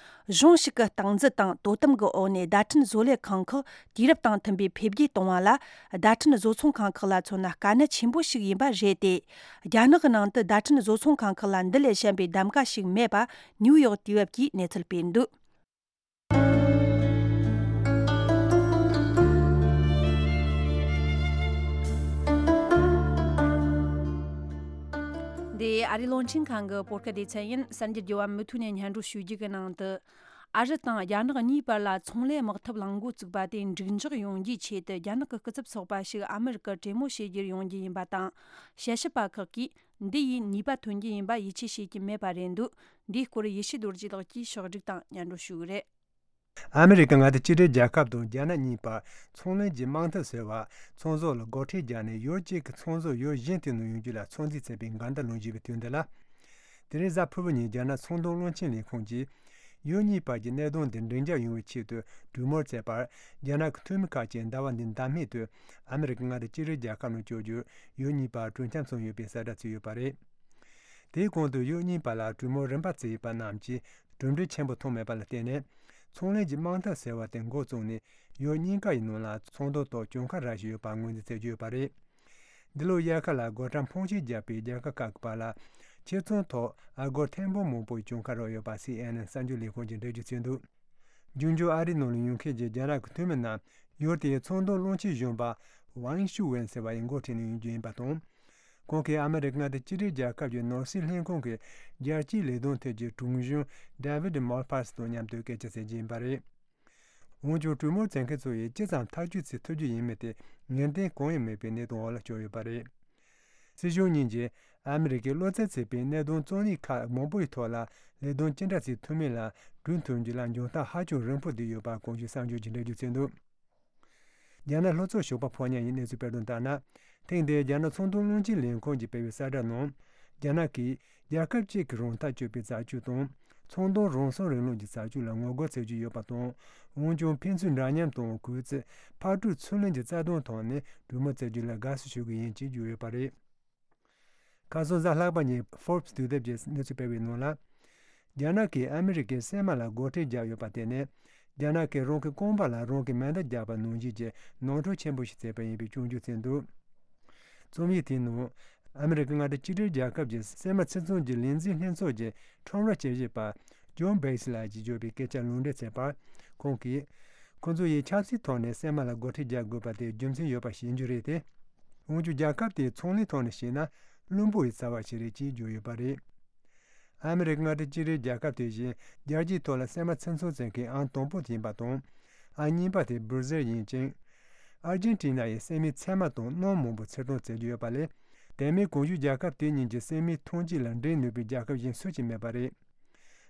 གཞུང་ཞིག་གི་སྟངས་འཛིན་དང་དོ་དམ་གྱི་འོག་ནས་བརྡ་འཕྲིན་བཟོ་ལས་ཁང་ཁག་དུས་རབས་དང་མཐུན་པའི་འཕེལ་རྒྱས་གཏོང་བ་ལ། བརྡ་འཕྲིན་བཟོ་ཚོང་ཁང་ཁག་ལ་མཚོན་ན་དཀའ་གནད་ཆེན་པོ་ཞིག་ཡིན་པ་རེད་དེ། རྒྱ་ནག་གི་ནང་དུ་བརྡ་འཕྲིན་བཟོ་ཚོང་ཁང་ཁག་ལ་འདི་ལས་གཞན་པའི་གདམ་ག་ཞིག་མེད་པ། ནིའུ་ཡོག་དུས་བབ་ཀྱིས་གནས་ཚུལ་སྤེལ་འདུག་འདི་ཨ་རིའི་རླུང་འཕྲིན་ཁང་གི་བོད་སྐད་སྡེ་ཚན་ཡིན། གསར་འགྱུར་རྒྱས་པ་མུ་མཐུད་ནས་སྙན་སྒྲོན་ཞུ་རྒྱུ་གི་ནང་དུ། ཨ་རི་དང་རྒྱ་ནག་གཉིས་བར་ལ་ཚོང་ལས་དམག་འཐབ་གླེང་འགོ་བཙུགས་པ་དེ་འགྲིག་འཇགས་ཡོང་རྒྱུའི་ཆེད་དུ། རྒྱ་ནག་གི་སྐུ་ཚབ་ཚོགས་པ་ཞིག་ཨ་མི་རི་ཀར་གྲོས་མོལ་བྱེད་རྒྱུར་ཡོང་རྒྱུ་ཡིན་པ་དང་། དཔྱད་ཞིབ་པ་ཁག་གིས། འདི་ཡིས་ནུས་པ་ཐོན་རྒྱུ་ཡིན་པ་ཡིད་ཆེས་བྱེད་ཀྱི་མེད་པ་རེད་འདུག་འདིའི་སྐོར་ཡེ་ཤེས་རྡོ་རྗེ་ལགས་ཀྱིས་ཕྱོགས་བསྒྲིགས་དང་སྙན་སྒྲོན་ཞུ་གི་རེད། ཨ་མི་རི་ཀ་མངའ་སྡེ་གཅིག་སྒྲིལ་རྒྱལ་ཁབ་དང་རྒྱ་ནག་གཉིས་བར་ཚོང་ལས་ཀྱི་དམག་འཐབ་ཟེར་བ། ཚོང་ཟོག་ལ་སྒོ་ཁྲལ་བརྒྱབ་ནས་ཡུལ་གཅིག་གི་ཚོང་ཟོག་ཡུལ་གཞན་དུ་ནང་ཡོང་རྒྱུ་ལ་ཚོད་འཛིན་བྱས་པའི་འགལ་ཟླ་ལངས་བཞིན་པའི་དུས་འདི་ལ། དེ་རིང་གཟའ་ཕུར་བུ་ཉིན་རྒྱ་ནག་ཚོང་དོན་བློན་ཆེན་ལས་ཁུངས་ཀྱིས། ཡུལ་གཉིས་བར་གྱི་གནད་དོན་འདི་འགྲིག་འཇགས་ཡོང་བའི་ཆེད་དུ་གྲོས་མོལ་བྱས་པར། རྒྱ་ནག་གི་འཐུས་མི་ཁག་ཅིག་ཟླ་བ་འདིའི་ཟླ་སྨད་དུ་ཨ་མི་རི་ཀ་མངའ་སྡེ་གཅིག་སྒྲིལ་རྒྱལ་ཁབ་ནང་བསྐྱོད་རྒྱུར་ཡུལ་གཉིས་བར་གྲོས་འཆམ་སོང་ཡོད་པའི་གསལ་བསྒྲགས་བྱས་ཡོད་པ་རེད། དེའི་གོང་དུ་ཡུལ་གཉིས་བར་ལ་གྲོས་མོལ་རིམ་པ་བྱས་ཡོད་པ་རྣམས་ཀྱིས་གྲུབ་འབྲས་ཆེན་པོ་ཐོན་མེད་པ་ལ་བརྟེན་ནས། ཚོང་ལས་ཀྱི་དམག་འཐབ་ཟེར་བ་དེ་འགོ་བཙུགས་ནས་ཡུལ་གཉིས་ཀ་ཡི་ནང་ལ་ཚོང་དོན་ཐོག་གྱོང་ཁ་རག་བཞིན་ཡོད་པ་ངོས་འཛིན་བྱེད་ཀྱི་ཡོད་པ་རེད། འདི་ལོའི་དབྱར་ཁ་ལ་སྒོ་ཁྲལ་འཕོངས་ཆེན་བརྒྱབ་པའི་རྒྱལ་ཁབ་ཁག་གི་བར་ལ་ཕྱིར་ཚོང་ཐོག་ཨ་སྒོར་ཐེར་འབུམ་མང་པོའི་གྱོང་ཁ་རག་ཡོད་པ་སི་ཨེན་ཨེན་གསར་འགྱུར་ལས་ཁང་གིས་འགྲེལ་བརྗོད་བྱས་འདུག་འབྱུང་འགྱུར་ཨ་རིའི་ནང་ལ་ཡོང་མཁན་གྱི་རྒྱ་ནག་གི་འཐུས་མི་རྣམས་ཡུལ་དེའི་ཚོང་དོན་བློན་ཆེན་གཞོན་པ་ཝང་ཤུ་ཝེན་ཟེར་བ་ཡི་འགོ་ཁྲིད་ནས་ཡོང་རྒྱུ་ཡིན་པ་དང་། ཁོང་གིས་ཨ་མི་རི་ཀ་མངའ་སྡེ་གཅིག་སྒྲིལ་རྒྱལ་ཁབ་ཀྱི་ནོར་སྲིད་ལྷན་ཁང་གི་རྒྱལ་སྤྱིའི་ལས་དོན་ཐད་ཀྱི་དྲུང་གཞོན་David Malpass་དང་མཉམ་དུ་སྐད་ཆ་བཤད་རྒྱུ་ཡིན་པ་རེད། འོན་ཀྱང་གྲོས་མོལ་བྱེད་མཁན་ཚོ་ཡིས་ཅི་ཙམ་ཐག་གཅོད་བྱེད་ཐུབ་རྒྱུ་ཡིན་མིན་དེ་ངེས་གཏན་གང་ཡང་མེད་པའི་གནས་སྟངས་འོག་ལ་བསྐྱོད་ཡོད་པ་རེད། སྲིད་གཞུང་གཉིས་ཀྱིས་ཨ་མི་རི་ཀས་བློ་འཚབ་བྱེད་པའི་གནད་དོན་རྩོད་གླེང་ཁག་མང་པོའི་ཐོག་ལ་ལས་དོན་ཅི་འདྲ་བྱེད་ཐུབ་མིན་ལ་གྲོས་མཐུན་རྒྱུ་ལ་འཇོན་ཐང་ཧ་ཅང་རིང་པོ་བསྡད་ཡོད་པ་གོང་ཞུས་གསར་འགྱུར་གྱིས་འགྲེལ་བརྗོད་བྱས་འདུག་རྒྱ་ནག་ལྷོ་ཕྱོགས་ཞོགས་པ་ཕོ་ཉ་ཡི་གནས་ཚུལ་སྤེལ་དོན་ལྟར་ན། ཐེངས་འདིའི་རྒྱ་ནག་ཚོང་དོན་བློན་ཆེན་ལས་ཁུངས་ཀྱིས་སྤེལ་བའི་གསལ་བསྒྲགས་ནང་། རྒྱ་ནག་གིས་རྒྱལ་ཁབ་གཅིག་གི་རང་ཐག་གཅོད་པའི་རྩ་ཆོད་དང་། ཚོང་དོན་རང་སྲུང་རིང་ལུགས་ཀྱི་རྩ་ཆོད་ལ་ངོ་རྒོལ་བྱེད་ཀྱི་ཡོད་པ་དང་། འོན་ཀྱང་ཕན་ཚུན་འདྲ་མཉམ་དང་གུས་བརྩི། ཕར་འགྲོ་ཚུར་ལེན་གྱི་རྩ་དོན་ཐོག་ནས་གྲོས་མོལ་བྱེད་རྒྱུ་ལ་དགའ་བསུ་ཞུ་གི་ཡིན་ཅེས་བརྗོད་ཡོད་པ་རེད། ཁ་སང་གཟའ་ལྷག་པ་ཉིན་Forbes་དུས་དེབ་ཀྱིས་གནས་ཚུལ་སྤེལ་བའི་ནང་ལ། རྒྱ་ནག་གིས་ཨ་མི་རི་ཀའི་སྲན་མ་ལ་སྒོ་ཁྲལ་བརྒྱབ་ཡོད་པ་དེ་ནི། རྒྱ་ནག་གིས་རང་གི་རྐང་པ་ལ་རང་གིས་མེ་མདའ་བརྒྱབ་པ་ནང་བཞིན་གྱི་ནོར་འཁྲུལ་ཆེན་པོ་ཞིག་བྱས་པ་ཡིན་པའི་སྐྱོན་བརྗོད་བྱས་འདུག་རྩོམ་ཡིག་དེའི་ནང་། ཨ་མི་རི་ཀ་མངའ་སྡེ་གཅིག་སྒྲིལ་རྒྱལ་ཁབ་ཀྱི་སྲན་མ་ཚོང་ཚོང་གི་ལས་འཛིན་ལྷན་ཚོགས་ཀྱི་ཁྲོམ་ར་དཔྱད་ཞིབ་པ་John Bates་ལགས་ཀྱིས་བརྗོད་པའི་སྐད་ཆ་ལུང་འདྲེན་བྱས་པར། ཁོང་གིས། ཁོ་ཚོ་ཡིས་ཆབ་སྲིད་ཐོག་ནས་སྲན་མ་ལ་སྒོ་ཁྲལ་རྒྱག་དགོས་པ་དེ་རྒྱུ་མཚན་ཡོད་པ་ཤེས་རྒྱུ་རེད་དེ། འོན་ཀྱང་རྒྱལ་ཁབ་དེའི་ཚོང་ལས་ཐོག་ནས་བཤད་ན་བླུན་པོ་ཡི་རྩ་བ་ཞིག་རེད་ཅེས་བརྗོད་ཡོད་པ་རེད། ཨ་མི་རི་ཀ་མངའ་སྡེ་གཅིག་སྒྲིལ་རྒྱལ་ཁབ་དེ་བཞིན་རྒྱལ་སྤྱིའི་ཐོག་ལ་སྲན་མ་ཚོང་ཚོང་བྱེད་མཁན་ཨང་དང་པོ་ཡིན་པ་དང་། ཨང་གཉིས་པ་དེ་སྦུར་ཟེར་ཡིན་ཅིང་། ཨར་ཇེན་ཊི་ན་ཡིས་སྲན་མའི་ཚལ་མ་དང་སྣུམ་མང་པོ་ཕྱིར་གཏོང་བྱེད་ཀྱི་ཡོད་པ་ལས། དེ་མིན་གོང་ཞུས་རྒྱལ་ཁབ་དེ་གཉིས་ཀྱི་སྲན་མའི་ཐོན་སྐྱེད་ལ་འགྲན་ནུས་པའི་རྒྱལ་ཁབ་གཞན་སུ་ཞིག་མེད་པ་རེད།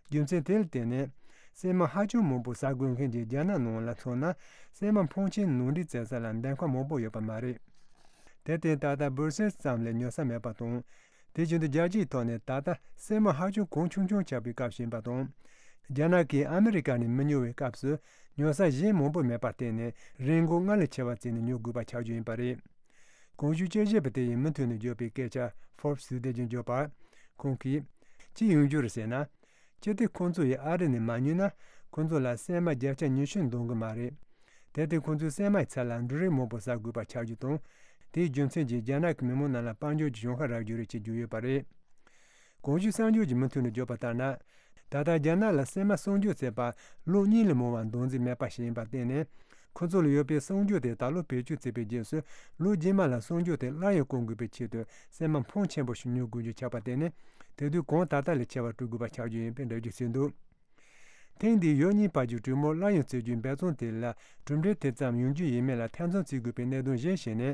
རྒྱུ་མཚན་དེ་ལ་བརྟེན་ནས། སྲན་མ་ཧ་ཅང་མང་པོ་ཟ་དགོས་མཁན་གྱི་རྒྱ་ནག་ནང་ལ་མཚོན་ན། སྲན་མ་འཕོངས་ཆེན་ནང་འདྲེན་བྱེད་ས་ལ་འདེམས་ཁ་མང་པོ་ཡོད་པ་མ་རེད། དེར་བརྟེན་ད་ལྟ་སྦུར་སེལ་ཙམ་ལས་ཉོ་ས་མེད་པ་དང་། དེ་བཞིན་དུ་རྒྱལ་སྤྱིའི་ཐོག་ནས་ད་ལྟ་སྲན་མ་ཧ་ཅང་གོང་ཆུང་ཆུང་ཆགས་པའི་སྐབས་ཤིག་ཡིན་པ་དང་། རྒྱ་ནག་གིས་ཨ་མི་རི་ཀ་ནས་མི་ཉོ་བའི་སྐབས་སུ་ཉོ་ས་གཞན་མང་པོ་མེད་པར་བརྟེན་ནས་རིན་གོང་སྔར་ལས་ཆེ་བ་བརྩིས་ནས་ཉོ་དགོས་པ་ཆགས་རྒྱུ་ཡིན་པ་རེད། གོང་ཞུས་དཔྱད་ཞིབ་པ་དེ་ཡིས་མུ་མཐུད་ནས་བརྗོད་པའི་སྐད་ཆ་Forbes་ཟེར་དེ་བཞིན་བརྗོད་པར། ཁོང་གིས། ཅི་ཡོང་རྒྱུ་རེད་ཟེར་ན། ཅི་སྟེ་ཁོང་ཚོ་ཡིས་ཨ་རི་ནས་མ་ཉོས་ན། ཁོང་ཚོ་ལ་སྲན་མ་བརྒྱ་ཆ་ཉི་ཤུ་འདང་གི་མ་རེད། དེར་བརྟེན་ཁོང་ཚོས་སྲན་མའི་ཚབ་ལ་འབྲུ་རིགས་མང་པོ་ཟ་དགོས་པ་ཆགས་རྒྱུ་དང་། དེའི་རྒྱུ་མཚན་གྱིས་རྒྱ་ནག་གི་མི་མང་རྣམས་ལ་དཔལ་འབྱོར་གྱི་གཞན་ཁ་རག་རྒྱུ་རེད་ཅེས་བརྗོད་ཡོད་པ་རེད། གོང་ཞུས་གསར་འགྱུར་གྱིས་མུ་མཐུད་ནས་བརྗོད་པ་ལྟར་ན། ད་ལྟ་རྒྱ་ནག་ལ་སྲན་མ་གསོག་འཇོག་བྱེད་པར་ལོ་གཉིས་ལས་མང་བ་འདང་རྩིས་མེད་པ་ཞིག་ཡིན་པར་བརྟེན་ནས། ཁོ་ཚོ་ལ་ཡོད་པའི་གསོག་འཇོག་དེ་ད་ལོ་བེད་སྤྱོད་བྱས་པའི་རྗེས་སུ། ལོ་རྗེས་མ་ལ་གསོག་འཇོག་དེ་སླར་ཡང་བསྐང་དགོས་པའི་ཆེད་དུ་སྲན་མ་འཕོངས་ཆེན་པོ་ཞིག་ཉོ་དགོས་རྒྱུ་ཆགས་པར་བརྟེན་ནས། དེ་དུས་གོང་ད་ལྟ་ལས་ཆེ་བ་སྤྲོད་དགོས་པ་ཆགས་རྒྱུ་ཡིན་པའི་འགྲེལ་བརྗོད་བྱས་འདུག་ཐེངས་འདིའི་ཡུལ་གཉིས་བར་གྱི་གྲོས་མོལ་སླར་ཡང་བྱེད་རྒྱུའི་འབད་བརྩོན་དེ་ལ་གྲུབ་འབྲས་དེ་ཙམ་ཡོང་རྒྱུ་ཡིན་མིན་ལ་ཐེ་ཚོམ་བྱེད་དགོས་པའི་གནད་དོན་གཞན་ཞིག་ནི།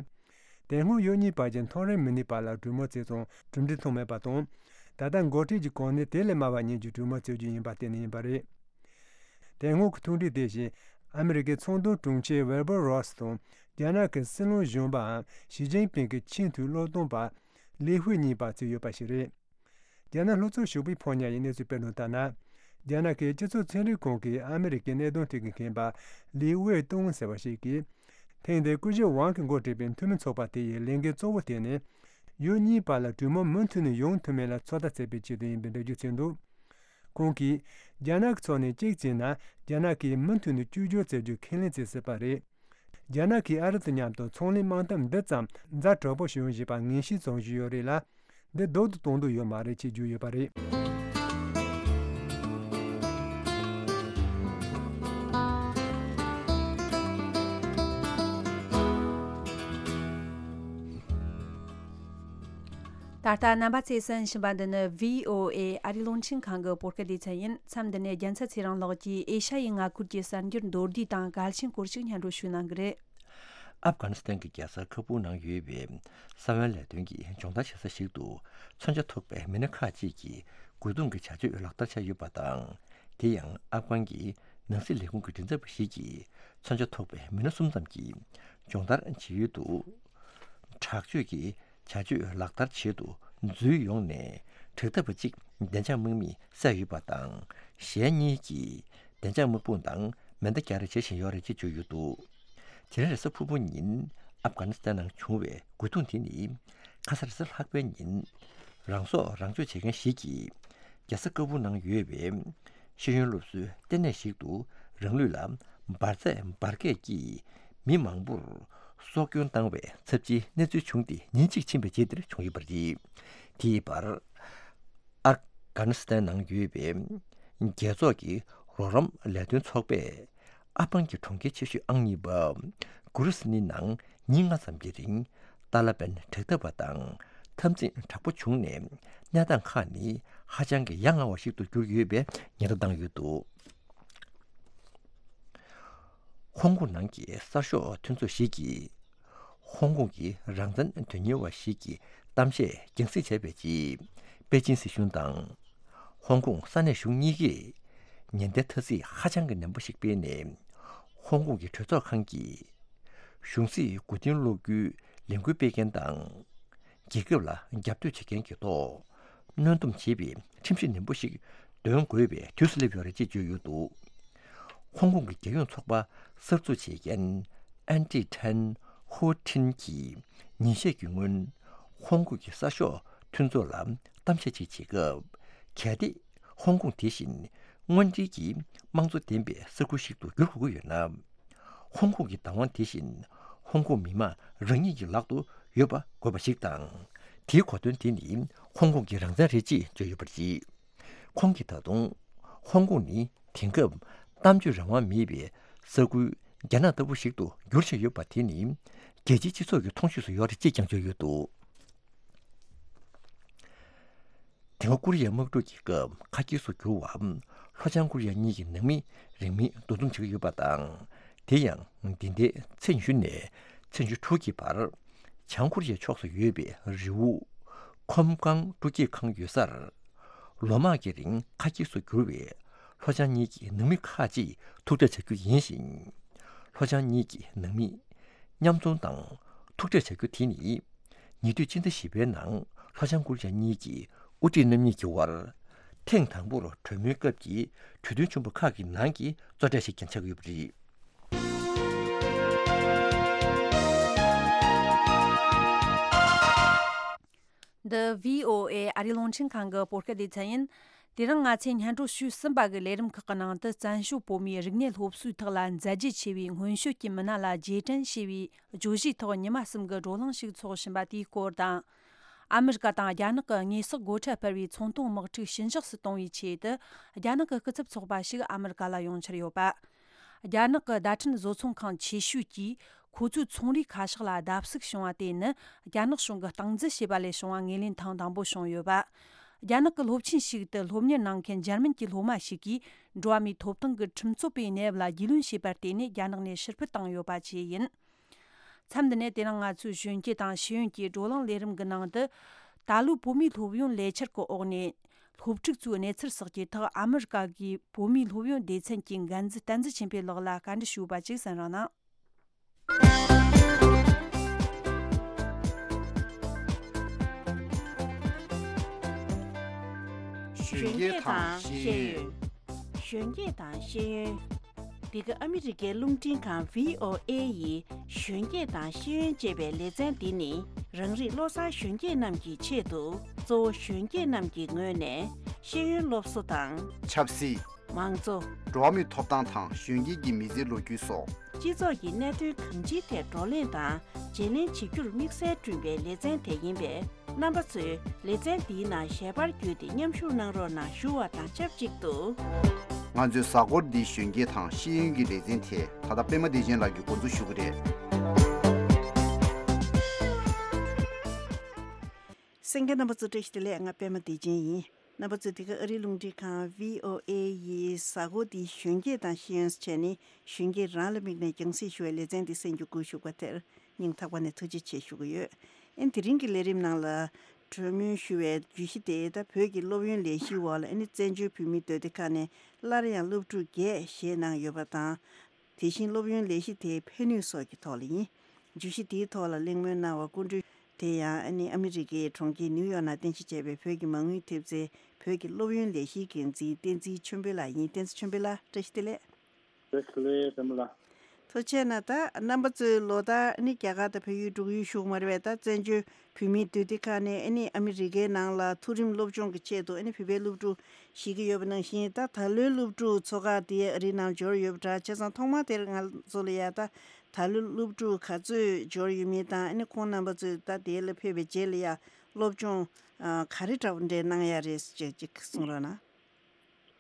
དེ་སྔོན་ཡུལ་གཉིས་བར་གྱི་མཐོ་རིམ་མི་སྣའི་བར་ལ་གྲོས་མོལ་བྱས་ཙང་གྲུབ་འབྲས་ཐོན་མེད་པ་དང་། ད་ལྟ་འགོ་ཁྲིད་ཀྱི་གོ་གནས་དེ་ལས་དམའ་བ་གཉིས་ཀྱི་གྲོས་མོལ་བྱེད་རྒྱུ་ཡིན་པར་བརྟེན་ནས་ཡིན་པ་རེད། དེ་སྔོན་གྱི་ཐུག་འཕྲད་དེ་བཞིན། ཨ་མི་རི་ཀའི་ཚོང་དོན་དྲུང་ཆེ་ཝིལ་བར་རོ་སི་དང་། རྒྱ་ནག་གི་སྲིད་བློན་གཞོན་པའམ་ཞི་ཅིན་ཕིང་གི་ཆེས་མཐོའི་བློན་སྟོན་པ། ལི་ཧུའེ་གཉིས་བར་བྱས་ཡོད་པ་ཞིག་རེད། རྒྱ་ནག་ལྷོ་ཕྱོགས་ཞོགས་པའི་ཕོ་ཉ་ཡིས་གནས་ཚུལ་སྤེལ་དོན་ལྟར་ན། རྒྱ་ནག་གི་སྤྱི་ཚོགས་ཚན་རིག་ཁང་གིས་ཨ་མི་རི་ཀའི་གནད་དོན་ཐད་ཀྱི་མཁས་པ་ལི་ཝེ་ཏུང་ཟེར་བ་ཞིག་གིས། ཐེངས་འདིར་སྐུ་ཞབས་ཝང་གིས་འགོ་ཁྲིད་པའི་འཐུས་མི་ཚོགས་པ་དེ་ཡི་ལས་འགན་གཙོ་བོ་དེ་ནི། ཡུལ་གཉིས་བར་ལ་གྲོས་མོལ་མུ་མཐུད་ནས་ཡོང་ཐུབ་མིན་ལ་ཚོད་ལྟ་བྱེད་པའི་ཆེད་དུ་ཡིན་པའི་འགྲེལ་བརྗོད་བྱས་འདུག་ཁོང་གིས། རྒྱ་ནག་གི་ཕྱོགས་ནས་གཅིག་བྱས་ན། རྒྱ་ནག་གིས་མུ་མཐུད་ནས་བཅོས་བསྒྱུར་བྱེད་རྒྱུ་ཁས་ལེན་བྱེད་སྲིད་པ་རེད། རྒྱ་ནག་གིས་ཨ་རི་དང་མཉམ་དུ་ཚོང་ལས་དམག་འཐབ་འདི་ཙམ་ཛ་དྲག་པོ་ཞིག་ཡོང་བཞིན་པ་ངེས་ཤེས་ཚང་བཞིན་ཡོད་རེད་ལ། འདི་ལྡོག་ཏུ་གཏོང་འདོད་ཡོད་མ་རེད་ཅེས་བརྗོད་ཡོད་པ་རེད། ད་ལྟ་རྣམ་པ་ཚོས་གསན་བཞིན་པ་འདི་ནི་བྷི་ཨོ་ཨེ་ཨ་རིའི་རླུང་འཕྲིན་ཁང་གི་བོད་སྐད་སྡེ་ཚན་ཡིན། མཚམས་འདི་ནས་རྒྱལ་མཚན་ཚེ་རིང་ལགས་ཀྱིས་ཨེ་ཤ་ཡའི་མངའ་ཁུལ་གྱི་གསར་འགྱུར་མདོར་བསྡུས་དང་གལ་ཆེན་སྐོར་ཞིག་སྙན་སྒྲོན་ཞུ་གནང་གི་རེད། ཨབ་གྷ་ནི་སི་ཐན་གྱི་རྒྱལ་ས་ཁ་བུར་ནང་ཡོད་པའི་གསང་བའི་ལས་དོན་གྱི་སྦྱོང་བརྡར་བྱེད་ས་ཞིག་ཏུ་མཚོན་ཆ་ཐོགས་པའི་མི་སྣ་ཁག་ཅིག་གིས་རྒོལ་རྡུང་གི་བྱ་སྤྱོད་ལག་བསྟར་བྱས་ཡོད་པ་དང་། དེ་ཡང་ཨབ་གྷན་གྱི་ནང་སྲིད་ལས་ཁུངས་ཀྱི་མགྲིན་ཚབ་པ་ཞིག་གིས་མཚོན་ཆ་ཐོགས་པའི་མི་སྣ་གསུམ་ཙམ་གྱིས་སྦྱོང་བརྡར་བྱེད་ཡུལ་དུ། དྲག་སྤྱོད་ཀྱི་བྱ་སྤྱོད་ལག་བསྟར་བྱེད་དུ་འཛུལ་ཡོང་ནས། དྲེལ་ཐག་པ་གཅིག་བདེ་འཇགས་དམག་མིས་བསད་ཡོད་པ་དང་། གཞན་གཉིས་ཀྱིས་བདེ་འཇགས་དམག་དཔུང་དང་མེ་མདའ་རྒྱག་རེས་བྱེད་བཞིན་ཡོད་རེད་ཅེས་བརྗོད་ཡོད་འདུག་དེ་རིང་རེས་གཟའ་ཕུར་བུ་ཉིན་ཨབ་གྷ་ནི་སི་ཐན་ནང་བྱུང་བའི་རྒོལ་རྡུང་དེ་ནི། ཁ་སང་རེས་གཟའ་ལྷག་པའི་ཉིན། རང་སྲོག་རང་གཅོད་བྱེད་མཁན་ཞིག་གིས། རྒྱལ་ས་ཀ་བུར་ནང་ཡོད་པའི་ཤེས་ཡོན་སློབ་གསོའི་ལྟེ་གནས་ཤིག་ཏུ་རང་ལུས་ལ་འབར་རྫས་འབར་གས་ཀྱིས་མི་མང་པོར་སྲོག་སྐྱོན་བཏང་བའི་ཚབས་ཆེའི་གནས་ཚུལ་བྱུང་སྟེ། ཉིན་གཅིག་ཕྱིན་པའི་རྗེས་དེར་བྱུང་ཡོད་པ་རེད། དེའི་བར། ཨབ་གྷ་ནི་སི་ཐན་ནང་ཡོད་པའི་རྒྱལ་ཚོགས་ཀྱི་རོགས་རམ་ལས་དོན་ཚོགས་པས། ཨབ་གྷན་གྱི་གྲོང་ཁྱེར་ཆེ་ཤོས་ཨང་གཉིས་པ་གུ་རུ་སི་ནི་ནང་ཉིན་ལྔ་ཙམ་གྱི་རིང་། ཏཱ་ལ་པན་དྲག་འཐབ་པ་དང་འཐབ་འཛིང་དྲག་པོ་བྱུང་ནས། གནས་སྟངས་ཁག་ནི་ཧ་ཅང་གི་ཡ་ང་བ་ཞིག་ཏུ་གྱུར་ཡོད་པའི་ཉེན་བརྡ་བཏང་ཡོད་འདུག་ཧོང་ཀོང་ནང་གི་གསར་ཤོག་མཐུན་ཚོགས་ཤིག་གིས། ཧོང་ཀོང་གི་རང་བཙན་དོན་གཉེར་བ་ཞིག་གི་གཏམ་བཤད་རྒྱང་སྲིང་བྱས་པའི་རྗེས། པེ་ཅིན་སྲིད་གཞུང་དང་། ཧོང་ཀོང་ས་གནས་གཞུང་གཉིས་ཀས་ཉེན་བརྡའི་ཐ་ཚིག་ཧ་ཅང་གི་ནན་པོ་ཞིག་སྤེལ་ནས། ཧོང་ཀོང་གི་གྲོས་ཚོགས་ཁང་གིས་གཞུང་སྲིད་མགོ་རྟིང་སློག་རྒྱུའི་ལས་འགུལ་སྤེལ་མཁན་དང་། རྒྱལ་ཁབ་ལ་རྒྱབ་གཏོད་བྱེད་མཁན་གྱི་ཐོག་གནོན་སྡོམ་བྱེད་པའི་ཁྲིམས་གཞི་ནན་པོ་ཞིག་འདོན་དགོས་པའི་དུས་སུ་སླེབས་ཡོད་རེད་ཅེས་བརྗོད་ཡོད་འདུག་ཧོང་ཀོང་གི་རྒྱལ་ཡོངས་ཚོགས་པ་གསར་འཛུགས་བྱེད་མཁན་ཨན་ཏི་ཐན་ཧོ་ཐིན་གྱིས་ཉིན་ཤས་ཀྱི་སྔོན་ཧོང་ཀོང་གི་གསར་ཤོག་མཐུན་ཚོགས་ལ་གཏམ་བཤད་ཅིག་བྱེད་སྐབས། གལ་ཏེ་ཧོང་ཀོང་དེ་བཞིན་དངོས་འབྲེལ་གྱི་དམངས་གཙོ་ལྡན་པའི་ས་ཁུལ་ཞིག་ཏུ་འགྱུར་དགོས་ཀྱི་ཡོད་ན། ཧོང་ཀོང་གི་བདག་དབང་དེ་བཞིན་ཧོང་ཀོང་མི་དམངས་རང་ཉིད་ཀྱི་ལག་ཏུ་ཡོད་པ་དགོས་པ་ཞིག་དང་། དེའི་གོ་དོན་དེ་ནི་ཧོང་ཀོང་གི་རང་བཙན་རེད་ཅེས་བརྗོད་ཡོད་པ་རེད། ཁོང་གིས་ད་དུང་ཧོང་ཀོང་ནི་དེང་སྐབས་གཏམ་བརྗོད་རང་དབང་མེད་པའི་ས་ཁུལ་རྒྱ་ནག་ལྟ་བུ་ཞིག་ཏུ་འགྱུར་བཞིན་ཡོད་པ་དེ་ནི་རྒྱལ་སྤྱིའི་སྤྱི་ཚོགས་ཀྱི་མཐོང་ཆོས་སུ་ཡོད་རེད་ཅེས་ཀྱང་བརྗོད་ཡོད་འདུག་དེ་སྔ་ཀོ་རི་ཡའི་དམག་འཁྲུག་གི་སྐབས་ཁ་སྐྱེལ་སུ་གྱུར་བ་ལྷོ་བྱང་ཀོ་རི་ཡ་གཉིས་ཀྱི་ནང་མི་རིང་མིན་འདུ་འཛོམས་བྱེད་ཀྱི་ཡོད་པ་དང་། དེ་ཡང་འདི་ཟླའི་ཚེས་ཉི་ཤུ་ནས་ཚེས་ཉི་ཤུ་དྲུག་གི་བར། བྱང་ཀོ་རི་ཡའི་ཕྱོགས་སུ་ཡོད་པའི་རི་བོ་ཁོམ་ཀང་སྤྲོ་སྐྱིད་ཁང་ཡོད་སར། ལོ་མང་གི་རིང་ཁ་སྐྱིད་སུ་གྱུར་བའི་ལྷོ་བྱང་གཉིས་ཀྱི་ནང་མི་ཁག་ཅིག་ཐུག་འཕྲད་བྱ་རྒྱུ་ཡིན་ཞིང་། ལྷོ་བྱང་གཉིས་ཀྱི་ནང་མི་མཉམ་འཛོམས་དང་ཐུག་འཕྲད་བྱ་རྒྱུ་དེ་ནི། ཉེ་དུས་ཕྱི་ཟླ་བཞི་པའི་ནང་ལྷོ་བྱང་ཀོ་རི་ཡ་གཉིས་ཀྱི་དབུ་ཁྲིད་རྣམ་གཉིས་ཀྱི་དབར། ཐེངས་དང་པོར་གྲོས་མོལ་སྐབས་ཀྱི་གྲོས་མཐུན་ཆེན་པོ་ཁག་གི་ནང་གི་གཙོ་གྲས་ཤིག་ཀྱང་ཆགས་ཡོད་པ་རེད། འདི་བྷི་ཨོ་ཨེ་ཨ་རིའི་རླུང་འཕྲིན་ཁང་གི་བོད་སྐད་སྡེ་ཚན་ཡིན། དེ་རིང་ང་ཚོས་སྙན་སྒྲོན་ཞུས་ཟིན་པ་གི་ལས་རིམ་ཁག་གི་ནང་དུ། བཙན་བྱོལ་བོད་མིའི་རིག་གནས་སློབ་གསོའི་ཐོག་ལ་མཛད་རྗེས་ཆེ་བའི་སྔོན་བྱོན་གྱི་མི་སྣ་ལ་རྗེས་དྲན་ཞེས་པའི་བརྗོད་གཞིའི་ཐོག་ཉི་མ་གསུམ་གྱི་བགྲོ་གླེང་ཞིག་འཚོགས་བཞིན་པ་དེའི་སྐོར་དང་། ཨ་མི་རི་ཀ་དང་རྒྱ་ནག་གི་དངོས་ཟོག་སྒོ་ཁྲལ་སྤར་བའི་ཚོང་དོན་དམག་འཁྲུག་ཞི་འཇགས་སུ་གཏོང་བའི་ཆེད་དུ། རྒྱ་ནག་གི་སྐུ་ཚབ་ཚོགས་པ་ཞིག་ཨ་མི་རི་ཀ་ལ་ཡོང་འཆར་ཡོད་པ། རྒྱ་ནག་གི་བརྡ་འཕྲིན་བཟོ་ཚོང་ཁང་ཆེ་ཤོས་ཀྱིས་ཁོ་ཚོའི་ཚོང་རའི་ཁ་ཤགས་ལ་བརྡབ་གསིག་བྱུང་བ་དེ་ནི། རྒྱ་ནག་གཞུང་གིས་སྟངས་འཛིན་བྱས་པ་ལས་བྱུང་བ་ངོས་ལེན་ཐེངས་དང་པོ་བྱུང་ཡོད་པ། རྒྱ་ནག་གི་སློབ་ཆེན་ཞིག་ཏུ་སློབ་གཉེར་གནང་མཁན་འཇར་མན་གྱི་སློབ་མ་ཞིག་གིས། འགྲོ་བ་མིའི་ཐོབ་ཐང་གི་ཁྲིམས་རྩོད་པའི་གནས་བབ་ལ་རྒྱུས་ལོན་བྱས་པར་བརྟེན་ནས། རྒྱ་ནག་ནས་ཕྱིར་འབུད་བཏང་ཡོད་པ་བཅས་ཡིན། མཚམས་འདི་ནས་དེ་རིང་ང་ཚོའི་གཞོན་སྐྱེས་དང་ཤེས་ཡོན་གྱི་བགྲོ་གླེང་ལས་རིམ་གྱི་ནང་དུ། ད་ལོའི་བོད་མིའི་སློབ་ཡོན་ལས་འཆར་གྱི་འོག་ནས། སློབ་ཕྲུག་ཚོའི་གནས་ཚུལ་སོགས་ཀྱི་ཐོག་ཨ་མི་རི་ཀ་གི་བོད་མིའི་སློབ་ཡོན་སྡེ་ཚན་གྱི་འགན་འཛིན་བསྟན་འཛིན་ཆོས་འཕེལ་ལགས་ལ་བཀའ་འདྲི་ཞུས་པ་ཅིག་གསན་རོགས་གནང་། གཞོན་སྐྱེས་དང་ཤེས་ཡོན། གཞོན་སྐྱེས་དང་ཤེས་ཡོན། འདི་ག་ཨ་མི་རི་ཀའི་རླུང་འཕྲིན་ཁང་བྷི་ཨོ་ཨེ་ཡི་གཞོན་སྐྱེས་དང་ཤེས་ཡོན་ཅེས་པའི་ལེ་ཚན་འདི་ནི། རང་རིགས་བློ་བཟང་གཞོན་སྐྱེས་རྣམས་ཀྱི་ཆེད་དུ། གཙོ་བོ་གཞོན་སྐྱེས་རྣམས་ཀྱི་ངོས་ནས་ཤེས་ཡོན་སློབ་གསོ་དང་། ཆབ་སྲིད། མང་གཙོ། འགྲོ་བ་མིའི་ཐོབ་ཐང་དང་གཞོན་སྐྱེས་ཀྱི་མི་ཚེའི་ལོ་རྒྱུས་སོགས། སྤྱི་ཚོགས་ཀྱི་གནད་དོན་གང་ཅིའི་ཐད་བགྲོ་གླེང་དང་བརྗེ་ལེན་བྱེད་རྒྱུར་དམིགས་བསལ་བསྐྲུན་པའི་ལེ་ཚན་དེ་ཡིན་པས། རྣམ་པ་ཚོས་ལེ་ཚན་འདིའི་ནང་ཞལ་པར་བརྒྱུད་དེ་མཉམ་ཞུགས་གནང་རོགས་གནང་ཞུ་བ་དང་ཆབས་ཅིག་ཏུ། ང་ཚོའི་གཟའ་འཁོར་འདིའི་གཞོན་སྐྱེས་དང་ཤེས་ཡོན་གྱི་ལེ་ཚན་དེ་ད་ལྟ་པད་མ་བདེ་ཆེན་ལགས་ཀྱིས་འགོ་འཛུགས་ཞུ་གི་རེད། གསན་མཁན་རྣམ་པ་ཚོ་བཀྲ་ཤིས་བདེ་ལེགས། ང་པད་མ་བདེ་ཆེན་ཡིན། རྣམ་པ་ཚོས་འདི་ག་ཨ་རིའི་རླུང་འཕྲིན་ཁང་བྷི་ཨོ་ཨེ་ཡི་གཟའ་འཁོར་འདིའི་གཞོན་སྐྱེས་དང་ཤེས་ཡོན་བྱས་ནས། གཞོན་སྐྱེས་རང་ལ་དམིགས་ནས་རྒྱང་སྲིང་ཞུ་བའི་ལེ་ཚན་འདི་གསན་རྒྱུ་བཀོད་ཞུ་བ་དེར་སྙིང་ཐག་པ་ནས་ཐུགས་རྗེ་ཆེ་ཞུ་གི་ཡོད། ཨེ་དེ་རིང་གི་ལས་རིམ་ནང་ལ་གྲོས་མོལ་ཞུ་བའི་བརྗོད་གཞི་དེ། ད་བོད་ཀྱི་སློབ་ཡོན་ལས་གཞིའི་འོག་ལ་ཨ་ནི་བཙན་བྱོལ་བོད་མིའི་སྡོད་སྡེ་ཁག་ནས་སླར་ཡང་སློབ་ཕྲུག་བརྒྱད་བཞེས་གནང་ཡོད་པ་དང་། དེ་བཞིན་སློབ་ཡོན་ལས་གཞི་དེའི་ཕན་ནུས་སོགས་ཀྱི་ཐོག་ལ་ཡིན། བརྗོད་གཞི་དེའི་ཐོག་ལ་གླེང་མོལ་གནང་བར་སྐུ་མགྲོན་དེ་ཡང་ཨ་ནི་ཨ་མི་རི་ཀའི་གྲོང་ཁྱེར་ནིའུ་ཡོག་ནང་རྟེན་གཞི་བྱས་པའི་བོད་ཀྱི་མ་དངུལ་ཐེབས་རྩའི་བོད་ཀྱི་སློབ་ཡོན་ལས་གཞིའི་འགན་འཛིན་བསྟན་འཛིན་ཆོས་འཕེལ་ལགས་ཡིན། བསྟན་འཛིན་ཆོས་འཕེལ་ལགས་བཀྲ་ཤིས་བདེ་ལེགས། བཀྲ་ཤིས་བདེ་ལེགས་པད་མ་ལགས། ཐུགས་རྗེ་གནང་། ད་རྣམ་པ་ཚོས་ལོ་ལྟར་ཨ་ནི་རྒྱ་གར་དང་བལ་ཡུལ་འབྲུག་ཡུལ་བཞུགས་མ་རེད་པས། ད་བཙན་བྱོལ་བོད་མིའི་སྡོད་སྡེ་ཁག་ནས་ཨ་ནི་ཨ་མི་རི་ཀའི་ནང་ལ་མཐོ་རིམ་སློབ་སྦྱོང་གི་ཆེད་དུ་ཨ་ནི་བོད་པའི་སློབ་ཕྲུག་བཞེས་ཀྱི་ཡོད་པ་ནང་བཞིན། ད་ད་ལོའི་སློབ་ཕྲུག་ཚོགས་ཁག་དེ་ཨ་རིའི་ནང་འབྱོར་ཡོད་པ་འདྲ། བྱས་ཙང་ཐོག་མ་དེར་ང་ཚོ་ལ་ཡ་ད་ད་ལོའི་སློབ་ཕྲུག་ག་ཚོད་འབྱོར་ཡོད་མེད་དང་། ཨ་ནི་ཁོང་རྣམ་པ་ཚོས་ད་དེ་ལ་ཕེབས་པའི་རྗེས་ལ་ཡ་སློབ་སྦྱོང་ཨ་ག་རེ་འདྲ་བོ་འདྲ་གནང་ཡ་རེད་ཅེས་ཅིག་གསུང་རོགས་གནང་།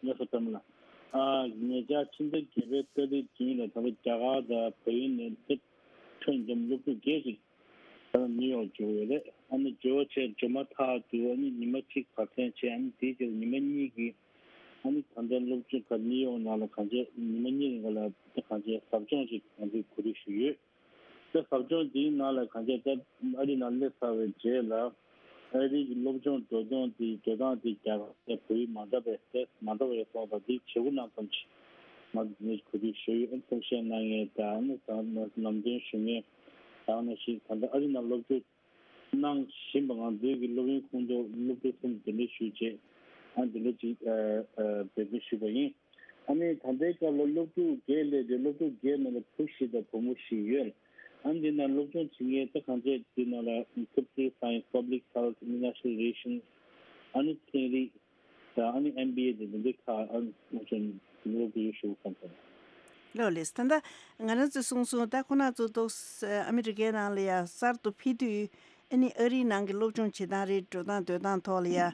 ལགས་སོ། པད་མ་ལགས། ཨ་ཉེ་ཆར་ཕྱི་ཟླ་བརྒྱད་པའི་ཏ་རིག་བདུན་ལ་ད་ལྟ་རྒྱ་གར་དང་བལ་ཡུལ་ནས་ཐོན་བྱུང་སློབ་ཕྲུག་བརྒྱད་ཅིག་ད་ལྟ་ནིའུ་ཡོག་འབྱོར་ཡོད་རེད། ཨ་ནི་འབྱོར་བྱས་འབྱོར་མ་ཐག་ཏུ་ཨ་ནི་ཉི་མ་གཅིག་བར་འཐེན་བྱས། ཨ་ནི་དེའི་རྗེས་ལ་ཉི་མ་གཉིས་ཀྱི་ཨ་ནི་ད་ལྟ་སློབ་སྦྱོང་ག་ནིའུ་ཡོག་ནང་ལ་གང་བྱས་ཉི་མ་གཉིས་རིང་ག་ལ་ད་གང་བྱས་ཟབ་སྦྱོང་ཅིག་གང་བྱས་གོ་སྒྲིག་ཞུས་ཡོད། ད་ཟབ་སྦྱོང་འདིའི་ནང་ལ་གང་བྱས་ད་ཨ་རི་ནང་སླེབས་ཚར་བའི་རྗེས་ལ་ཨ་རི་གི་སློབ་སྦྱོང་འགྲོ་སྟངས་དེ་འགྲོ་སྟངས་དེ་རྒྱ་གར་དང་བོད་ཡིག་མ་འདྲ་བའི་ཏོག་ཙམ་མ་འདྲ་བ་ཡོད་སོང་བ་འདི་བྱེད་སྒོ་གནང་ཙམ་ཞིག་ང་ཚོ་འདི་ནས་གོ་སྒྲིག་ཞུས་ཡོད། ཨ་ནི་གསུང་བཤད་གནང་མཁན་དང་། ཨ་ནི་ད་ནང་ལམ་སྟོན་ཞུ་མཁན་དང་ནང་བཞིན་ད་ལྟ་ཨ་རི་ནང་སློབ་སྦྱོང་གནང་བཞིན་པ་ང་ཚོའི་གི་སློབ་ཡོན་ཁོངས་གཏོགས་སློབ་ཕྲུག་གསུམ་གདན་འདྲེན་ཞུས་རྗེས། ཨ་འདི་འདྲ་ཅིག་ཨ་ཨ་འབད་བརྩོན་ཞུས་པ་ཡིན། ཨ་ནི་ད་ལྟའི་སྐབས་ལ་སློབ་ཕྲུག་བརྒྱད་སླེབས་ཏེ། སློབ་ཕྲུག་བརྒྱད་ནང་ལ་ཕྲུག་བཞི་དང་བུ་མོ་བཞི་ཡོད། ཨ་ནི་འདི་ནང་སློབ་སྦྱོང་བྱེད་མཁན་ད་གང་བྱས་འདི་ནང་ལ་computer science, public health, international relations, ཨ་ནི་ཚན་རིག་དང་ཨ་ནི་ཨེམ་བི་ཨེ་དེ་འདི་འདྲའི་ཁག་ཨ་ནི་སློབ་སྦྱོང་སློབ་ཕྲུག་ཡོད་ཞུ་བསམ་སོང་། ལགས་ལགས། ད་ལྟ་ང་རང་ཚོས་གསུངས་སོང་། ད་ཁོ་ན་ཚོ་ཏོག་ཙམ་ཨ་མི་རི་ཀའི་ནང་ལ་ཡ་གསར་དུ་ཕེབས་དུས། ཨ་ནི་ཨ་རིའི་ནང་གི་སློབ་སྦྱོང་བྱེད་སྟངས་རེད། འགྲོ་སྟངས་སྡོད་སྟངས་ཐོག་ལ་ཡ་ཨ་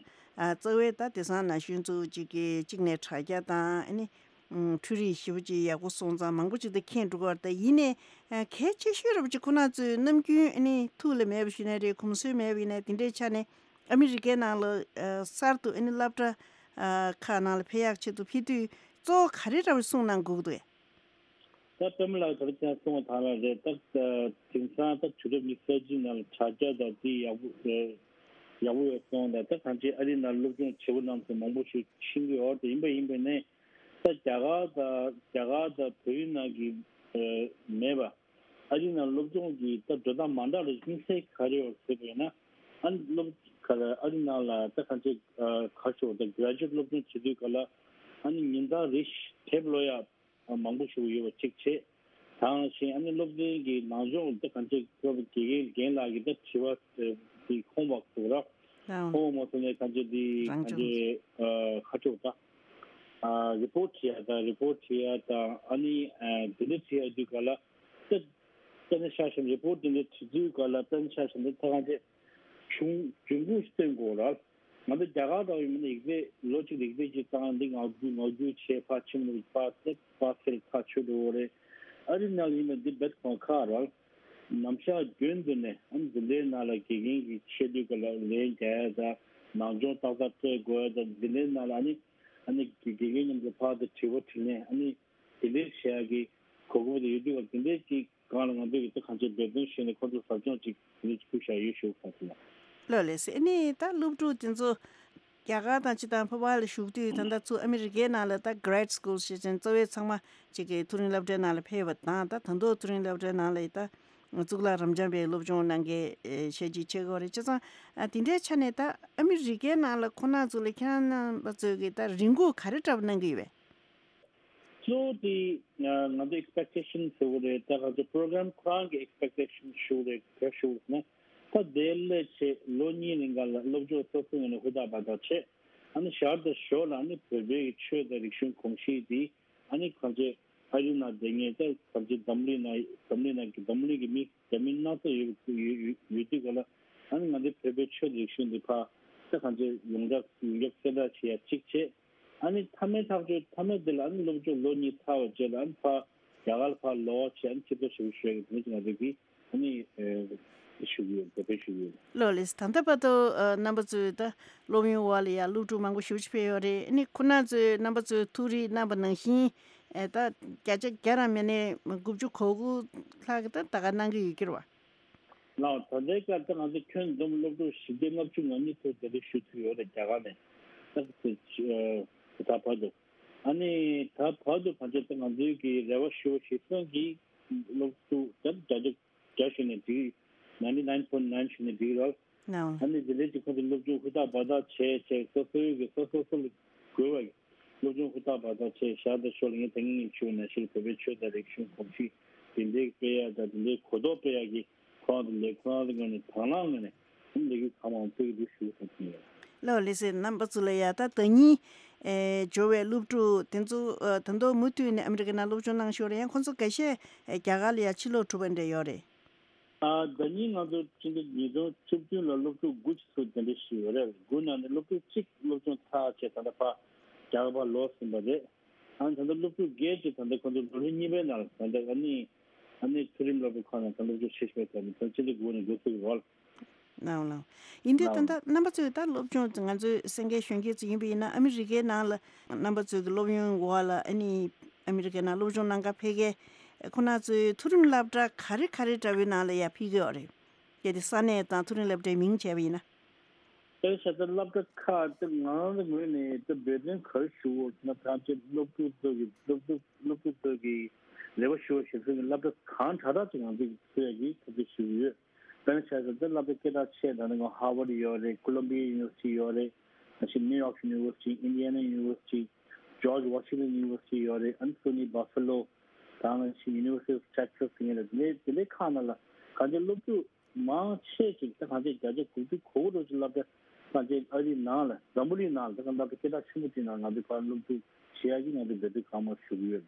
རྩ་བའི་ད་དེང་སང་ན་གཞོན་ཚོ་གཅིག་གིས་གཅིག་ནས་དྲ་རྒྱ་དང་། ཨ་ནི་འཕྲུལ་རིག་ཞེ་པོ་ཅིག་ཡག་པོ་སོང་ཙང་མང་པོ་ཅིག་ད་མཁྱེན་འགྲོ་གི་རེད། ད་ཡིན་ནའི་ཨ་གལ་ཆེ་ཤོས་རེད་པ་ཅིག་ཁོ་ན་ཚོས་ནམ་རྒྱུན་ཨ་ནི་ཐུགས་ལ་མེད་པ་ཞུས་ན་རེད། གོམས་སྲོལ་མེད་པ་ཡིན་ན་དེ་འདྲའི་ཆ་ནས་ཨ་མི་རི་ཀའི་ནང་ལ་ཨ་གསར་དུ་ཨ་ནི་སློབ་གྲྭ་ཨ་ཁག་ནང་ལ་ཕེབས་ཡག་ཆེད་དུ་ཕེབས་དུས་གཙོ་བོ་ག་རེ་འདྲ་བོ་གསུངས་གནང་དགོས་ཀྱི་འདུག་གས། ད་པད་མ་ལགས་ད་ལྟ་ཁྱེད་རང་གསུངས་པ་དང་ལ་རེད། ད་དེང་སང་ད་དུས་རབས་ཉི་ཤུ་རྩ་གཅིག་ནང་ལ་དྲ་རྒྱ་དང་དེ་ཡག་པོ་ཡག་པོ་ཡོད་སོང་། ད་ད་གང་ཅི་ཨ་རི་ནང་སློབ་སྦྱོང་བྱེད་པོ་གནང་ཚོ་མང་པོ་ཞིག་ཕྱིན་གྱི་ཡོད་རེད། ཡིན་པ་ཡིན་པ་ནས་ད་རྒྱ་གར་དང་རྒྱ་གར་དང་བོད་ཡིག་ནང་གི་མེད་པ་ཨ་རི་ནང་སློབ་སྦྱོང་གི་ད་འགྲོ་སྟངས་མ་འདྲ་ལ་དམིགས་བསལ་ག་རེ་ཡོད་ཟེར་བ་ཡིན་ན། ཨ་ནི་སློབ་ག་ལ་ཨ་རི་ནང་ལ་ད་གང་ཅི་ག་ཞོག་ད་graduate་སློབ་སྦྱོང་བྱེད་དུས་ག་ལ་ཨ་ནི་ཉིན་ལྟར་རེ་བཞིན་དེབ་ཀློག་ཡག་མང་པོ་ཞིག་ཡོད་པ་གཅིག་བྱས། དེ་ནང་བཞིན་ཨ་ནི་སློབ་ཚན་གྱི་ནང་སྦྱོང་ད་གང་ཅི་སློབ་དགེ་རྒན་རྒན་ལགས་ཀྱིས་ད་དྲི་བ་དེ་ཁོང་བག་ཐུག་ར། ལའོ། ཁོང་མ་ཐུག་ནས་གང་ཅི་དེ་རང་གང་སྦྱོང་ཅི་ཁ་ཕྱོགས་ད་report་བྲིས་ཡ་ད་report་བྲིས་ཡ་ད་ཨ་ནི་དེ་འདྲ་བྲིས་ཡ་དུས་ག་ལ་ད་ད་ནི་ཤ་ཞིམ་report་དེ་འདྲ་བྲིས་དུས་ག་ལ་ད་ནི་ཤ་ཞིམ་ད་ད་གང་ཅི་བྱུང་འབྱུང་ཁུངས་སྟོན་དགོས་ར། ང་ཚོ་རྒྱ་གར་དང་ཡིན་ན་ཡིག་ཚད་ལོ་གཅིག་ལ་ཡིག་ཚད་གཅིག་བཏང་འདི་ངག་རྒྱུན་ངག་རྒྱུན་བྱས་ཕར་ཕྱིན་ནས་ཕར་ཚད་ཕར་ཚད་ཁ་ཆོད་འགྲོ་རེད། ཨ་རི་ནང་ལ་ཡིན་ན་འདི་རྦད་གོང་ཁག་རེད། ནམ་ཞག་རྒྱུན་དུ་ནས་ཨ་ནི་འཛིན་གྲྭའི་ནང་ལ་དགེ་རྒན་གྱི་ཆེད་དུ་ག་ལ་ལན་རྒྱག་ཡ་དང་ནང་སྦྱོང་ཏག་ཏག་སྤྲད་དགོས་ཡ་དང་འཛིན་གྲྭའི་ནང་ལ་ཨ་ནི་ཨ་ནི་དགེ་རྒན་མཉམ་དུ་ཕར་དུ་དྲི་བ་དྲིས་ལན་ཨ་ནི་དེ་འདྲའི་བྱེད་ཡ་གི་གོ་སྐབས་དེ་ཡོད་དུས་ག་དེ་འདྲའི་གི་སྒང་ལ་ང་ཚོས་ཀྱི་ད་གང་ཅི་འབད་བརྩོན་བྱས་ནས་ཁོ་ཚོ་ཟབ་སྦྱོང་ཅིག་དེ་འདྲ་ཕུལ་བཞག་ཡོད་ཞུ་བ་ཟེར་ལ། ལགས་ལགས་སེ། ཨ་ནི་ད་སློབ་ཕྲུག་དེ་ཚོ་རྒྱ་གར་དང་སྤྱི་དང་ཕོ་བ་ལ་བཞུགས་དུས་ད་ལྟ་ཚུར་ཨ་མི་རི་ཀའི་ནང་ལ་ད་grad school་ཞེས་ཅན་རྩ་བའི་ཚང་མ་ཅིག་གི་མཐོ་རིམ་སློབ་གྲྭའི་ནང་ལ་ཕེབས་པ་དང་ད་ད་དུང་མཐོ་རིམ་སློབ་གྲྭའི་ནང་ལ་ད་གཙུག་ལག་རབ་འབྱམས་པའི་སློབ་སྦྱོང་གནང་མཁན་ཤེས་ཀྱི་ཆེ་གོ་རེད། བྱས་ཙང་དེ་འདྲའི་ཆ་ནས་ད་ཨ་མི་རི་ཀའི་ནང་ལ་ཁོ་ན་ཚོ་ལ་ཁྱེད་རྣམ་པ་ཚོས་ཀྱི་ད་རེ་སྒུག་ག་རེ་འདྲ་པོ་གནང་གི་ཡོད་པས། གཙོ་བོ་དེ་ང་ང་ཚོ་expectation་ཟེར་བ་རེད། ད་ང་ཚོ་program་ཁོ་རང་གི་expectation་ཞུ་རེད། ག་ཞུ་ན་ད་དེ་སླེབས་བྱས་ལོ་གཉིས་རིང་ག་ལ་སློབ་སྦྱོང་སོ་སོ་ངོས་ནས་ཧུར་ཐག་འབད་ཐག་བྱས། ཨ་ནི་ཞར་དང་ཞོར་ལ་ཨ་ནི་བོད་པའི་ཆོས་དང་རིག་གཞུང་གོམས་གཤིས་དེ་ཨ་ནི་གང་ཅི་ཨ་རི་ནང་བསྡད་མཁན་ད་གང་ཅི་འཛམ་གླིང་ནང་འཛམ་གླིང་ནང་གི་འཛམ་གླིང་གི་མི་རྒྱ་མི་སྣ་ཚོགས་ཡོད་ཡོད་ཡོད་ཡོད་དུས་ག་ལ་ཨ་ནི་ང་ཚོའི་བོད་པའི་ཆོས་དང་རིག་གཞུང་དེ་ཕར་ད་གང་ཅི་ཡོངས་གྲགས་ཡོངས་ཁྱབ་གསལ་བསྒྲགས་བྱེད་ཡ་གཅིག་བྱས། ཨ་ནི་མཐའ་མའི་ཐག་གཅོད་མཐའ་མའི་དེ་ལ་ཨ་ནི་སློབ་སྦྱོང་ལོ་གཉིས་ཚར་བའི་རྗེས་ལ་ཨ་ནི་ཕར་རྒྱ་གར་ཕར་ལོག་བྱས་ཨ་ནི་ཆེད་གཏོང་ཞུ་ཞུ་ཡ་གི་དེ་འདྲ་ཅིག་ང་ཚོ་གིས་ཨ་ནི་ཨེ་ཞུ་གི་ཡོད། འབོད་སྐུལ་ཞུ་གི་ཡོད། ལགས་ལགས། ད་ལྟ་བར་དུ་ཨ་རྣམ་པ་ཚོས་ད་སློབ་ཡོན་འོག་ལ་ཡ་སློབ་ཕྲུག་མང་པོ་ཞེ་པོ་ཅིག་ཕེབས་ཡོད་རེད། ཨ་ནི་ཁོ་ན་ཚོས་རྣམ་པ་ཚོས་ཐུགས་རེ་གནང་པ་ནང་བཞིན་ཨེ་ད་བརྒྱ་ཆ་བརྒྱ་རང་མིན་ནས་དགུ་བཅུ་གོ་དགུ་ལྷག་གི་ད་ད་ག་གནང་གི་ཡོད་ཀྱི་རེད་བ། ལགས། ད་ལྟའི་ཆར་ད་ང་ཚོ་ཁྱོན་བསྡོམས་སློབ་ཕྲུག་བཞི་བརྒྱ་ལྔ་བཅུ་ང་གཉིས་ཚོ་དེ་རིང་ཞུགས་ཐུབ་ཡོད་རེད། རྒྱ་གར་ནས་ད་ད་བར་དུ། ཨ་ནི་ད་བར་དུ་གང་ཅི་ད་ང་ཚོའི་གི་རེ་བ་ཞུ་བ་ཞིག་སོང་གི་སློབ་ཕྲུག་ད་བརྒྱ་ཆ་བརྒྱ་ཞུ་ནས་འགྲིག ninety nine point nine་ཞུ་ནས་འགྲིག་རོགས། ཨ་ནི་དེ་ལས་ཀྱི་ཁོང་ཚོ་སློབ་སྦྱོང་ཧུར་ཐག་འབད་ཐག་བྱས་བྱས་སོ་སོའི་གི་སོ་སོ་སོ་ལ་དགོས་པ་སློབ་སྦྱོང་ཧུར་ཐག་འབད་ཐག་བྱས་ཞར་དང་ཞོར་ལ་ངས་ད་ངས་ཞུ་ན་ཞིག་བོད་པའི་ཆོས་དང་རིག་གཞུང་གོམས་གཤིས་དེ་འདྲའི་སྤེལ་ཡ་དང་དེ་འདྲའི་གོ་རྟོགས་སྤེལ་ཡ་གི་ཁོ་རང་དང་ལས་ཁོ་རང་ཚོའི་ངོས་ནས་དང་བླངས་ངོས་ནས་ལས་འགུལ་གང་མང་སྤེལ་གྱི་འདུག་ཞུ་བསམ་གྱི་ཡོད། ལགས་ལགས་སེ། རྣམ་པ་ཚོ་ལ་ཡ་ད་ཟླ་ཉིན་ཨེ་འབྱོར་བའི་སློབ་ཕྲུག་དེ་ཚོ་ཨ་ད་དུང་མུ་མཐུད་ནས་ཨ་མི་རི་ཀའི་ནང་སློབ་སྦྱོང་གནང་ཞོར་ཡང་ཁོང་ཚོ་འགའ་ཤས་ཨེ་རྒྱ་གར་ལ་ཡ་ཕྱིར་ལོག་གྲུབ་པ་འདྲ་ཡོད་རེད། ཨ་ཟླ་ཉིན་ང་ཚོ་སྤྱི་ཟླ་ཉིས་སྟོང་བཅུ་བདུན་ལ་སློབ་ཕྲུག་དགུ་ཅིག་ཚུར་གདན་འདྲེན་ཞུས་ཡོད་རེད། དགུ་ནང་ནས་སློབ་ཕྲུག་གཅིག་སློབ་སྦྱོང་ཚར་བྱས་ད་ལྟ་ཕར་རྒྱ་གར་ཕར་ལོག་ཟིན་པ་རེད། ཨ་ནི་ད་ལྟ་སློབ་ཕྲུག་བརྒྱད་ཅིག་ད་ལྟ་ཁོང་ཚོ་ལོ་ལོན་གཉིས་པའི་ནང་ལ་ད་ལྟ་ཨ་ནི་ཨ་ནི་མཐོ་རིམ་སློབ་གྲྭ་ཁག་ནང་ད་སློབ་སྦྱོང་བྱེད་བཞིན་པའི་ཐོག་ནས་ད་ཕྱི་ཟླ་དགུ་པ་ནས་འགོ་ཚུགས་ཀྱི་རེད། ལགས་ལགས། ཡིན་དུས་ད་ལྟ་རྣམ་པ་ཚོས་ད་སློབ་སྦྱོང་ང་ཚོའི་གསན་མཁན་གཞོན་སྐྱེས་ཚོ་ཡིན་པ་ཡིན་ན་ཨ་མི་རི་ཀའི་ནང་ལ་རྣམ་པ་ཚོས་ཀྱི་སློབ་ཡོན་འོག་ལ་ཨ་ནི་ཨ་མི་རི་ཀའི་ནང་སློབ་སྦྱོང་གནང་ག་ཕེབས་མཁན་ཁོ་ན་ཚོའི་མཐོ་རིམ་སློབ་གྲྭ་ག་རེ་ག་རེ་འདྲ་བོའི་ནང་ལ་ཡ་ཕེབས་ཀྱི་ཡོད་རེད། གལ་ཏེ་ས་གནས་དང་མཐོ་རིམ་སློབ་གྲྭའི་མིང་བྱས་པ་ཡིན་ན། དེ་བྱས་ཙང་སློབ་གྲྭ་ཁག་དེ་ང་རང་གི་ངོས་ནས་དེ་འབད་བརྩོན་ག་རེ་ཞུ་དགོས་ཟེར་ན། ཐམས་ཅད་སློབ་ཕྲུག་ཚོ་གི་སློབ་ཕྲུག་སློབ་ཕྲུག་ཚོ་གི་རེ་བ་ཞུ་བ་ཞིག་ཚོ་གི་སློབ་གྲྭ་གང་དྲག་དྲག་ཅིག་ང་ཚོ་གི་ཚུད་ཡ་གི་ཐབས་ཤེས་ཞུ་གི་ཡོད། དཔེར་ན་ཆ་བཞག་ན་སློབ་གྲྭ་སྐད་གྲགས་ཆེ་ད་ནི་ཧར་ཝརཌ་ཡོད་རེད། ཀོ་ལམ་བི་ཡ་ཡུ་ནི་ཝར་སི་ཊི་ཡོད་རེད། ནང་བཞིན་ནིའུ་ཡོག་ཡུ་ནི་ཝར་སི་ཊི། ཨིན་ཌི་ཡ་ན་ཡུ་ནི་ཝར་སི་ཊི། ཇོརྗ་ཝ་ཤིང་ཊོན་ཡུ་ནི་ཝར་སི་ཊི་ཡོད་རེད། ཨ་ནི་སུ་ནི་བྷ་ཕ་ལོ། ད་ནང་བཞིན་ཡུ་ནི་ཝར་སི་ཊི་ཨོཕ་ཊེག་སཱས་ཟེར་མཁན་རེད། དེ་འདྲའི་དེ་འདྲའི་ཁག་ནང་ལ་གང་ཅི་སློབ་ཕྲུག་མང་ཆེ་ཅིག་ད་གང་ཅི་བརྒྱ་ཆ་དགུ་བཅུ་གོ་དགུ་འདྲ་ཅིག་སློབ་གྲྭ་གང་ཅི་ཨ་རིའི་ནང་ལ་འཛམ་བུ་གླིང་ནང་ལ་ད་གང་སློབ་གྲྭ་སྐད་གྲགས་ཆེན་པོ་ཅིག་ནང་ང་ཚོས་ཕར་སློབ་ཕྲུག་བྱེད་ཡག་གི་ང་ཚོས་འབད་བརྩོན་གང་མང་ཞུ་གི་ཡོད།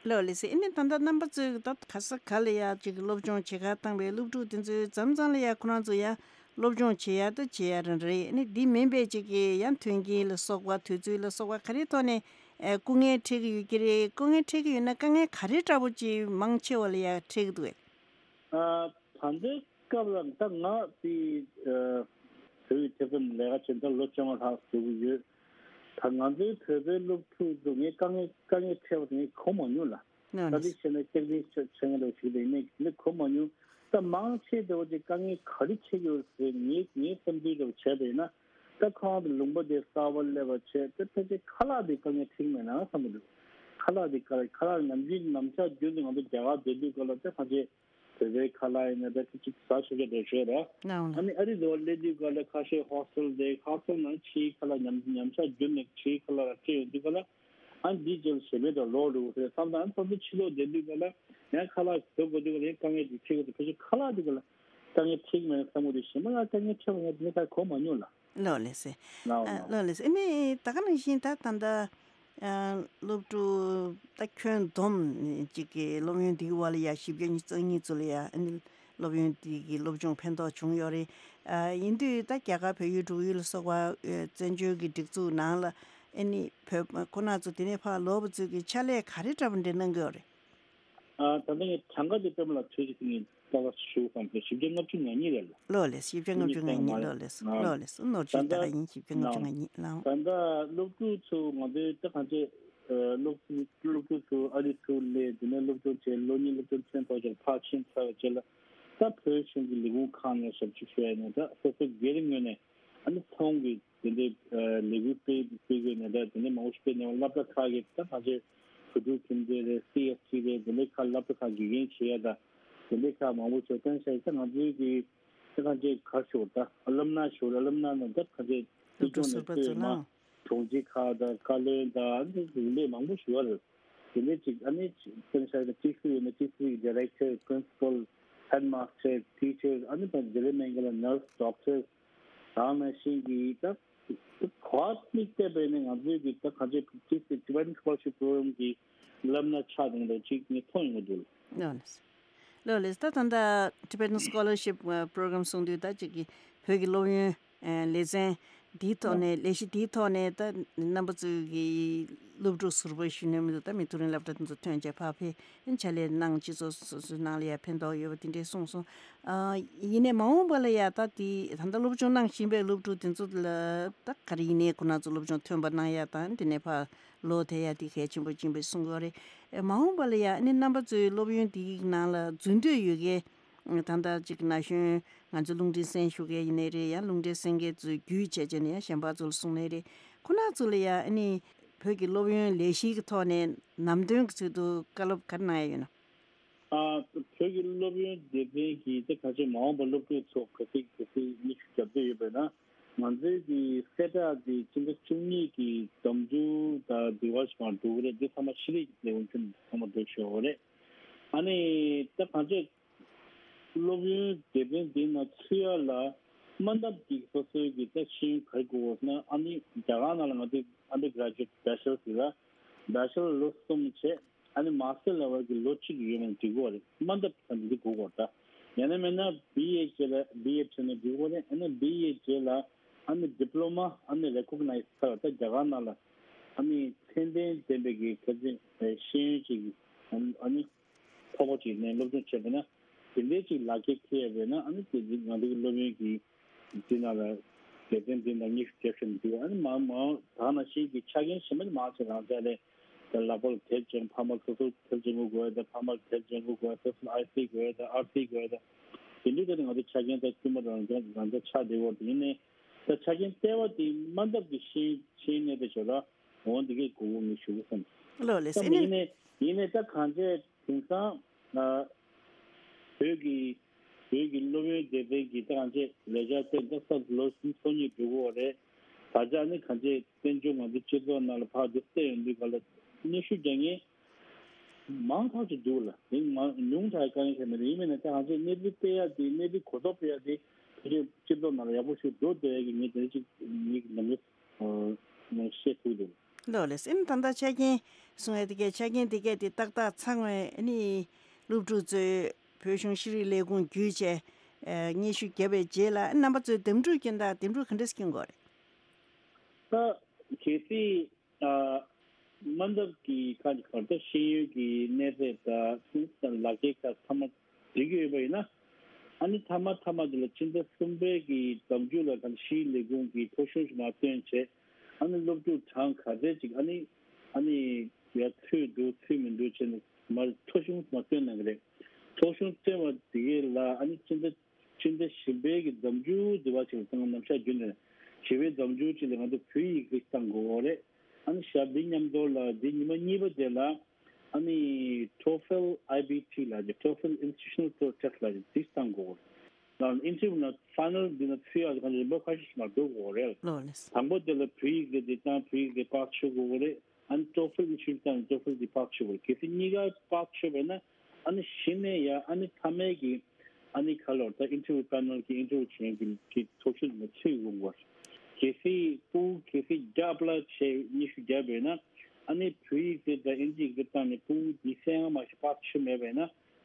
ལགས་ལགས་སེ། ཨ་ནི་ད་ལྟ་རྣམ་པ་ཚོས་ད་ག་ས་ག་ལ་ཡ་ཅིག་སློབ་སྦྱོང་བྱེད་གར་བཏང་བའི་སློབ་ཕྲུག་དེ་ཚོའི་མཚམས་མཚམས་ལ་ཡ་ཁོ་རང་ཚོ་ཡ་སློབ་སྦྱོང་བྱེད་ཡ་ད་བྱེད་ཡ་རང་རེད། ཨ་ནི་འདི་མིན་པའི་ཅིག་གི་ཡ་མཐུན་རྐྱེན་ལ་སོགས་པ་དུས་ཚོད་ལ་སོགས་པ་ག་རེ་ཐོག་ནས་ཨེ་སྐུ་ངལ་འཕྲད་ཀྱི་ཡོད་ཀྱི་རེད། སྐུ་ངལ་འཕྲད་ཀྱི་ཡོད་ན་དཀའ་ངལ་ག་རེ་འདྲ་པོ་ཅིག་མང་ཆེ་བ་ལ་ཡ་འཕྲད་ཀྱི་འདུག་གས། ཨ་ད་ལྟའི་སྐབས་ལ་ད་ང་དེ་ཨ་བོད་ཀྱི་ཐེ་ཚོམ་ལས་ཀ་བྱེད་ད་ལོ་བཅོ་ལྔ་ལྷག་བཟོ་གི་ཡོད། ད་ང་ཚོའི་བོད་པའི་སློབ་ཕྲུག་ཚོ་ངས་དཀའ་ངལ་དཀའ་ངལ་འཕྲད་པ་དེ་ངས་གོ་མ་མྱོང་ལ། ད་དེ་བྱས་ན་སྐྱག་རྫུན་བྱེད་མཁན་འདྲ་བོ་ཞིག་རེད། ཡིན་ནའི་དེ་འདྲ་གོ་མ་མྱོང་། ད་མང་ཆེ་འདྲ་བོ་ཅིག་དཀའ་ངལ་ག་རེ་འཕྲད་ཀྱི་ཡོད་ཟེར་ངའི་ངའི་བསམ་ཚུལ་འདྲ་བོ་བྱས་པ་ཡིན་ན། ད་ཁོང་དུ་ལུང་པ་དེ་གསར་པ་སླེབས་པ་བྱས་ད་ཕལ་ཆེར་ཁ་ལག་དེ་དཀའ་ངལ་འཕྲད་ཀྱི་མེད་ན་བསམ་གྱི་འདུག་ཁ་ལག་དེ་དཀའ་ཁ་ལག་ནམ་རྒྱུན་ནམ་ཞག་རྒྱུན་དུ་ང་ཚོ་རྒྱ་གར་སྡོད་དུས་སྐབས་ལ་ད་ཕལ་ཆེར་བོད་པའི་ཁ་ལག་ཡིན་ན་ད་ཁྱི་གཅིག་ཟ་ཆོག་ཆོག་འགྲོ་ཤོད་ར། ཨ་ནི་ཨ་རི་འདྲ་བོ་སླེབས་དུས་སྐབས་ལ་ཁ་ཤས་ཧོ་སི་ཊེལ་དེ་ཧོ་སི་ཊེལ་ནང་ཕྱིའི་ཁ་ལག་ཉམས་ཉམས་ཆག་རྒྱུན་ནས་ཕྱིའི་ཁ་ལག་ར་སྤྲད་ཡོང་དུས་སྐབས་ལ། ཨ་འདི་ཅིག་ཞེ་མེད་དུ་ལོག་འགྲོ་གི་རེད་བསམ་ད། ཨ་ནི་ཁོ་ཚོ་ཕྱི་ལོགས་བསྡད་དུས་སྐབས་ལ་ཡང་ཁ་ལག་བཟོ་དགོས་དུས་སྐབས་ལ་ཡང་དཀའ་ངལ་འདི་འཕྲད་ཀྱི་འདུག་ཕལ་ཆེར་ཁ་ལག་དེ་སྐབས་ལ་དཀའ་ངལ་འཕྲད་ཀྱི་མེད་ན་བསམ་གྱི་འདུག་ཞེ་མ་ལ་དཀའ་ངལ་འཕྲད་པ་ང་དེ་ནས་ད་གོ་མ་མྱོང་ལ། ལགས་ལགས་སེ། ལགས་འོང་ལགས་འོང་། ལགས་ལགས་སེ། ཨ་ནི་ད་ག་ནང་བཞིན་ད་ད་ལྟ་ཨ་སློབ་ཕྲུག་ད་ཁྱོན་བསྡོམས་གཅིག་གི་སློབ་ཡོན་འདིའི་བར་ལ་ཡ་བཞི་བརྒྱ་ཉི་ཤུ་རྩ་གཉིས་ཚོ་ལ་ཡ་ཨ་ནི་སློབ་ཡོན་འདི་གི་སློབ་སྦྱོང་ཕན་ཐོགས་བྱུང་ཡོད་རེད། ཨ་ཡིན་དུས་ད་རྒྱ་གར་བལ་ཡུལ་འབྲུག་ཡུལ་ལ་སོགས་པ་ཨ་བཙན་བྱོལ་གྱི་སྒྲིག་འཛུགས་ནང་ལ་ཨ་ནི་བོད་ཁོ་ན་ཚོ་དེ་ནས་ཕར་ལོག་པ་ཚོས་ཀྱི་ཕྱག་ལས་ག་རེ་འདྲ་པོ་འདྲ་གནང་གི་ཡོད་རེད། ཨ་ད་ལྟ་ངས་གྲངས་ཀ་དེ་པད་མ་ལགས་ཐོས་ཀྱི་དེ་ངས་ཏག་ཏག་ཞུ་བསམ་སོང་། བཞི་བརྒྱ་ལྔ་བཅུ་ང་གཉིས་རེད་ལ། ལགས་ལགས་སེ། བཞི་བརྒྱ་ལྔ་བཅུ་ང་གཉིས། ལགས་ལགས་སེ། ལགས་ལགས་སེ། ནོར་ད་བཅུད་ད་ལྟ་ག་ཡིན། བཞི་བརྒྱ་ལྔ་བཅུ་ང་གཉིས་ལགས། ད་ལྟ་སློབ་ཕྲུག་ཚོ་ང་ཚོའི་ད་གང་ཅི་སློབ་སློབ་ཕྲུག་ཚོ་ཨ་རི་ཚུར་སླེབས་དེ་ནས་སློབ་སྦྱོང་བྱས། ལོ་གཉིས་སློབ་སྦྱོང་ཐོན་ཐོག་ཅིག་ཕར་ཕྱིན་ཚར་བའི་རྗེས་ལ་ད་བོད་གཞུང་གི་ལས་ཁུངས་ཁག་ནས་ཞབས་ཕྱི་ཞུ་ཡ་ནས་ད་སོ་སོ་སྒེར་ངོས་ནས་ཨ་ནི་ཚོང་གི་དེ་འདྲའི་ལས་འགུལ་སྤེལ་སྤེལ་དགོས་ནས་ད་དེ་འདྲའི་མང་པོ་ཞིག་སྤེལ་ནས་སློབ་གྲྭ་ཁག་གི་ད་གང་ཅི་བོད་ཕྲུག་ཁྱིམ་སྡེ་རེད། སི་ཨེཕ་སི་རེད། དེ་འདྲའི་ཁག་སློབ་གྲྭ་ཁག་དགེ་རྒན་བྱེད་ཡ་ད་དེ་འདྲའི་ཁག་མང་པོ་ཞིག་བཏོན་ཤག་ད་ང་ཚོའི་གི་ད་གང་ཅི་ག་ཞུ་ད་ཨ་ལམ་ན་ཞུ་ཨ་ལམ་ན་ནང་ད་གང་ཅི་སློབ་སྲིད་ཕྲུག་ཟུར་པ་ཚོ་ནང་། གྲོང་སྡེ་ཁག་དང་བཀའ་བློན་དང་ཨ་ནི་དེ་འདྲའི་མང་པོ་ཞིག་ཡོད་རེད། དེ་འདྲའི་ཅིག་ཨ་ནི་བཏོན་ཤག་ད་ཅིག་སུ་ཡོད་ན་ཅིག་སུ་ཡི་ཌི་རེག་ཊར། པི་རིན་སི་པལ། ཧེཌ་མཱ་སི་ཊར། ཊི་ཆར། ཨ་ནི་ད་དེ་འདྲའི་མིན་གྱི་ལ་ནར་སི། ཌོག་ཊར། དེ་ནང་བཞིན་གྱི་ད་ག་པར་དམིགས་བསྟན་པའི་ནི་ང་ཚོའི་གི་ད་གང་ཅི་ཊི་སི་ཊི་བེ་ཊན་སི་ཀོ་ལར་ཤིབ་པོ་རོ་གྷ་རམ་གྱི་ལམ་སྣ་ཆགས་བསྡད་འདུག་ཅིག་ངས་མཐོང་ཡོང་གི་འདུག་ལགས། ལགས་ལགས་ལགས་ལགས། ད་ད་ལྟ་ཊི་བེ་ཊན་སི་ཀོ་ལར་ཤིབ་པོ་རོ་གྷ་རམ་གསུང་དུས་ད་ཅིག་གི་བོད་ཀྱི་སློབ་ཡོན་ལེ་ཚན་འདིའི་ཐོག་ནས་ལས་གཞི་འདིའི་ཐོག་ནས་ད་རྣམ་པ་ཚོའི་གི་སློབ་ཕྲུག་ཟུར་པ་ཞུ་ནས་མི་འདུག་ད་མི་ཐུག་རིང་སློབ་གྲྭ་དེ་ཚོ་ཐོན་བྱས་ཕར་ཕེབས། ཕྱག་ལས་གནང་། སྤྱི་ཚོགས་སོ་སོའི་ནང་ལ་ཡང་ཕན་ཐོགས་ཡོད་པ་དེ་འདྲས་གསུངས་སོང་། ཨ་ཡིན་ནའི་མ་འོངས་པ་ལ་ཡང་ད་དེ་ད་ལྟ་སློབ་སྦྱོང་གནང་བཞིན་པའི་སློབ་ཕྲུག་དེ་ཚོ་ལ་ད་ག་རེ་ཡིན་ནའི་ཁོ་རང་ཚོ་སློབ་སྦྱོང་ཐོན་པ་གནང་ཡ་དང་དེ་ནས་ཕར་ལོག་ཐེབས་ཡ་དེ་གལ་ཆེན་པོ་ཡིན་པའི་གསུང་གི་ཡོད་རེད། ཨེ་མ་འོངས་པ་ལ་ཡང་ཨ་ནི་རྣམ་པ་ཚོའི་སློབ་ཡོན་དེའི་ནང་ལ་འཛུལ་འདོད་ཡོད་མཁན་ད་ལྟ་ཅིག་ན་གཞོན་ང་ཚོ་རླུང་འཕྲིན་གསན་ཞུ་མཁན་ཡིན་ནའི་རེད། ཡང་རླུང་འཕྲིན་གསན་མཁན་ཚོས་བརྒྱུད་བྱས་བྱས་ནས་ཡང་གཞན་པ་ཚོ་ལ་གསུངས་ནའི་རེད། ཁོ་རང་ཚོ་ལ་ཡང་ཨ་ནི་བོད་ཀྱི་སློབ་ཡོན་ལས་གཞིའི་ཐོག་ནས་ནམ་དོན་གྱི་ཚུལ་དུ་བཀའ་སློབ་ག་རེ་གནང་ཡ་ཡོད་ན། ཨ་བོད་ཀྱི་སློབ་ཡོན་སྡེ་ཚན་གྱི་ད་ག་ཅིག་མ་འོངས་པ་སློབ་ཕྲུག་ཚོ་ག་ཚོད་ག་ཚོད་མི་ཤུགས་རྒྱབ་འདོད་ཡོད་པས་ན། ང་ཚོའི་གི་གསལ་བསྒྲགས་དེ་སྤྱི་ཟླ་བཅུ་གཉིས་ཀྱི་ཟླ་མཇུག་དང་བདུན་པ་ཞིག་མར་འགྲོ་གི་རེད། འདི་ཚང་མ་ཤེས་རིག་ལས་ཁུངས་ཁྱོན་ཚང་མ་འགྲོ་ཤོག་རེད། ཨ་ནི་ད་གང་ཅི་སློབ་ཡོན་སྡེ་ཚན་འདི་ནང་ཚུད་ཡ་ལ་དམའ་འདབས་ཀྱི་སོ་སོའི་གི་ད་ཤེས་ཡོན་ག་རེ་དགོས་ན། ཨ་ནི་རྒྱ་གར་ནང་ལ་ང་ཚོའི་ཨན་ཌར་གྷ་རེ་ཇུ་ཨེཊ་བྷེ་ཆེ་ལར་ཟེར་ལ་བྷེ་ཆེ་ལར་ལོ་གསུམ་བྱས། ཨ་ནི་མ་སི་ཊར་ལེ་ཝལ་གྱི་ལོ་གཅིག་ཡོད་མེད་འགྲིག་གི་རེད། དམའ་འདབས་ཀྱི་ས་འདི་དགོས་གོ་ད། ཡང་ན་མིན་ན་བི་ཨེ་རྗེས་ལ་བི་ཨེ་བྱས་ན་འགྲིག་གི་རེད། ཨ་ནི་བི་ཨེ་རྗེས་ལ་ཨ་ནི་ཌི་པི་ལོ་མ་ཨ་ནི་རེ་ཀོག་ནའིཛ་ཚར་ད་རྒྱ་གར་ནང་ལ་ཨ་ནི་ཚད་ལྡན་ལྡན་པའི་གི་གལ་ཆེན་ཤེས་ཡོན་ཅིག་ཨ་ནི་ཐོབ་པ་ཅིག་ནས་སློབ་སྦྱོང་བྱས་པ་ན་དེ་འདྲའི་ཅིག་ལག་ཁྱེར་ཁེལ་ཡ་བས་ན་ཨ་ནི་དེ་ང་ཚོ་གི་སློབ་ཡོན་གྱི་འདི་ནང་ལ་དགེ་རྒན་འདི་ནང་ཉི་ཤུ་བརྒྱབ་བཞག་ན་འགྲིག་ཨ་ནི་མ་མ་ད་ནང་བཞིན་གྱི་ཆ་རྐྱེན་གཞན་པ་མང་ཆེ་རང་ཅག་ལས་ད་ལག་པ་ལ་དེབ་སྦྱང་ཕ་མ་སོ་སོ་དེབ་སྦྱང་དགོས་དགོས་ད་ཕ་མ་ལ་དེབ་སྦྱང་དགོས་དགོས་སོ་སོ་ཨའི་སི་དགོས་ད་ཨར་སི་དགོས་ད་དེ་འདྲའི་ད་ང་ཚོ་ཆ་རྐྱེན་ད་དཀྱུས་མ་རང་ཅག་རང་ཅག་ཆགས་བསྡད་ཡོད་དེ་ཡིན་ནའི་ད་ཆ་རྐྱེན་ལྟེ་བ་དེ་དམའ་འདབས་ཀྱི་ཤེས་ཤེས་ནས་དེ་ཞོར་ལ་འོང་འདི་གའི་དགོས་མཁོ་ངས་ཞུ་དགོས་བསམ། ལགས་ལགས་སེ། ད་ཨ་ནི་ཡིན་ནའི་ཡིན་ནའི་ད་གང་ཅི་དེང་སང་ཨ་བོད་ཀྱི་བོད་ཀྱི་སློབ་ཡོན་སྡེ་ཚན་གྱི་ད་གང་ཅི་ལས་འཆར་དེ་ད་ས་ལོ་གསུམ་ཚོ་གཉིས་འགྲོ་གི་ཡོད་རེད། ད་ཆ་ནི་གང་ཅི་བཙན་བྱོལ་ང་ཚོ་སྤྱི་ཚོགས་ནང་ལ་ཕར་འདི་བལྟས་ཡོང་དུས་ག་ལ་སྙན་ཞུ་རྒྱག་མཁན་མང་ཐག་ཆོད་འདུག་ལ་དེ་མང་ཉུང་དྲགས་དཀའ་ངལ་ཁྱད་མེད་རེད། ཡིན་མིན་ན་ད་གང་ཅི་གནས་ཚུལ་སྤེལ་ཡ་དེ་གནས་ཚུལ་གོ་རྟོགས་སྤེལ་ཡ་དེ་བོད་ཀྱི་སྤྱི་ཚོགས་ནང་ལ་ཡག་པོ་ཞིག་འགྲོ་བསྡད་ཡ་གི་ངས་དེ་ཅིག་ངས་ནམ་རྒྱུན་ནས་བཤད་ཐུབ་འདུག་ལགས་ལགས་སེ། ཨ་ནི་ད་ལྟ་ཆ་རྐྱེན་གསུང་ཡ་དེ་གས་ཆ་རྐྱེན་དེ་གས་དེ་ཏག་ཏག་ཚང་བས་ཨ་ནི་སློབ་ཕྲུག་ཚོས་བོད་གཞུང་ཤེས་རིག་ལས་ཁུངས་བརྒྱུད་བྱས་ཨ་སྙན་ཞུ་བརྒྱབ་པའི་རྗེས་ལ་ཨ་རྣམ་པ་ཚོས་འདེམས་སྒྲུག་སྐྱོན་དང་འདེམས་སྒྲུག་ག་འདྲས་སྐྱོན་དགོས་རེད། ད་གལ་སྲིད་ཨ་དམའ་འདབས་ཀྱི་ཁག་གི་བར་དུ་ཤེས་ཡོན་གྱི་གནས་ཚད་དང་ལག་ཁྱེར་ཁག་ཚང་མ་འགྲིག་གི་ཡོད་པ་ཡིན་ན། ཨ་ནི་མཐའ་མ་མཐའ་མ་དེ་ལ་ཕྱི་ཟླ་གསུམ་པའི་གི་ཟླ་མཇུག་ལ་གང་ཤེས་ཡོན་ལས་ཁུངས་ཀྱི་ཐོ་གཞུང་ཞིག་མར་བཏོན་བྱས། ཨ་ནི་སློབ་ཕྲུག་གྲངས་ག་ཚད་ཅིག་ཨ་ནི་ཨ་ནི་ཡར་ཚུད་འདུག་ཚུད་མི་འདུག་བྱས་ནས་ མར་ཐོ་གཞུང་མར་བཏོན་གནང་གི་རེད། ཐོ་གཞུང་བཏོན་པ་དེ་གའི་ལ་ཨ་ནི་སྤྱི་ཟླ་སྤྱི་ཟླ་བཞི་པའི་གི་ཟླ་མཇུག་དེ་བ་ཅིག་ལ་ད་ང་ནམ་ཞག་རྒྱུན་ནས་བཞི་པའི་ཟླ་མཇུག་ཅིག་ལ་ང་ཚོ་བོད་ཡིག་རིགས་བཏང་དགོས་རེད། ཨ་ནི་ཞག་འདི་མཉམ་དུ་ལ་འདི་ཉི་མ་གཉིས་པ་དེ་ལ་ཨ་ནི་ཊོ་ཕེལ་ཨའི་བི་ཊི་ལ་ཊོ་ཕེལ་ཨིན་སི་ཊི་ཊུ་ཤ་ནལ་ཊེ་སི་ཊི་ལ་འདི་བཏང་དགོས་རེད། ལ་ཨིན་ཊར་བིའུ་ན་ཕའི་ནལ་འདི་ན་ཚུད་ཡག་གི་རིམ་པ་ཁ་ཤས་ཤིག་མར་འགྲོ་དགོས་རེད། ལགས་ལགས། དང་པོ་དེ་ལ་བོད་ཡིག་གི་འདི་དང་བོད་ཡིག་གི་པར་ཆོད་དགོས་རེད། ཨ་ནི་ཊོ་ཕེལ་ཨིན་སི་ཊི་ཊུ་ཤ་ནལ་ཊོ་ཕེལ་འདི་པར་ཆོད་དགོས་རེད། གལ་སྲིད་གཉིས་ཀ་པར་ཆོད་པས་ན་ཨ་ནི་གཞི་ནས་ཡ་ཨ་ནི་མཐའ་མའི་གི་ཨ་ནི་ཁ་ལོར་ད་ཨིན་ཊར་བིའུ་ཕའི་ནལ་གི་ཨིན་ཊར་བིའུ་བྱེད་མཁན་གྱི་ཐོ་གཞུང་ལ་ཚུད་དགོས་པ། གལ་སྲིད་ཕྲུ་གུ་གལ་སྲིད་བརྒྱ་པ་ལ་བྱས་ཉི་ཤུ་བརྒྱབ་པས་ན་ཨ་ནི་བོད་ཡིག་དེ་དང་ཨིན་ཇི་ཡིག་དེ་བཏང་ནས་ཕྲུ་གུ་ཉི་ཤུ་ཡང་མ་ཤེས་པར་ཆོད་མེད་པས་ན་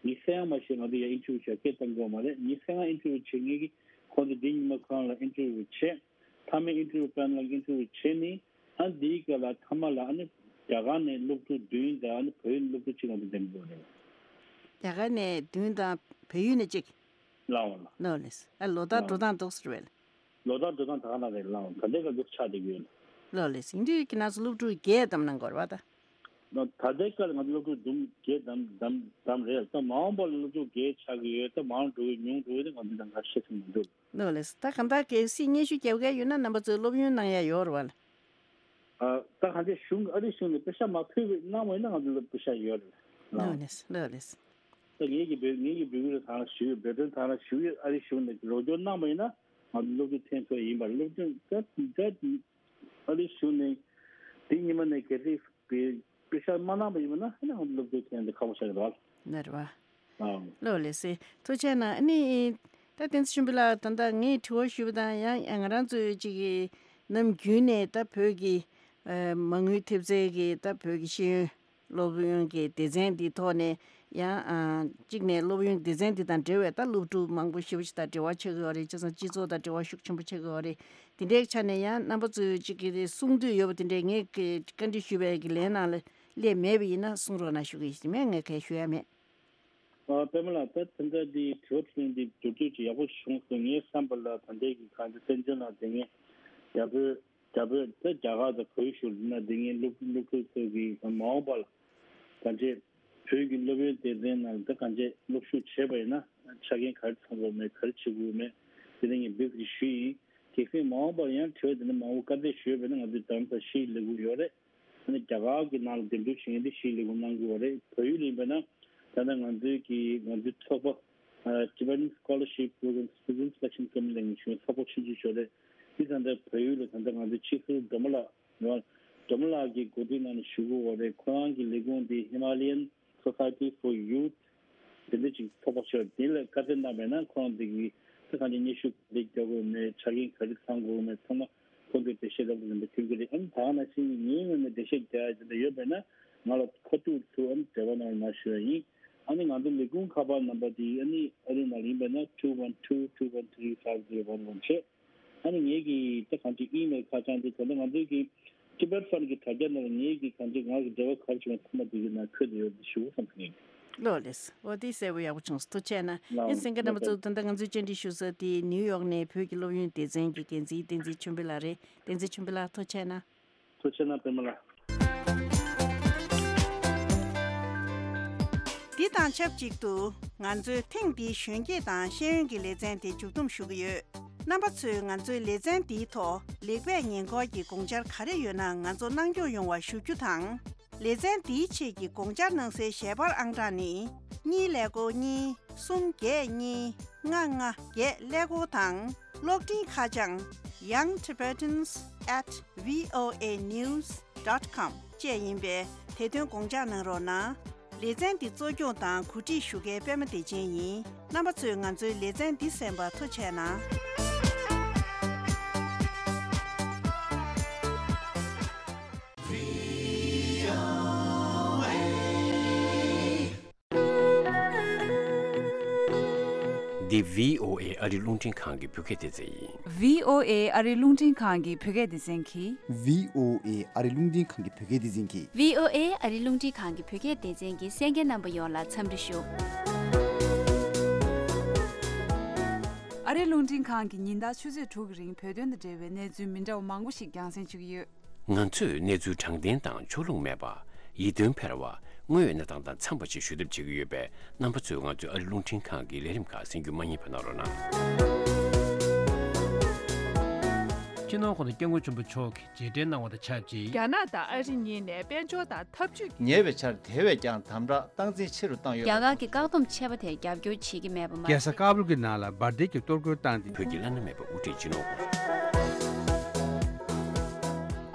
ཉི་ཤུ་ཡང་མ་ཤེས་ང་ཚོ་ཡ་ཨིན་ཊར་བིའུ་བྱ་སྐད་བཏང་དགོས་མ་རེད། ཉི་ཤུ་ཡང་ཨིན་ཊར་བིའུ་བྱེད་མཁན་གྱི་ཁོང་ཚོ་འདི་ཉི་མ་ཁོ་རང་ལ་ཨིན་ཊར་བིའུ་བྱས། མཐའ་མའི་ཨིན་ཊར་བིའུ་ཕའི་ནལ་ཨིན་ཊར་བིའུ་བྱས་ནས་ཨ་འདིའི་སྐབས་ལ་མཐའ་མ་ལ་ཨ་ནི་རྒྱ་གར་ནས་སློབ་ཕྲུག་བདུན་དང་ཨ་ནི་བོད་ཡིག་སློབ་ཕྲུག་གཅིག་ང་ཚོ་འདེམས་དགོས་རེད། རྒྱ་གར་ནས་བདུན་དང་བལ་ཡུལ་ནས་གཅིག་ལགས་འོང་། ལགས་ལགས་ལགས། ཨ་ལོ་ལྟར་འགྲོ་སྟངས་འདུག་ཟེར་བས། ལོ་ལྟར་འགྲོ་སྟངས་ད་ག་ན་རེད་ལགས་འོང་། ད་ལྟའི་སྐབས་འདུག་ཆགས་བསྡད་ཀྱི་ཡོད། ལགས་ལགས། ཡིན་དུས་ཀྱི་ན་ཚོ་སློབ་ཕྲུག་བརྒྱད་བདམས་གནང་དགོས་རེད་བ་ད། ད་ལྟའི་སྐབས་ལ་ང་ཚོ་སློབ་ཕྲུག་བདུན་བརྒྱད་བདམས་བདམས་བདམས་རེད། ད་མ་འོངས་པ་ལ་སློབ་ཕྲུག་བརྒྱད་ཆགས་ཀྱི་ཡོད། ད་མང་འགྲོ་གི་ཉུང་འགྲོ་གི་དེ་ང་ཚོ་ད་ག་ཤེས་ཀྱི་མི་འདུག་ལགས་ལགས། ད་གང་ལྟར་གལ་སྲིད་སྙན་ཞུ་རྒྱབ་མཁན་ཡོད་ན་རྣམ་པ་ཚོས་སློབ་ཡོན་གནང་ཡ་ཡོད་རེད་བ། ཨ། ད་གང་ཅི་གཞུང་ཨ་རི་གཞུང་ནས་པེ་ཤ་མ་ཕུལ་བའི་གནང་བ་ཡིན་ན་ང་ཚོ་ལ་པེ་ཤ་ཡོད་རེད། ལགས་ལགས་ལགས། ད་ངེད་ཀྱི་བོད་ངེད་ཀྱི་བོད་ཁུལ་ལ་ད་ཞུ་བོད་དོན་ད་ཞུ་ཨ་རི་གཞུང་ནས་རོགས་སྐྱོར་གནང་བ་ཡིན་ན་ང་ཚོ་སློབ་ཕྲུག་ཐོན་ཐུབ་ཡིན་པ་རེད། སློབ་ཕྲུག་ད་ད་ཨ་རི་གཞུང་ནས་དེ་ཉི་མ་ནས་གལ་སྲིད་པེ་པེ་ཤ་མ་གནང་བ་ཡིན་ན་ཨ་ནི་ང་ཚོ་སློབ་ཕྲུག་ཐོན་ཏེ་ཁག་པོ་ཆགས་ཀྱི་རེད་བ། ནར་བ། ཨང་། ལོ་ལེ་སེ། ཐུགས་རྗེ་གནང་། ཨ་ནི། ད་བསྟན་འཛིན་ཆོས་འཕེལ་ལགས་ད་ལྟ་ངས་དྲི་བ་ཞུས་པ་དང་ཡང་ཡང་ང་རང་ཚོའི་ཅིག་གི་ནམ་རྒྱུན་ནས་ད་བོད་ཀྱི་ཨ་མ་དངུལ་ཐེབས་རྩའི་གི་ད་བོད་ཀྱི་ཤེས་ཡོན་སློབ་ཡོན་གྱི་སྡེ་ཚན་འདི་ཐོག་ནས་ཡང་ཨ་གཅིག་ནས་སློབ་ཡོན་སྡེ་ཚན་འདི་དང་འབྲེལ་བའི་ད་སློབ་ཕྲུག་མང་པོ་ཞེ་པོ་ཅིག་དང་འབྲེལ་བ་ཆགས་ཀྱི་ཡོད་རེད། བྱས་ཙང་སྤྱི་ཚོགས་དང་འབྲེལ་བ་ཤུགས་ཆེན་པོ་ཆགས་ཀྱི་ཡོད་རེད། དེ་འདྲའི་ཆ་ནས་ཡང་རྣམ་པ་ཚོས་ཅིག་གི་གསུང་འདོད་ཡོད་པ་དེ་འདྲའི་ངས་བཀའ་འདྲི་ཞུས་པའི་གི་ལན་ནང་ལ་སླེབས་མེད་པ་ཡིན་ན་གསུང་རོགས་གནང་ཞུ་གི་ཡིན། མེད་ངས་གང་ཞུ་ཡ་མེད། ཨ། པད་མ་ལགས། ད་ད་ལྟ་འདི་དྲི་བ་དྲིས་ལན་འདི་མདོར་བསྡུས་ཅིག་ཡག་པོ་བྱུང་སོང་། ངའི་བསམ་པ་ལ་ད་ལྟའི་གི་གང་ཅི་བཙན་བྱོལ་ནང་བསྡད་མཁན་རྒྱ་བོད་རྒྱ་བོད་ད་རྒྱ་གར་དང་བལ་ཡུལ་ནང་བསྡད་མཁན་སློབ་སློབ་ཕྲུག་ཚོ་གི་མ་འོངས་པ་ལ་ད་ལྟའི་བོད་ཀྱི་སློབ་ཡོན་སྡེ་ཚན་ནང་ད་གང་ཅི་སློབ་ཞུགས་བྱས་པ་ཡིན་ན་ཆ་རྐྱེན་ག་རེ་ཚང་དགོས་མེད་ག་རེ་བྱེད་དགོས་མེད་དེ་ནས་ངས་འབུལ་གི་ཞུས་ཡིན། གལ་སྲིད་མ་འོངས་པར་ཡང་དྲི་བ་དེ་འདྲ་མང་པོ་བཀའ་འདྲི་ཞུས་པ་ཡིན་ན་ང་ཚོས་དམ་དང་ཞིབ་ལས་འགུལ་ཡོད་རེད། ཨ་ནི་རྒྱ་གར་གྱི་ནང་ལ་འདེམས་སྒྲུག་བྱེད་མཁན་དེ་ཞིག་ལས་ཁུངས་གནང་དགོས་པ་རེད། བལ་ཡུལ་ཡིན་པ་ན་ད་ལྟ་ང་ཚོའི་གི་ང་ཚོའི་ཚོགས་པ་Tibetan Scholarship Program Student Selection Committee ལ་ངེས་བྱུང་ཚོགས་པ་ཆུང་ཆུང་ཞིག་རེད། དེ་ད་ལྟ་བལ་ཡུལ་ལ་ད་ལྟ་ང་ཚོའི་ཕྱི་སོར་སྒྲོལ་མ་ལགས་ཡོད། སྒྲོལ་མ་ལགས་ཀྱི་འགོ་ཁྲིད་ནང་ནས་ཞུ་དགོས་པ་རེད། ཁོ་རང་གི་ལས་ཁུངས་དེ་Himalayan Society for Youth དེ་འདྲ་ཅིག་ཚོགས་པ་ཞིག་དེ་ལ་བཀའ་བསྩལ་གནང་བས་ན་ཁོ་རང་དེ་གི་ད་གང་ཅི་སྙན་ཞུ་ག་རེ་རྒྱག་དགོས་མེད་ཆ་རྐྱེན་ག་རེ་ཚང་དགོས་མེད་ཚང་མ། ཁོང་ཚོས་འགྲེལ་བཤད་ལྟ་བུ་རིམ་པ་སྟོན་གྱི་རེད། ཨ་ནི་ད་ག་ནང་བཞིན་ངའི་ངོས་ནས་འགྲེལ་བཤད་རྒྱག་ཡ་དེ་འདྲ་ཡོད་པས་ན་ང་ལ་ཁ་ཐུག་ཏུ་ཨ་ནི་འབྲེལ་བ་གནང་རོགས་གནང་ཞུ་ཡ་ཡིན། ཨ་ནི་ང་ཚོ་ལས་ཁུངས་ཁ་པར་ནམ་པར་དེ་ཨ་ནི་ཨ་རི་ནང་ལ་ཡིན་པས་ན་two one two two one three five zero one one བྱས། ཨ་ནི་ངེད་ཀྱི་ད་གང་ཅི་ཨི་མེལ་ཁ་བྱང་དེ་ད་ལྟ་ང་ཚོའི་གི་Tibet Fund གི་དྲ་རྒྱ་ནང་ལ་ངེད་ཀྱི་གང་ཅི་ང་གི་འབྲེལ་བ་ག་རེ་བྱུང་བ་ཚང་མ་དེ་གི་ནང་འཁོད་དེ་ཡོད་དེ་ཞུ་བསམ་གི་ཡིན། ལོ་ལེས། འོ་དེ་གསལ་པོ་ཡག་པོ་བྱུང་སོང་། ཐུགས་རྗེ་གནང་། ལགས་ཨེ་སེང་གེ་རྣམ་པ་ཚོ། ད་ལྟ་ང་ཚོའི་བཅར་འདྲི་ཞུ་ས་དེ་ནིའུ་ཡོག་ནས་བོད་ཀྱི་སློབ་ཡོན་སྡེ་ཚན་གྱི་འགན་འཛིན་བསྟན་འཛིན་ཆོས་འཕེལ་ལགས་རེད། བསྟན་འཛིན་ཆོས་འཕེལ་ལགས་ཐུགས་རྗེ་གནང་། ཐུགས་རྗེ་གནང་པད་མ་ལགས། འདི་དང་ཆབས་ཅིག་ཏུ་ང་ཚོའི་ཐེངས་འདིའི་གཞོན་སྐྱེས་དང་ཤེས་ཡོན་གྱི་ལེ་ཚན་དེ་མཇུག་བསྡོམས་ཞུ་གི་ཡོད། རྣམ་པ་ཚོས་ང་ཚོའི་ལེ་ཚན་འདིའི་ཐོག་ལེགས་སྤེལ་ཉེན་འཁོར་གྱི་དགོངས་འཆར་ག་རེ་ཡོད་ན་ང་ཚོ་གནང་སྐྱོང་ཡོང་བ་ཞུ་རྒྱུ་དང་། ལེ་ཚན་འདིའི་ཆེད་ཀྱི་དགོངས་འཆར་གནང་སའི་ཞལ་པར་ཨང་གྲངས་ནི། གཉིས་ཀླད་ཀོར་གཉིས། གསུམ་བརྒྱད་གཉིས། ལྔ་ལྔ་བརྒྱད་ཀླད་ཀོར་དང་། གློག་འཕྲིན་ཁ་བྱང་young tibetans at voa news dot com བཅས་ཡིན་པས་དེ་དོན་དགོངས་འཇགས་གནང་རོགས་གནང་། ལེ་ཚན་འདི་གཙོ་སྐྱོང་དང་གོ་སྒྲིག་ཞུ་མཁན་པད་མ་བདེ་ཆེན་ཡིན། རྣམ་པ་ཚོས་ང་ཚོའི་ལེ་ཚན་འདི་གསན་པར་ཐུགས་རྗེ་གནང་། འདི་བྷི་ཨོ་ཨེ་ཨ་རི་རླུང་འཕྲིན་ཁང་གི་བོད་སྐད་སྡེ་ཚན་ཡིན། བྷི་ཨོ་ཨེ་ཨ་རི་རླུང་འཕྲིན་ཁང་གི་བོད་སྐད་སྡེ་ཚན་གྱིས། བྷི་ཨོ་ཨེ་ཨ་རི་རླུང་འཕྲིན་ཁང་གི་བོད་སྐད་སྡེ་ཚན་གྱིས། བྷི་ཨོ་ཨེ་ཨ་རི་རླུང་འཕྲིན་ཁང་གི་བོད་སྐད་སྡེ་ཚན་གྱི་གསན་མཁན་རྣམ་པ་ཡོངས་ལ་འཚམས་འདྲི་ཞུ། ཨ་རི་རླུང་འཕྲིན་ཁང་གིས་ཉིན་ལྟར་ཆུ་ཚོད་དྲུག་གི་རིང་བོད་དོན་དང་འབྲེལ་བའི་གནས་ཚུལ་མི་འདྲ་བ་མང་པོ་ཞིག་རྒྱང་སྲིང་ཞུ་གི་ཡོད། ང་ཚོས་གནས་ཚུལ་དྲང་བདེན་དང་ཕྱོགས་ལྷུང་མེད་པ། ཡིད་རྟོན་འཕེར་བ། དངོས་ཡོད་གནས་སྟངས་དང་འཚམས་པ་ཞིག་ཞུ་ཐབས་བྱེད་ཀྱི་ཡོད་པས། རྣམ་པ་ཚོས་ང་ཚོའི་ཨ་རི་རླུང་འཕྲིན་ཁང་གི་ལས་རིམ་ཁག་གསན་རྒྱུ་མ་བསྙེལ་བ་གནང་རོགས་གནང་། སྤྱི་ནོར་གོང་ས་སྐྱབས་མགོན་ཆེན་པོ་མཆོག་གིས་རྗེས་དྲན་གནང་བ་དང་ཆབས་ཅིག་རྒྱ་ནག་དང་ཨ་རི་གཉིས་ནས་དཔལ་འབྱོར་དང་འཐབ་ཇུས་ཀྱི་ཉེ་བའི་ཆར་དེ་བས་ཀྱང་དམ་དྲག་སྟངས་འཛིན་ཆེ་རུ་བཏང་ཡོད། རྒྱ་གར་གྱི་བཀག་སྡོམ་ཆེ་བ་དེར་རྒྱབ་སྐྱོར་བྱེད་ཀྱི་མེད་པ་མ་རྒྱལ་ས་ཟད། ཀ་བུལ་གྱི་ནང་ལ་འབར་མདེལ་གྱིས་གཏོར་རྒོལ་བཏང་སྟེ། བོད་ཀྱི་བླ་ན་མེད་པའི་དབུ་ཁྲིད་སྤྱི་ནོར་གོང་ས།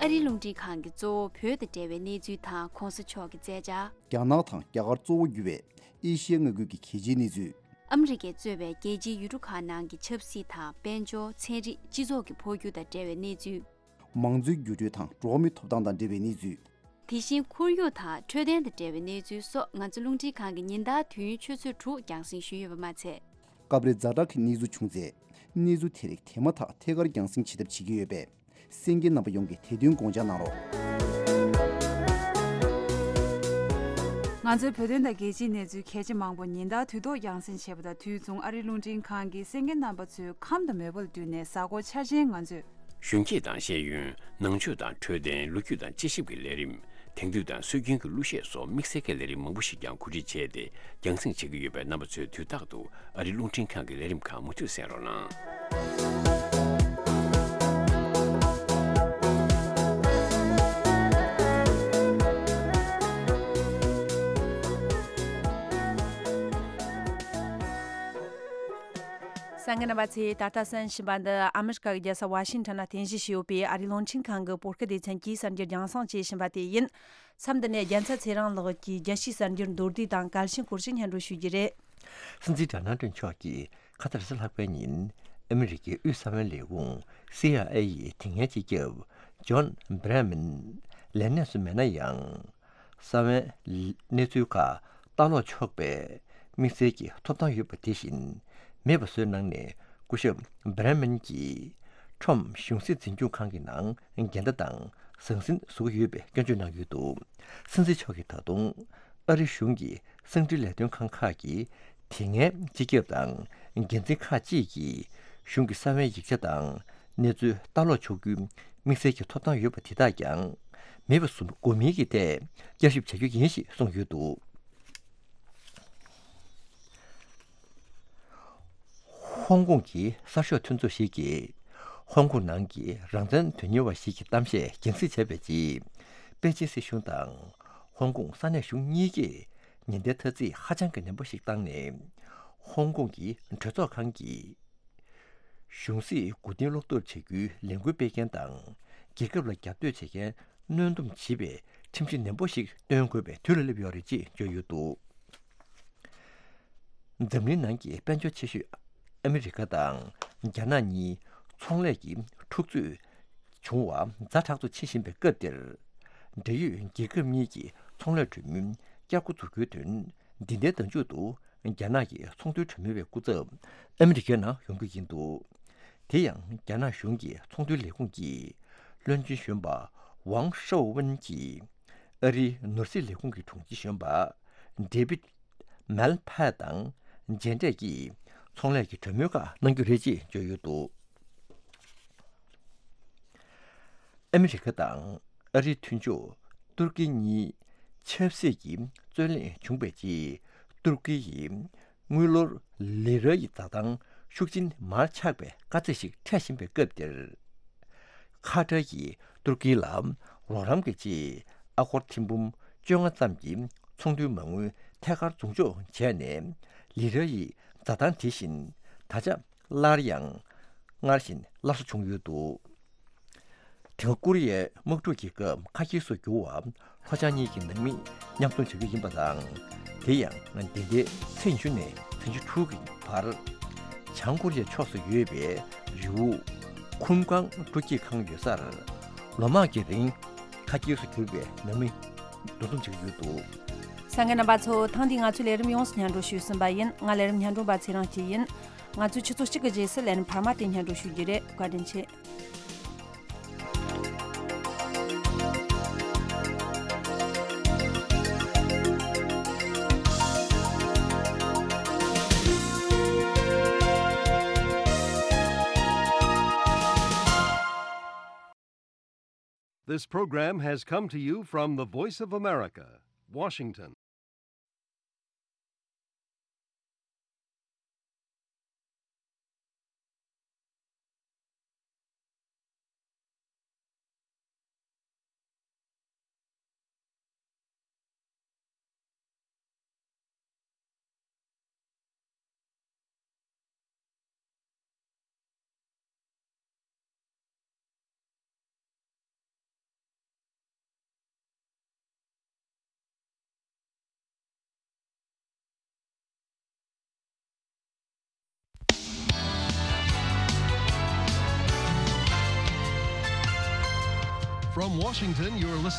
ཨ་རིའི་རླུང་འཕྲིན་ཁང་གིས་གཙོ་བོ་བོད་དང་འབྲེལ་བའི་གནས་ཚུལ་དང་གོང་ས་མཆོག་གི་མཛད་འཆར། རྒྱ་ནག་དང་རྒྱ་གར་གཙོ་བོ་གྱུར་བའི་ཨེ་ཤི་ཡའི་མངའ་ཁུལ་གྱི་གལ་ཆེའི་གནས་ཚུལ། ཨ་མི་རི་ཀས་གཙོས་པའི་རྒྱལ་སྤྱིའི་ཡུལ་གྲུ་ཁག་ནང་གི་ཆབ་སྲིད་དང་དཔལ་འབྱོར། ཚན་རིག་སྤྱི་ཚོགས་ཀྱི་འཕོ་འགྱུར་དང་འབྲེལ་བའི་གནས་ཚུལ། མང་གཙོའི་འགྱུར་འགྲོས་དང་འགྲོ་བ་མིའི་ཐོབ་ཐང་དང་འབྲེལ་བའི་གནས་ཚུལ། དེ་བཞིན་ཁོར་ཡུག་དང་འཕྲོད་བསྟེན་དང་འབྲེལ་བའི་གནས་ཚུལ་སོགས་ང་ཚོ་རླུང་འཕྲིན་ཁང་གིས་ཉིན་ལྟར་དུས་ཡུན་ཆུ་ཚོད་དྲུག་རྒྱང་སྲིང་ཞུས་ཡོད་པ་མ་ཚད། སྐབས་རེ་ཛ་དྲག་གི་གནས་ཚུལ་བྱུང་ཚེ། གནས་ཚུལ་དེ་རིགས་དེ་མ་ཐག་ཐད་ཀར་རྒྱང་སྲིང་བྱེད་ཐབས་བྱེད་ཀྱི་ཡོད་པས། གསན་མཁན་རྣམ་པ་ཡོངས་ཀྱིས་དེ་དོན་དགོངས་འཇགས་གནང་རོགས། ང་ཚོའི་བོད་དོན་དང་རྒྱལ་སྤྱིའི་གནས་ཚུལ་གལ་ཆེ་མང་པོ་ཉིན་ལྟར་དུས་ཐོག་རྒྱང་སྲིང་བྱེད་པ་དང་དུས་མཚུངས། ཨ་རིའི་རླུང་འཕྲིན་ཁང་གིས་གསན་མཁན་རྣམ་པ་ཚོའི་ཁམས་དང་མོས་པ་ལ་བསྟུན་ནས་གཟའ་འཁོར་འཆར་ཅན་ང་ཚོས། གཞོན་སྐྱེས་དང་ཤེས་ཡོན། ནང་ཆོས་དང་འཕྲོད་བསྟེན། ལོ་རྒྱུས་དང་དཔྱད་ཞིབ་ཀྱི་ལས་རིམ། དེང་དུས་དང་སྲོལ་རྒྱུན་གྱི་གླུ་གཞས་སོགས་དམིགས་བསལ་གྱི་ལས་རིམ་མང་པོ་ཞིག་ཀྱང་གོ་སྒྲིག་བྱས་ཏེ་རྒྱང་སྲིང་བྱེད་ཀྱི་ཡོད་པས། རྣམ་པ་ཚོས་དུས་རྟག་ཏུ་ཨ་རིའི་རླུང་འཕྲིན་ཁང་གི་ལས་རིམ་ཁག་མུ་མཐུད་གསན་རོགས་གནང་། གསན་མཁན་རྣམ་པ་ཚོས་ད་ལྟ་གསན་བཞིན་པ་འདི་ཨ་མི་རི་ཀ་གི་རྒྱལ་ས་ཝ་ཤིང་ཊོན་ན་རྟེན་གཞི་བྱས་ཡོད་པའི་ཨ་རིའི་རླུང་འཕྲིན་ཁང་གི་བོད་སྐད་སྡེ་ཚན་གྱིས་གསར་འགྱུར་རྒྱང་སྲིང་བྱེད་བཞིན་པ་དེ་ཡིན། མཚམས་འདི་ནས་རྒྱལ་མཚན་ཚེ་རིང་ལགས་ཀྱིས་རྒྱལ་སྤྱིའི་གསར་འགྱུར་མདོར་བསྡུས་དང་གལ་ཆེན་སྐོར་ཞིག་སྙན་སྒྲོན་ཞུ་རྒྱུ་རེད། སྲིད་འཛིན་ཌོ་ནལ་ཊམ་མཆོག་གིས་ཁ་ས་རེས་གཟའ་ལྷག་པའི་ཉིན་ཨ་མི་རི་ཀའི་དབུས་གསང་བའི་ལས་ཁུངས་སི་ཨའི་ཨེ་ཡི་དེ་སྔའི་སྤྱི་ཁྱབ་ཇོན་བྷི་རེ་མན་ལས་གནས་སུ་མེད་ན་ཡང་། གསང་བའི་གནས་ཚུལ་ཁག་ལྟ་ཀློག་ཆོག་པའི་དམིགས་བསལ་གྱི་ཐོབ་ཐང་ཡོད་པ་དེ་བཞིན་མེད་པ་བཟོས་གནང་ནས། སྐུ་ཞབས་བྷི་རེ་མན་གྱིས་ཁྲོམ་གཞུང་སྲིད་འཛིན་སྐྱོང་ཁང་གི་ནང་འགལ་ཟླ་དང་ཟང་ཟིང་བཟོ་གི་ཡོད་པའི་སྐྱོན་བརྗོད་གནང་ཡོད་འདུག་སྲིད་འཛིན་མཆོག་གིས་ད་དུང་ཨ་རི་གཞུང་གི་གསང་འཕྲིན་ལས་དོན་ཁང་ཁག་གི་དེ་སྔའི་སྤྱི་ཁྱབ་དང་འགན་འཛིན་ཁག་ཅིག་གིས་གཞུང་གི་གསང་བའི་ཡིག་ཆ་དང་གནས་ཚུལ་ལྟ་ཀློག་ཆོག་རྒྱུའི་དམིགས་བསལ་གྱི་ཐོབ་ཐང་ཡོད་པ་དེ་དག་ཀྱང་མེད་པ་བཟོ་དགོས་མིན་གྱི་ཐད་བསྐྱར་ཞིབ་བྱ་རྒྱུ་ཡིན་ཞེས་གསུངས་ཡོད་འདུག་ཧོང་ཀོང་གི་གསར་ཤོག་མཐུན་ཚོགས་ཤིག་གིས་ཧོང་ཀོང་ནང་གི་རང་བཙན་དོན་གཉེར་བ་ཞིག་གི་གཏམ་བཤད་རྒྱང་སྲིང་བྱས་པའི་རྗེས། པེ་ཅིན་སྲིད་གཞུང་དང་ཧོང་ཀོང་ས་གནས་གཞུང་གཉིས་ཀས་ཉེན་བརྡའི་ཐ་ཚིག་ཧ་ཅང་གི་ནན་པོ་ཞིག་བཏང་ནས། ཧོང་ཀོང་གི་གྲོས་ཚོགས་ཁང་གིས་གཞུང་སྲིད་མགོ་རྟིང་སློག་ཐབས་བྱ་རྒྱུའི་ལས་འགུལ་སྤེལ་མཁན་དང་། རྒྱལ་ཁབ་ལ་རྒྱབ་གཏོད་བྱེད་མཁན་གནོན་སྡོམ་བྱེད་པའི་ཁྲིམས་གཞི་ནན་པོ་ཞིག་བཏོན་དགོས་པའི་དུས་ལ་སླེབས་ཡོད་རེད་ཅེས་བརྗོད་ཡོད་འདུག་འཛམ་གླིང་ནང་གི་དཔལ་འབྱོར་ཆེ་ཤོས་ཨ་མི་རི་ཀ་དང་རྒྱ་ནག་གཉིས་ཚོང་ལས་ཀྱི་འཁྲུག་རྩོད་བྱུང་བ་ཛ་དྲག་ཏུ་ཕྱིན་བཞིན་པའི་སྐབས་འདིར། འབྲེལ་ཡོད་རྒྱལ་ཁབ་གཉིས་ཀྱི་ཚོང་ལས་གྲོས་མོལ་བསྐྱར་འགོ་འཛུགས་རྒྱུའི་དོན། འདི་ཟླའི་ཟླ་མཇུག་ཏུ་རྒྱ་ནག་གི་ཚོང་དོན་གྲོས་མོལ་བའི་སྐུ་ཚབ་ཨ་མི་རི་ཀའི་ནང་ཡོང་རྒྱུ་ཡིན་འདུག་དེ་ཡང་རྒྱ་ནག་གཞུང་གི་ཚོང་དོན་ལས་ཁུངས་ཀྱི་བློན་ཆེན་གཞོན་པ་ཝང་ཧྲོའུ་ཝུན་གྱིས་ཨ་རིའི་ནོར་སྲིད་ལས་ཁུངས་ཀྱི་དྲུང་ཆེ་གཞོན་པ་ཌེ་བིད་མལ་ཕཱ་དང་མཇལ་འཕྲད་ཀྱིས་ཚོང་ལས་ཀྱི་གྲོས་མོལ་ཁག་གནང་རྒྱུ་རེད་ཅེས་བརྗོད་ཡོད་འདུག་ཨ་མི་རི་ཀ་དང་ཨ་རིའི་མཐུན་ཕྱོགས་ཏུར་ཀི་གཉིས་ཆབ་སྲིད་ཀྱི་རྩོད་གླེང་བྱུང་བའི་རྗེས། ཏུར་ཀི་ཡིས་དངུལ་ལོར་ལི་ར་ཡི་འཛའ་ཐང་ཤུགས་ཆེན་མར་ཆག་པའི་དཀའ་ཚེགས་ཤིག་འཕྲད་བཞིན་པའི་སྐབས་འདིར། ཁ་ཏར་གྱིས་ཏུར་ཀི་ལ་རོགས་རམ་གྱི་ཆེད་ཨ་སྒོར་ཐེར་འབུམ་བཅོ་ལྔ་ཙམ་གྱི་ཚོང་དོན་མ་དངུལ་ཐད་ཀར་མཛུབ་འཇོག་བྱས་ནས། ལི་ར་ཡི་འཛའ་ཐང་དེ་བཞིན་ད་ཆ་སླར་ཡང་སྔར་བཞིན་སླར་གསོ་བྱུང་ཡོད་འདུག་དེ་སྔ་ཀོ་རི་ཡའི་དམག་འཁྲུག་གི་སྐབས་ཁ་གྱེས་སུ་གྱུར་བ་ལྷོ་བྱང་གཉིས་ཀྱི་ནང་མི་མཉམ་འཛོམས་བྱ་རྒྱུ་ཡིན་པ་དང་། དེ་ཡང་འདི་ཟླའི་ཚེས་ཉི་ཤུ་ནས་ཚེས་ཉི་ཤུ་དྲུག་གི་བར། བྱང་ཀོ་རི་ཡའི་ཕྱོགས་སུ་ཡོད་པའི་རི་བོ་ཁུམ་ཀང་སྤྲོ་སྐྱིད་ཁང་ཡོད་སར་ལོ་མང་གི་རིང་ཁ་གྱེས་སུ་གྱུར་བའི་ནང་མི་འདུ་འཛོམས་བྱ་རྒྱུ་ཡོད་འདུག་གསན་མཁན་རྣམ་པ་ཚོ། ཐེངས་འདིའི་ང་ཚོའི་ལས་རིམ་ཡོངས་སུ་སྙན་སྒྲོན་ཞུས་ཟིན་པ་ཡིན། ང་ལས་རིམ་སྙན་སྒྲོན་པ་ཚེ་རིང་སྐྱིད་ཡིན། ང་ཚོས་ཆུ་ཚོད་གཅིག་གི་རྗེས་སུ་ལས་རིམ་འཕར་མ་དེ་སྙན་སྒྲོན་ཞུ་རྒྱུ་རེད། བཀའ་དྲིན་ཆེ། This program has come to you from the Voice of America, Washington. From Washington, you're listening